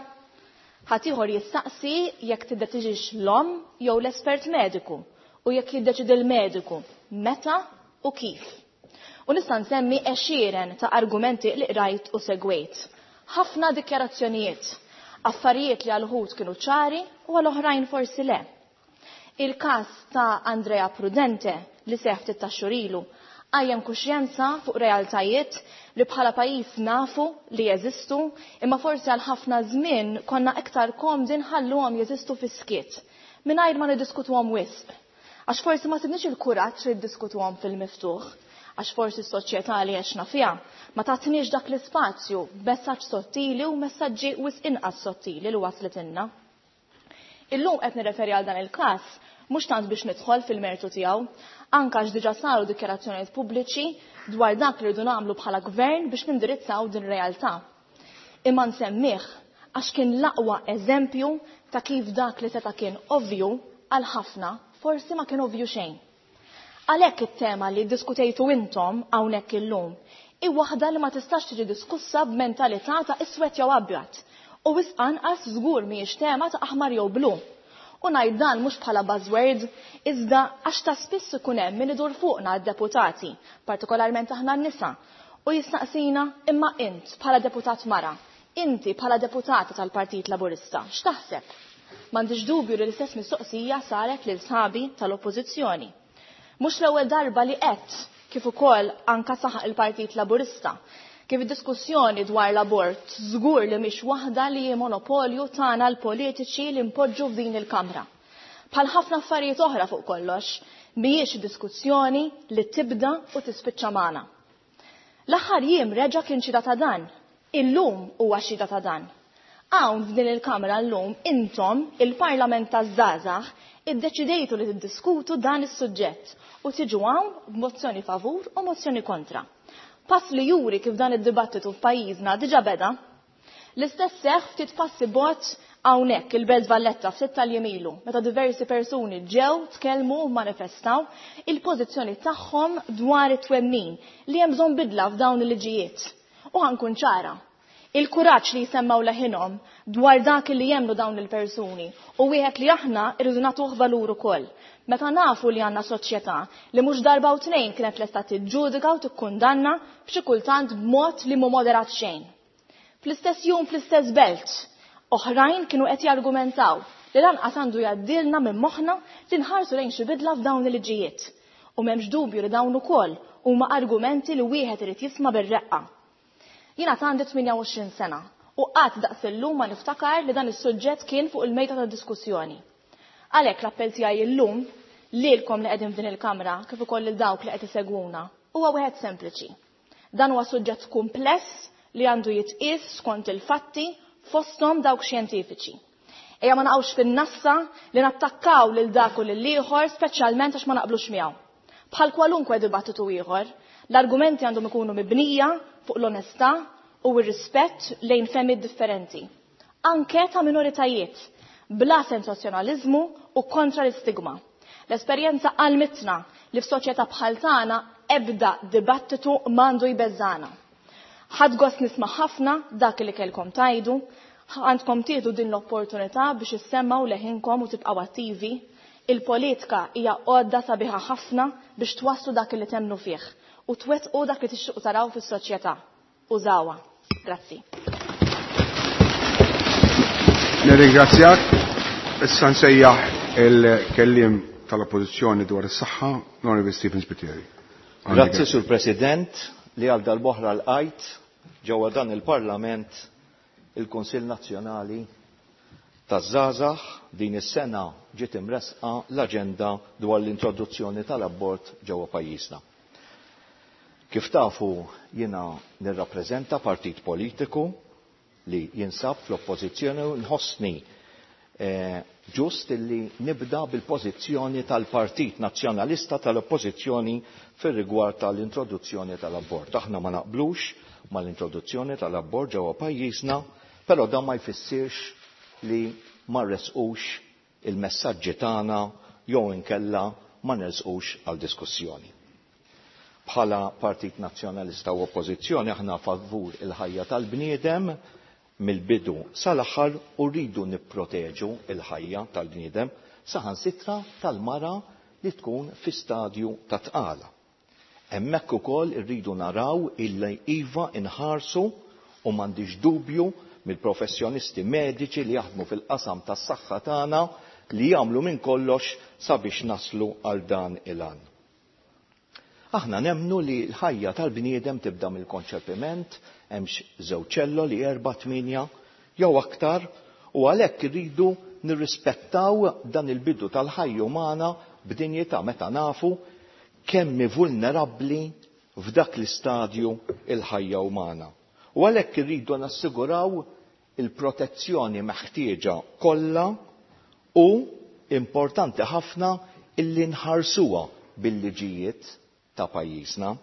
Ħadd ieħor jistaqsi jekk tiddeċiġix l-omm jew l-espert mediku u jekk jiddeċidi l-mediku meta u kif. U nista' nsemmi għexieren ta' argumenti li qrajt u segwejt. Ħafna dikjarazzjonijiet, affarijiet li għal uħud kienu ċari u għal oħrajn forsi le. Il-każ ta' Andrea Prudente li seħ ftit ta' xhur ilu qajjem kuxjenza fuq realtajiet li bħala pajjiż nafu li jeżistu, imma forsi għal ħafna żmien konna iktar komdi nħalluhom jeżistu fis-skiet, mingħajr ma niddiskutuhom wisq. Għax forsi ma sibniex il-kuraġġ li ddiskutuhom fil-miftuħ, għax forsi s-soċjetà li għexna fiha ma tatniex dak l-ispazju b'messaġġ sottili u messaġġi wisq inqas sottili li waslitilna. Illum qed nirreferi għal dan il-każ mhux tant biex nidħol fil-mertu tiegħu, anke għax diġà saru dikjarazzjonijiet pubbliċi dwar dak li rridu nagħmlu bħala gvern biex nindirizzaw din realtà. Imma nsemmih għax kien l-aqwa eżempju ta' kif dak li seta' kien ovvju għal ħafna forsi ma kien ovvju xejn. Għalhekk it-tema li ddiskutejtu intom hawnhekk illum hi waħda li ma tistax tiġi diskussa b'mentalità ta' iswed jew abjad u wisq anqas żgur mhijiex tema ta' aħmar jew blu. U ngħid dan mhux bħala buzzword, iżda għax ta' spiss ikun hemm min idur fuqna d-deputati, partikolarment aħna n-nisa, u jistaqsina imma int bħala deputat mara, inti bħala deputata tal-Partit Laburista, x'taħseb? M'għandix dubju li l-istess mistoqsija saret lil sħabi tal-Oppożizzjoni. Mhux l-ewwel darba li qed kif ukoll anka saħaq il-Partit Laburista, kif id-diskussjoni dwar l-abort żgur li mhix waħda li hi monopolju tagħna l-politiċi li npoġġu f'din il-Kamra. Bħal ħafna affarijiet oħra fuq kollox, mhijiex diskussjoni li tibda u tispiċċa magħna. L-aħħar jiem reġa' kien xhieda ta' dan, illum huwa xhieda ta' dan. Hawn f'din il-Kamra llum intom, il-Parlament taż-żgħażagħ, iddeċidejtu li tiddiskutu dan is-suġġett u tiġu hawn b'mozzjoni favur u mozzjoni kontra. Pass li juri kif dan id-dibattitu f'pajjiżna diġà beda. L-istess seħħ ftit passi bot hawnhekk il-Belt Valletta ftit tal-jiem ilu, meta diversi persuni ġew tkellmu u manifestaw il-pożizzjoni tagħhom dwar it-twemmin li hemm bżonn bidla f'dawn il-liġijiet. U ħankun ċara, il-kuraġġ li jsemmaw leħinhom dwar dak li jemmnu dawn il-persuni u wieħed li aħna rridu nagħtuh valur ukoll. Meta nafu li għandna soċjetà li mhux darba u tnejn kienet lesta tiġġudika u tikkundanna b'xi kultant b'mod li mhu moderat xejn. Fl-istess jum fl-istess belt, oħrajn kienu qed jargumentaw li lanqas għandu jgħaddilna minn moħħna li nħarsu lejn xi bidla f'dawn il-liġijiet. U m'hemmx dubju li dawn ukoll huma argumenti li wieħed irid jisma' bir-reqqa. Jiena għandi tmienja u għoxrin sena u qatt daqs illum ma niftakar li dan is-suġġett kien fuq il-mejda ta' diskussjoni. Għalhekk l-appell tiegħi illum lilkom li qegħdin f'din il-kamra kif ukoll lil dawk li qed isegwuna huwa wieħed sempliċi. Dan huwa suġġett kumpless li għandu jitqies skont il-fatti fosthom dawk xjentifiċi. Ejja ma naqgħux fin-nassa li nattakkaw lil dak u lil ieħor speċjalment għax ma naqblux miegħu. Bħal kwalunkwe dibattitu ieħor, l-argumenti għandhom ikunu mibnija fuq l-onestà u r-rispett lejn fehmiet differenti, anke ta' minoritajiet, bla sensazzjonaliżmu u kontra l-istigma. L-esperjenza għalmitna li f'soċjetà bħal tagħna ebda dibattitu m'għandu jbeżżana. Ħadd gost nisma' ħafna dak li kellkom tajdu, għandkom tieħdu din l-opportunità biex issemmaw leħinkom u tibqgħu attivi. Il-politika hija għodda sabiħa ħafna biex twasslu dak li temnu fih u twettqu dak li tixtiequ taraw fis-soċjetà. Użawha. Grazzi. Nirringrazzjak. Issa nsejjaħ il-kelliem tal-Oppożizzjoni dwar is-saħħa, l-Onorevoli Stephen Spiteri. Grazzi, Sur President, li għal dal-boħra l-qajt ġewwa dan il-Parlament il-Kunsill Nazzjonali taż-żgħażagħ din is-sena ġiet imresqa l-aġenda dwar l-introduzzjoni tal-abort ġewwa pajjiżna. Kif tafu jiena nirrappreżenta partit politiku li jinsab fl-oppożizzjoni u nħossni ġust illi nibda bil-pożizzjoni tal-Partit Nazzjonalista tal-Oppożizzjoni fir-rigward tal-introduzzjoni tal-abort. Aħna ma naqblux mal-introduzzjoni tal-abort ġewwa pajjiżna, però dan ma jfissirx li ma rresqux il-messaġġi tagħna jew inkella ma nersqux għal diskussjoni. Bħala Partit Nazzjonalista u Oppożizzjoni aħna favur il-ħajja tal-bniedem mill-bidu sal-aħħar u rridu nipproteġu il-ħajja tal-bniedem saħansitra tal-mara li tkun fi stadju ta' tqala. Hemmhekk ukoll irridu naraw illi iva inħarsu u m'għandix dubju mill-professjonisti mediċi li jaħdmu fil-qasam tas-saħħa tagħna li jagħmlu minn kollox sabiex naslu għal dan il-għan. Aħna nemmnu li l-ħajja tal-bniedem tibda mill-konċepiment, hemmx żewġ ċelloli erba' tmienja jew aktar, u għalhekk irridu nirrispettaw dan il-bidu tal-ħajja umana b'dinjità meta nafu kemm hi vulnerabbli f'dak l-istadju il-ħajja umana. U għalhekk irridu nassiguraw il-protezzjoni meħtieġa kollha U importanti ħafna illi nħarsuha bil-liġijiet ta' pajjiżna.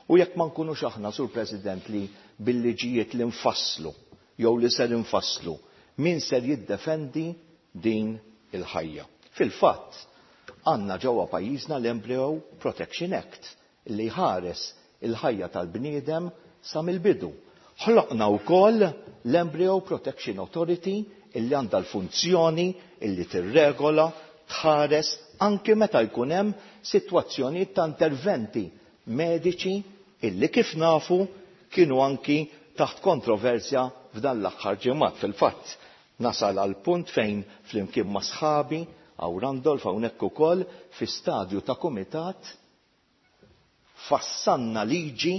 U jekk ma nkunux aħna, Sur President, li bil-liġijiet li nfasslu jew li ser infasslu, min ser jiddefendi din il-ħajja? Fil-fatt, għandna ġewwa pajjiżna l-Embryo Protection Act li jħares il-ħajja tal-bniedem sa mill-bidu. Ħloqna wkoll l-Embryo Protection Authority illi għandha l-funzjoni illi tirregola, tħares anke meta jkun hemm sitwazzjonijiet ta' interventi mediċi illi kif nafu kienu anki taħt kontroversja f'dan l-aħħar ġimgħat. Fil-fatt nasal għal punt fejn flimkien ma' sħabi għaw Randolph hawnhekk ukoll fi stadju ta' kumitat fassanna liġi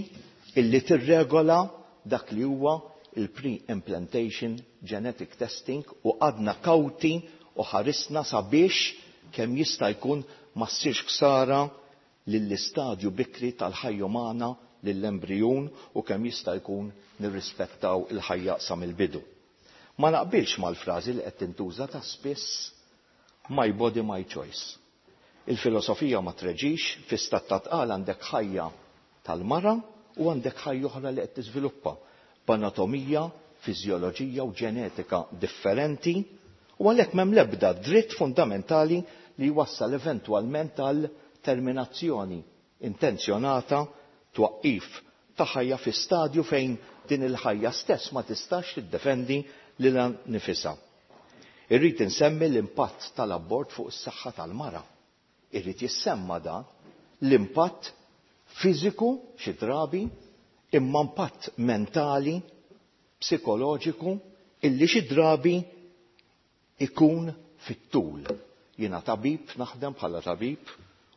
illi tirregola dak li huwa il-pre-implantation genetic testing u għadna kawti u ħarisna sabiex kemm jista' jkun ma ssirx ħsara lill-istadju bikri tal-ħajja umana, lill-embrijun, u kemm jista' jkun nirrispettaw il-ħajja sa mill-bidu. Ma naqbilx mal-frażi li qed tintuża ta' spiss, "my body, my choice". Il-filosofija ma treġix, fi stat ta' tqal għandek ħajja tal-mara u għandek ħajja oħra li qed tiżviluppa b'anatomija, fiżjoloġija u ġenetika differenti, u għalhekk m'hemm l-ebda dritt fundamentali li jwassal eventwalment għal terminazzjoni intenzjonata, twaqqif ta' ħajja fi stadju fejn din il-ħajja stess ma tistax tiddefendi lilha nifisha. Irrid insemmi l-impatt tal-abort fuq is-saħħa tal-mara. Irrid jissemma dan l-impatt fiżiku xi drabi, imma impatt mentali, psikoloġiku, illi xi drabi ikun fit-tul. Jiena tabib, naħdem bħala tabib,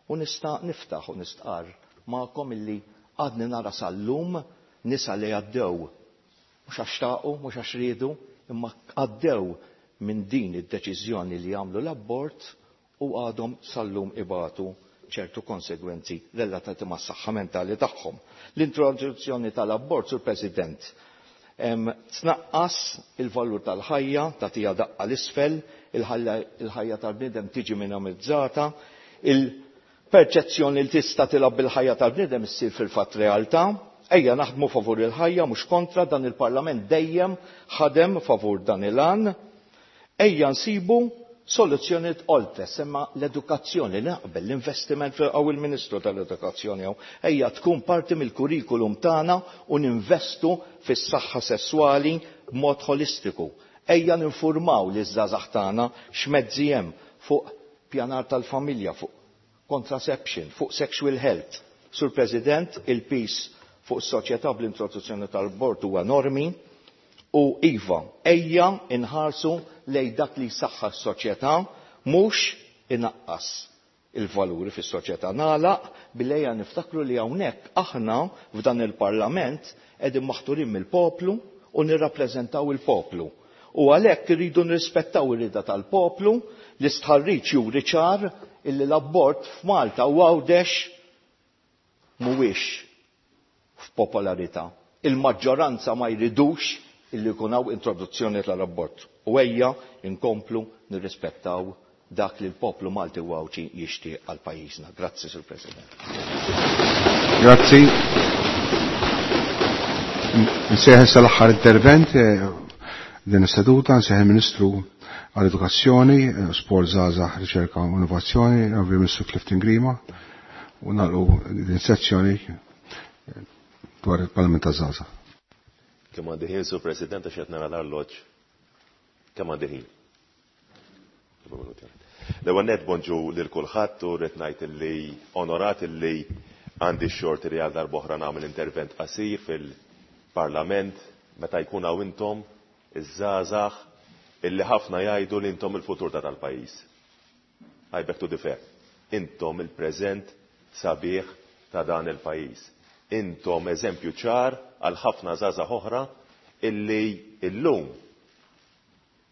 u nista' niftaħ u nistqarr magħkom illi għadni nara sal-lum nisa li għaddew, mhux għax xtaqu, mhux għax riedu, imma għaddew minn din id-deċiżjoni li jagħmlu l-abort u għadhom sal-lum ibatu ċertu konsegwenzi relatati mas-saħħa mentali tagħhom. L-introduzzjoni tal-abort, Sur President, tnaqqas il-valur tal-ħajja, tagħtiha daqqa l-isfel, il-ħajja tal-bniedem tiġi minimizzata, il-perċezzjoni li tista' tilgħab bil-ħajja tal-bniedem issir fil-fatt realtà. Ejja naħdmu favur il-ħajja, mhux kontra, dan il-Parlament dejjem ħadem favur dan il-għan. Ejja nsibu soluzzjonijiet oltre, semma l-edukazzjoni, naqbel l-investiment għaw il-Ministru tal-Edukazzjoni għaw, ejja tkun parti mill-kurrikulum tagħna u ninvestu fis-saħħa sesswali b'mod holistiku. Ejja ninformaw li żgħażagħ tagħna x'mezzi hemm fuq pjanar tal-familja, fuq contraception, fuq sexual health. Sur President, il-peace fuq is-soċjetà bl-introduzzjoni tal-abort huwa enormi. U iva, ejja inħarsu lej dak li saħħa s-soċjetà, mhux inaqqas il-valuri fis-soċjetà. Nagħlaq billi ejja niftakru li hawnhekk aħna f'dan il-Parlament qegħdin maħturin mill-poplu u nirrappreżentaw il-poplu. U għalhekk irridu nirrispettaw ir-rieda tal-poplu. L-istħarriġ juri ċar illi l-abort f'Malta u Għawdex mhuwiex f'popolarità. Il-maġġoranza ma jridux illi jkun hawn introduzzjoni tal-abort. U ejja inkomplu nirrispettaw dak li l-poplu Malti u Għawdxi jixtieq għal pajjiżna. Grazzi, Sur President. Grazzi. Nsejħ issa l-aħħar intervent eh, din is-seduta, nsejħ il-Ministru għall-Edukazzjoni, eh, Sport, Żgħażagħ, Riċerka u Innovazzjoni, il-Ministru Clifton Grima, u nagħlqu din sezzjoni eh, dwar il-Parlament taż-Żgħażagħ. Kemm għandi ħin, Sur President, għax qed nara l-arloġġ? Kemm għandi ħin? L-ewwel nett bonġu lil kulħadd u rrid ngħid illi onorat illi għandi x-xorti li għal darb'oħra nagħmel intervent qasir fil-Parlament meta jkun hawn intom iż-żgħażagħ illi ħafna jgħidu li intom il-futur ta' tal-pajjiż. I beg to differ. Intom il-preżent sabiħ ta' dan il-pajjiż. Intom eżempju ċar għal ħafna żgħażagħ oħra illi illum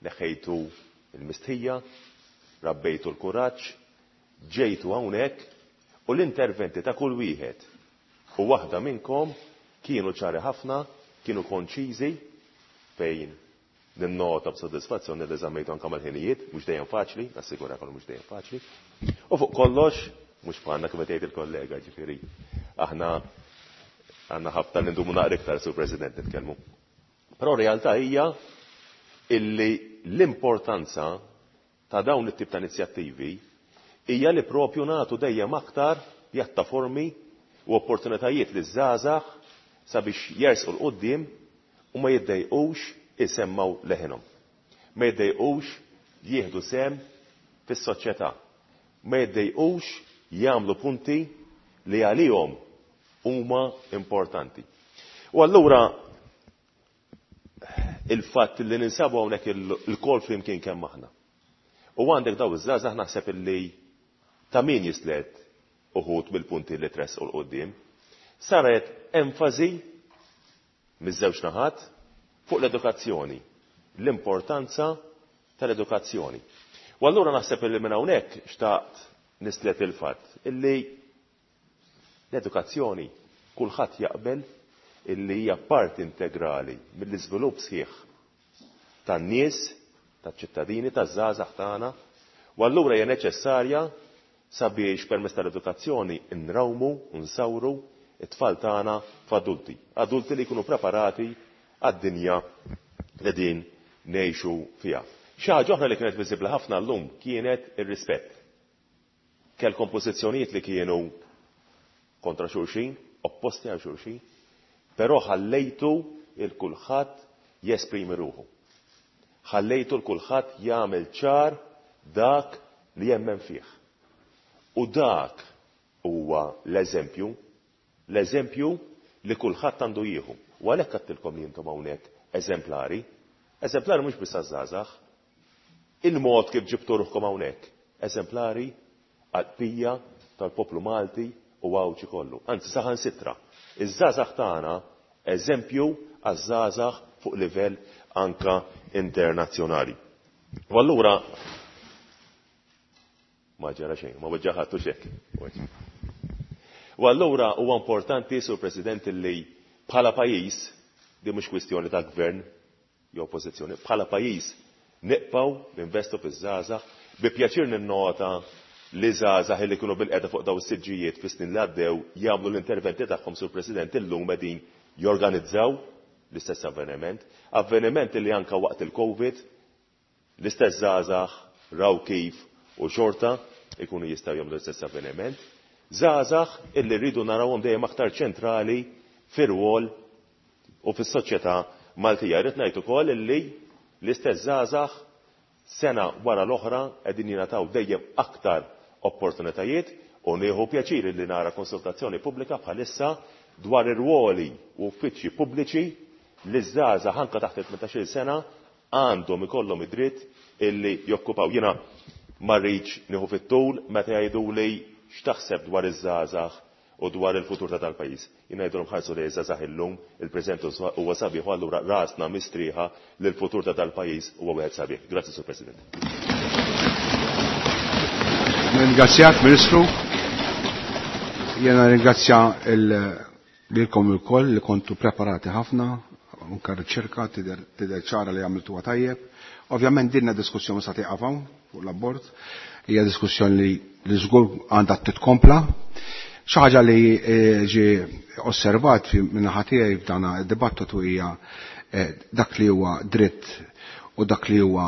neħejtu il-mistħija, rabbejtu l-kuraġġ, ġejtu hawnhekk u l-interventi ta' kull wieħed u waħda minnkom kienu ċari ħafna, kienu konċiżi fejn Ninnota b'sodisfazzjoni li żammejtu anke mal-ħinijiet, mhux dejjem faċli, nassigurakom mhux dejjem faċli. U fuq kollox, mhux bħalna kif qed jgħid il-kollega, ġifieri aħna għandna ħafna li ndumu naqra iktar, Sur President, nitkellmu. Però realtà hija illi l-importanza ta' dawn it-tip ta' inizjattivi hija li propju nagħtu dejjem aktar pjattaformi u opportunitajiet li żgħażagħ sabiex jersqu 'l quddiem u ma jiddejqux isemmgħu leħinhom. Ma jiddejqux jieħdu sehem fis-soċjetà. Ma jiddejqux jagħmlu punti li għalihom huma importanti. U allura il-fatt li ninsabu hawnhekk il-kol flimkien kemm aħna. U għandek daw iż-żgħażagħ naħseb illi ta' min jislet uħud mill-punti li tressqu 'l quddiem. Saret enfasi miż-żewġ naħat fuq l-edukazzjoni, l-importanza tal-edukazzjoni. U allura naħseb illi minn hawnhekk xtaqt nislet il-fatt illi l-edukazzjoni kulħadd jaqbel illi hija parti integrali mill-iżvilupp sħiħ tan-nies, taċ-ċittadini, taż-żgħażagħ tagħna, u allura hija neċessarja sabiex permezz tal-edukazzjoni nrawmu u nsawru it-tfal tagħna f'adulti, adulti li jkunu preparati għad-dinja li din ngħixu fiha. Xi ħaġa oħra li kienet viżibbli ħafna llum kienet ir-rispett. Kellkom pożizzjonijiet li kienu kontra xulxin, opposti għal xulxin, però ħallejtu il kulħadd jesprimi ruħu. Ħallejtu l kulħadd jagħmel ċar dak li jemmen fih. U dak huwa l-eżempju, l-eżempju li kulħadd għandu jieħu. U għalhekk għedtilkom li intom hawnhekk eżemplari. Eżemplari mhux biss għaż-żgħażagħ. Il-mod kif ġibtu ruħkom hawnhekk, eżemplari għall-bqija tal-poplu Malti u Għawdxi kollu. Anzi, saħansitra, iż-żgħażagħ tagħna eżempju għaż-żgħażagħ fuq livell anka internazzjonali. U allura ma ġara xejn, ma weġġa' ħadd u xek. U allura huwa importanti, Sur President, li bħala pajjiż, di mhux kwistjoni ta' gvern jew oppożizzjoni, bħala pajjiż nibqgħu ninvestu fiż-żgħażagħ. Bi pjaċir ninnota li żgħażagħ li kienu bilqiegħda fuq daw is-siġġijiet fis-snin li għaddew jagħmlu l-interventi tagħhom, Sur President, illum qegħdin jorganizzaw l-istess avveniment, avveniment li anka waqt il-Covid l-istess żgħażagħ raw kif u xorta ikunu jistgħu jagħmlu l-istess avveniment. Żgħażagħ illi rridu narawhom dejjem aktar ċentrali fir-rwol u fis-soċjetà Maltija. Rrid ngħid ukoll illi l-istess żgħażagħ sena wara l-oħra qegħdin jingħataw dejjem aktar opportunitajiet u nieħu pjaċir li nara konsultazzjoni pubblika bħalissa dwar ir-rwoli u uffiċċji pubbliċi li żgħażagħ anke taħt il-tmintax-il sena għandhom ikollhom id-dritt illi jokkupaw. Jiena ma rridx nieħu fit-tul meta jgħiduli x'taħseb dwar iż-żgħażagħ u dwar il-futur ta' dal-pajjiż. Jiena ngħidulhom ħarsu li żgħażagħ illum, il-preżent huwa sabiħ u allura rasna mistrieħa li l-futur ta' dal-pajjiż huwa wieħed sabiħ. Grazzi, Sur President. Ringrazzjak, Ministru. Jiena ringrazzja lilkom ilkoll li kontu preparati ħafna, anke riċerka tidher ċara li għamiltuha tajjeb. Ovvjament dinna diskussjoni sa tieqaf hawn fuq l-abort, hija diskussjoni li żgur għandha titkompla. Xi ħaġa li ġie osservat min-naħa tiegħi f'dan id-dibattitu hija dak li huwa dritt u dak li huwa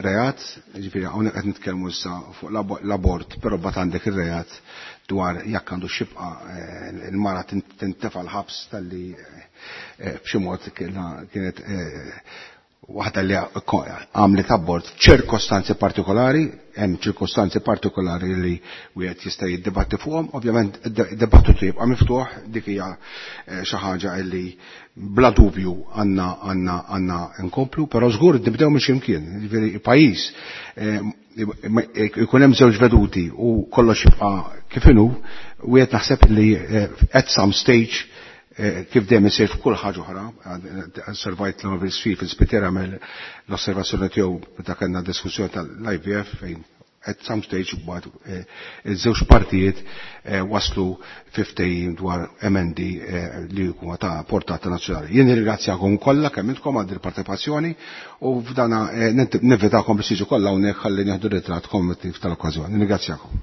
reat, ġifieri hawnhekk qed nitkellmu issa fuq l-abort, però mbagħad għandek ir-reat dwar jekk għandu xibqa il-mara tintefa' l-ħabs talli b'xi mod kienet waħda li għamlet abort f'ċirkostanzi partikolari, hemm ċirkostanzi partikolari li wieħed jista' jiddibatti fuqhom, ovvjament id-dibattitu jibqa' miftuħ, dik hija xi ħaġa li bla dubju għandna għandna għandna nkomplu, però żgur nibdew minn x'imkien, jiġifieri pajjiż ikun hemm żewġ veduti u kollox jibqa' kif inhu, wieħed naħseb li at some stage kif dejjem isir f'kull ħaġa oħra, osservajt l-Onorevoli Sfi fil-Spitera għamel l-osservazzjoni tiegħu meta kellna diskussjoni tal-I V F fejn at some stage mbagħad eh, iż-żewġ partijiet eh, waslu fi ftehim dwar emendi eh, li huma ta' portata nazzjonali. Jien nirringrazzjakom kollha kemm intkom għal il-parteċipazzjoni u f'dana ninvitakom biex tiġu kollha hawnhekk ħalli nieħdu ritratt kommemorattiv tal-okkażjoni. Nirringrazzjakom.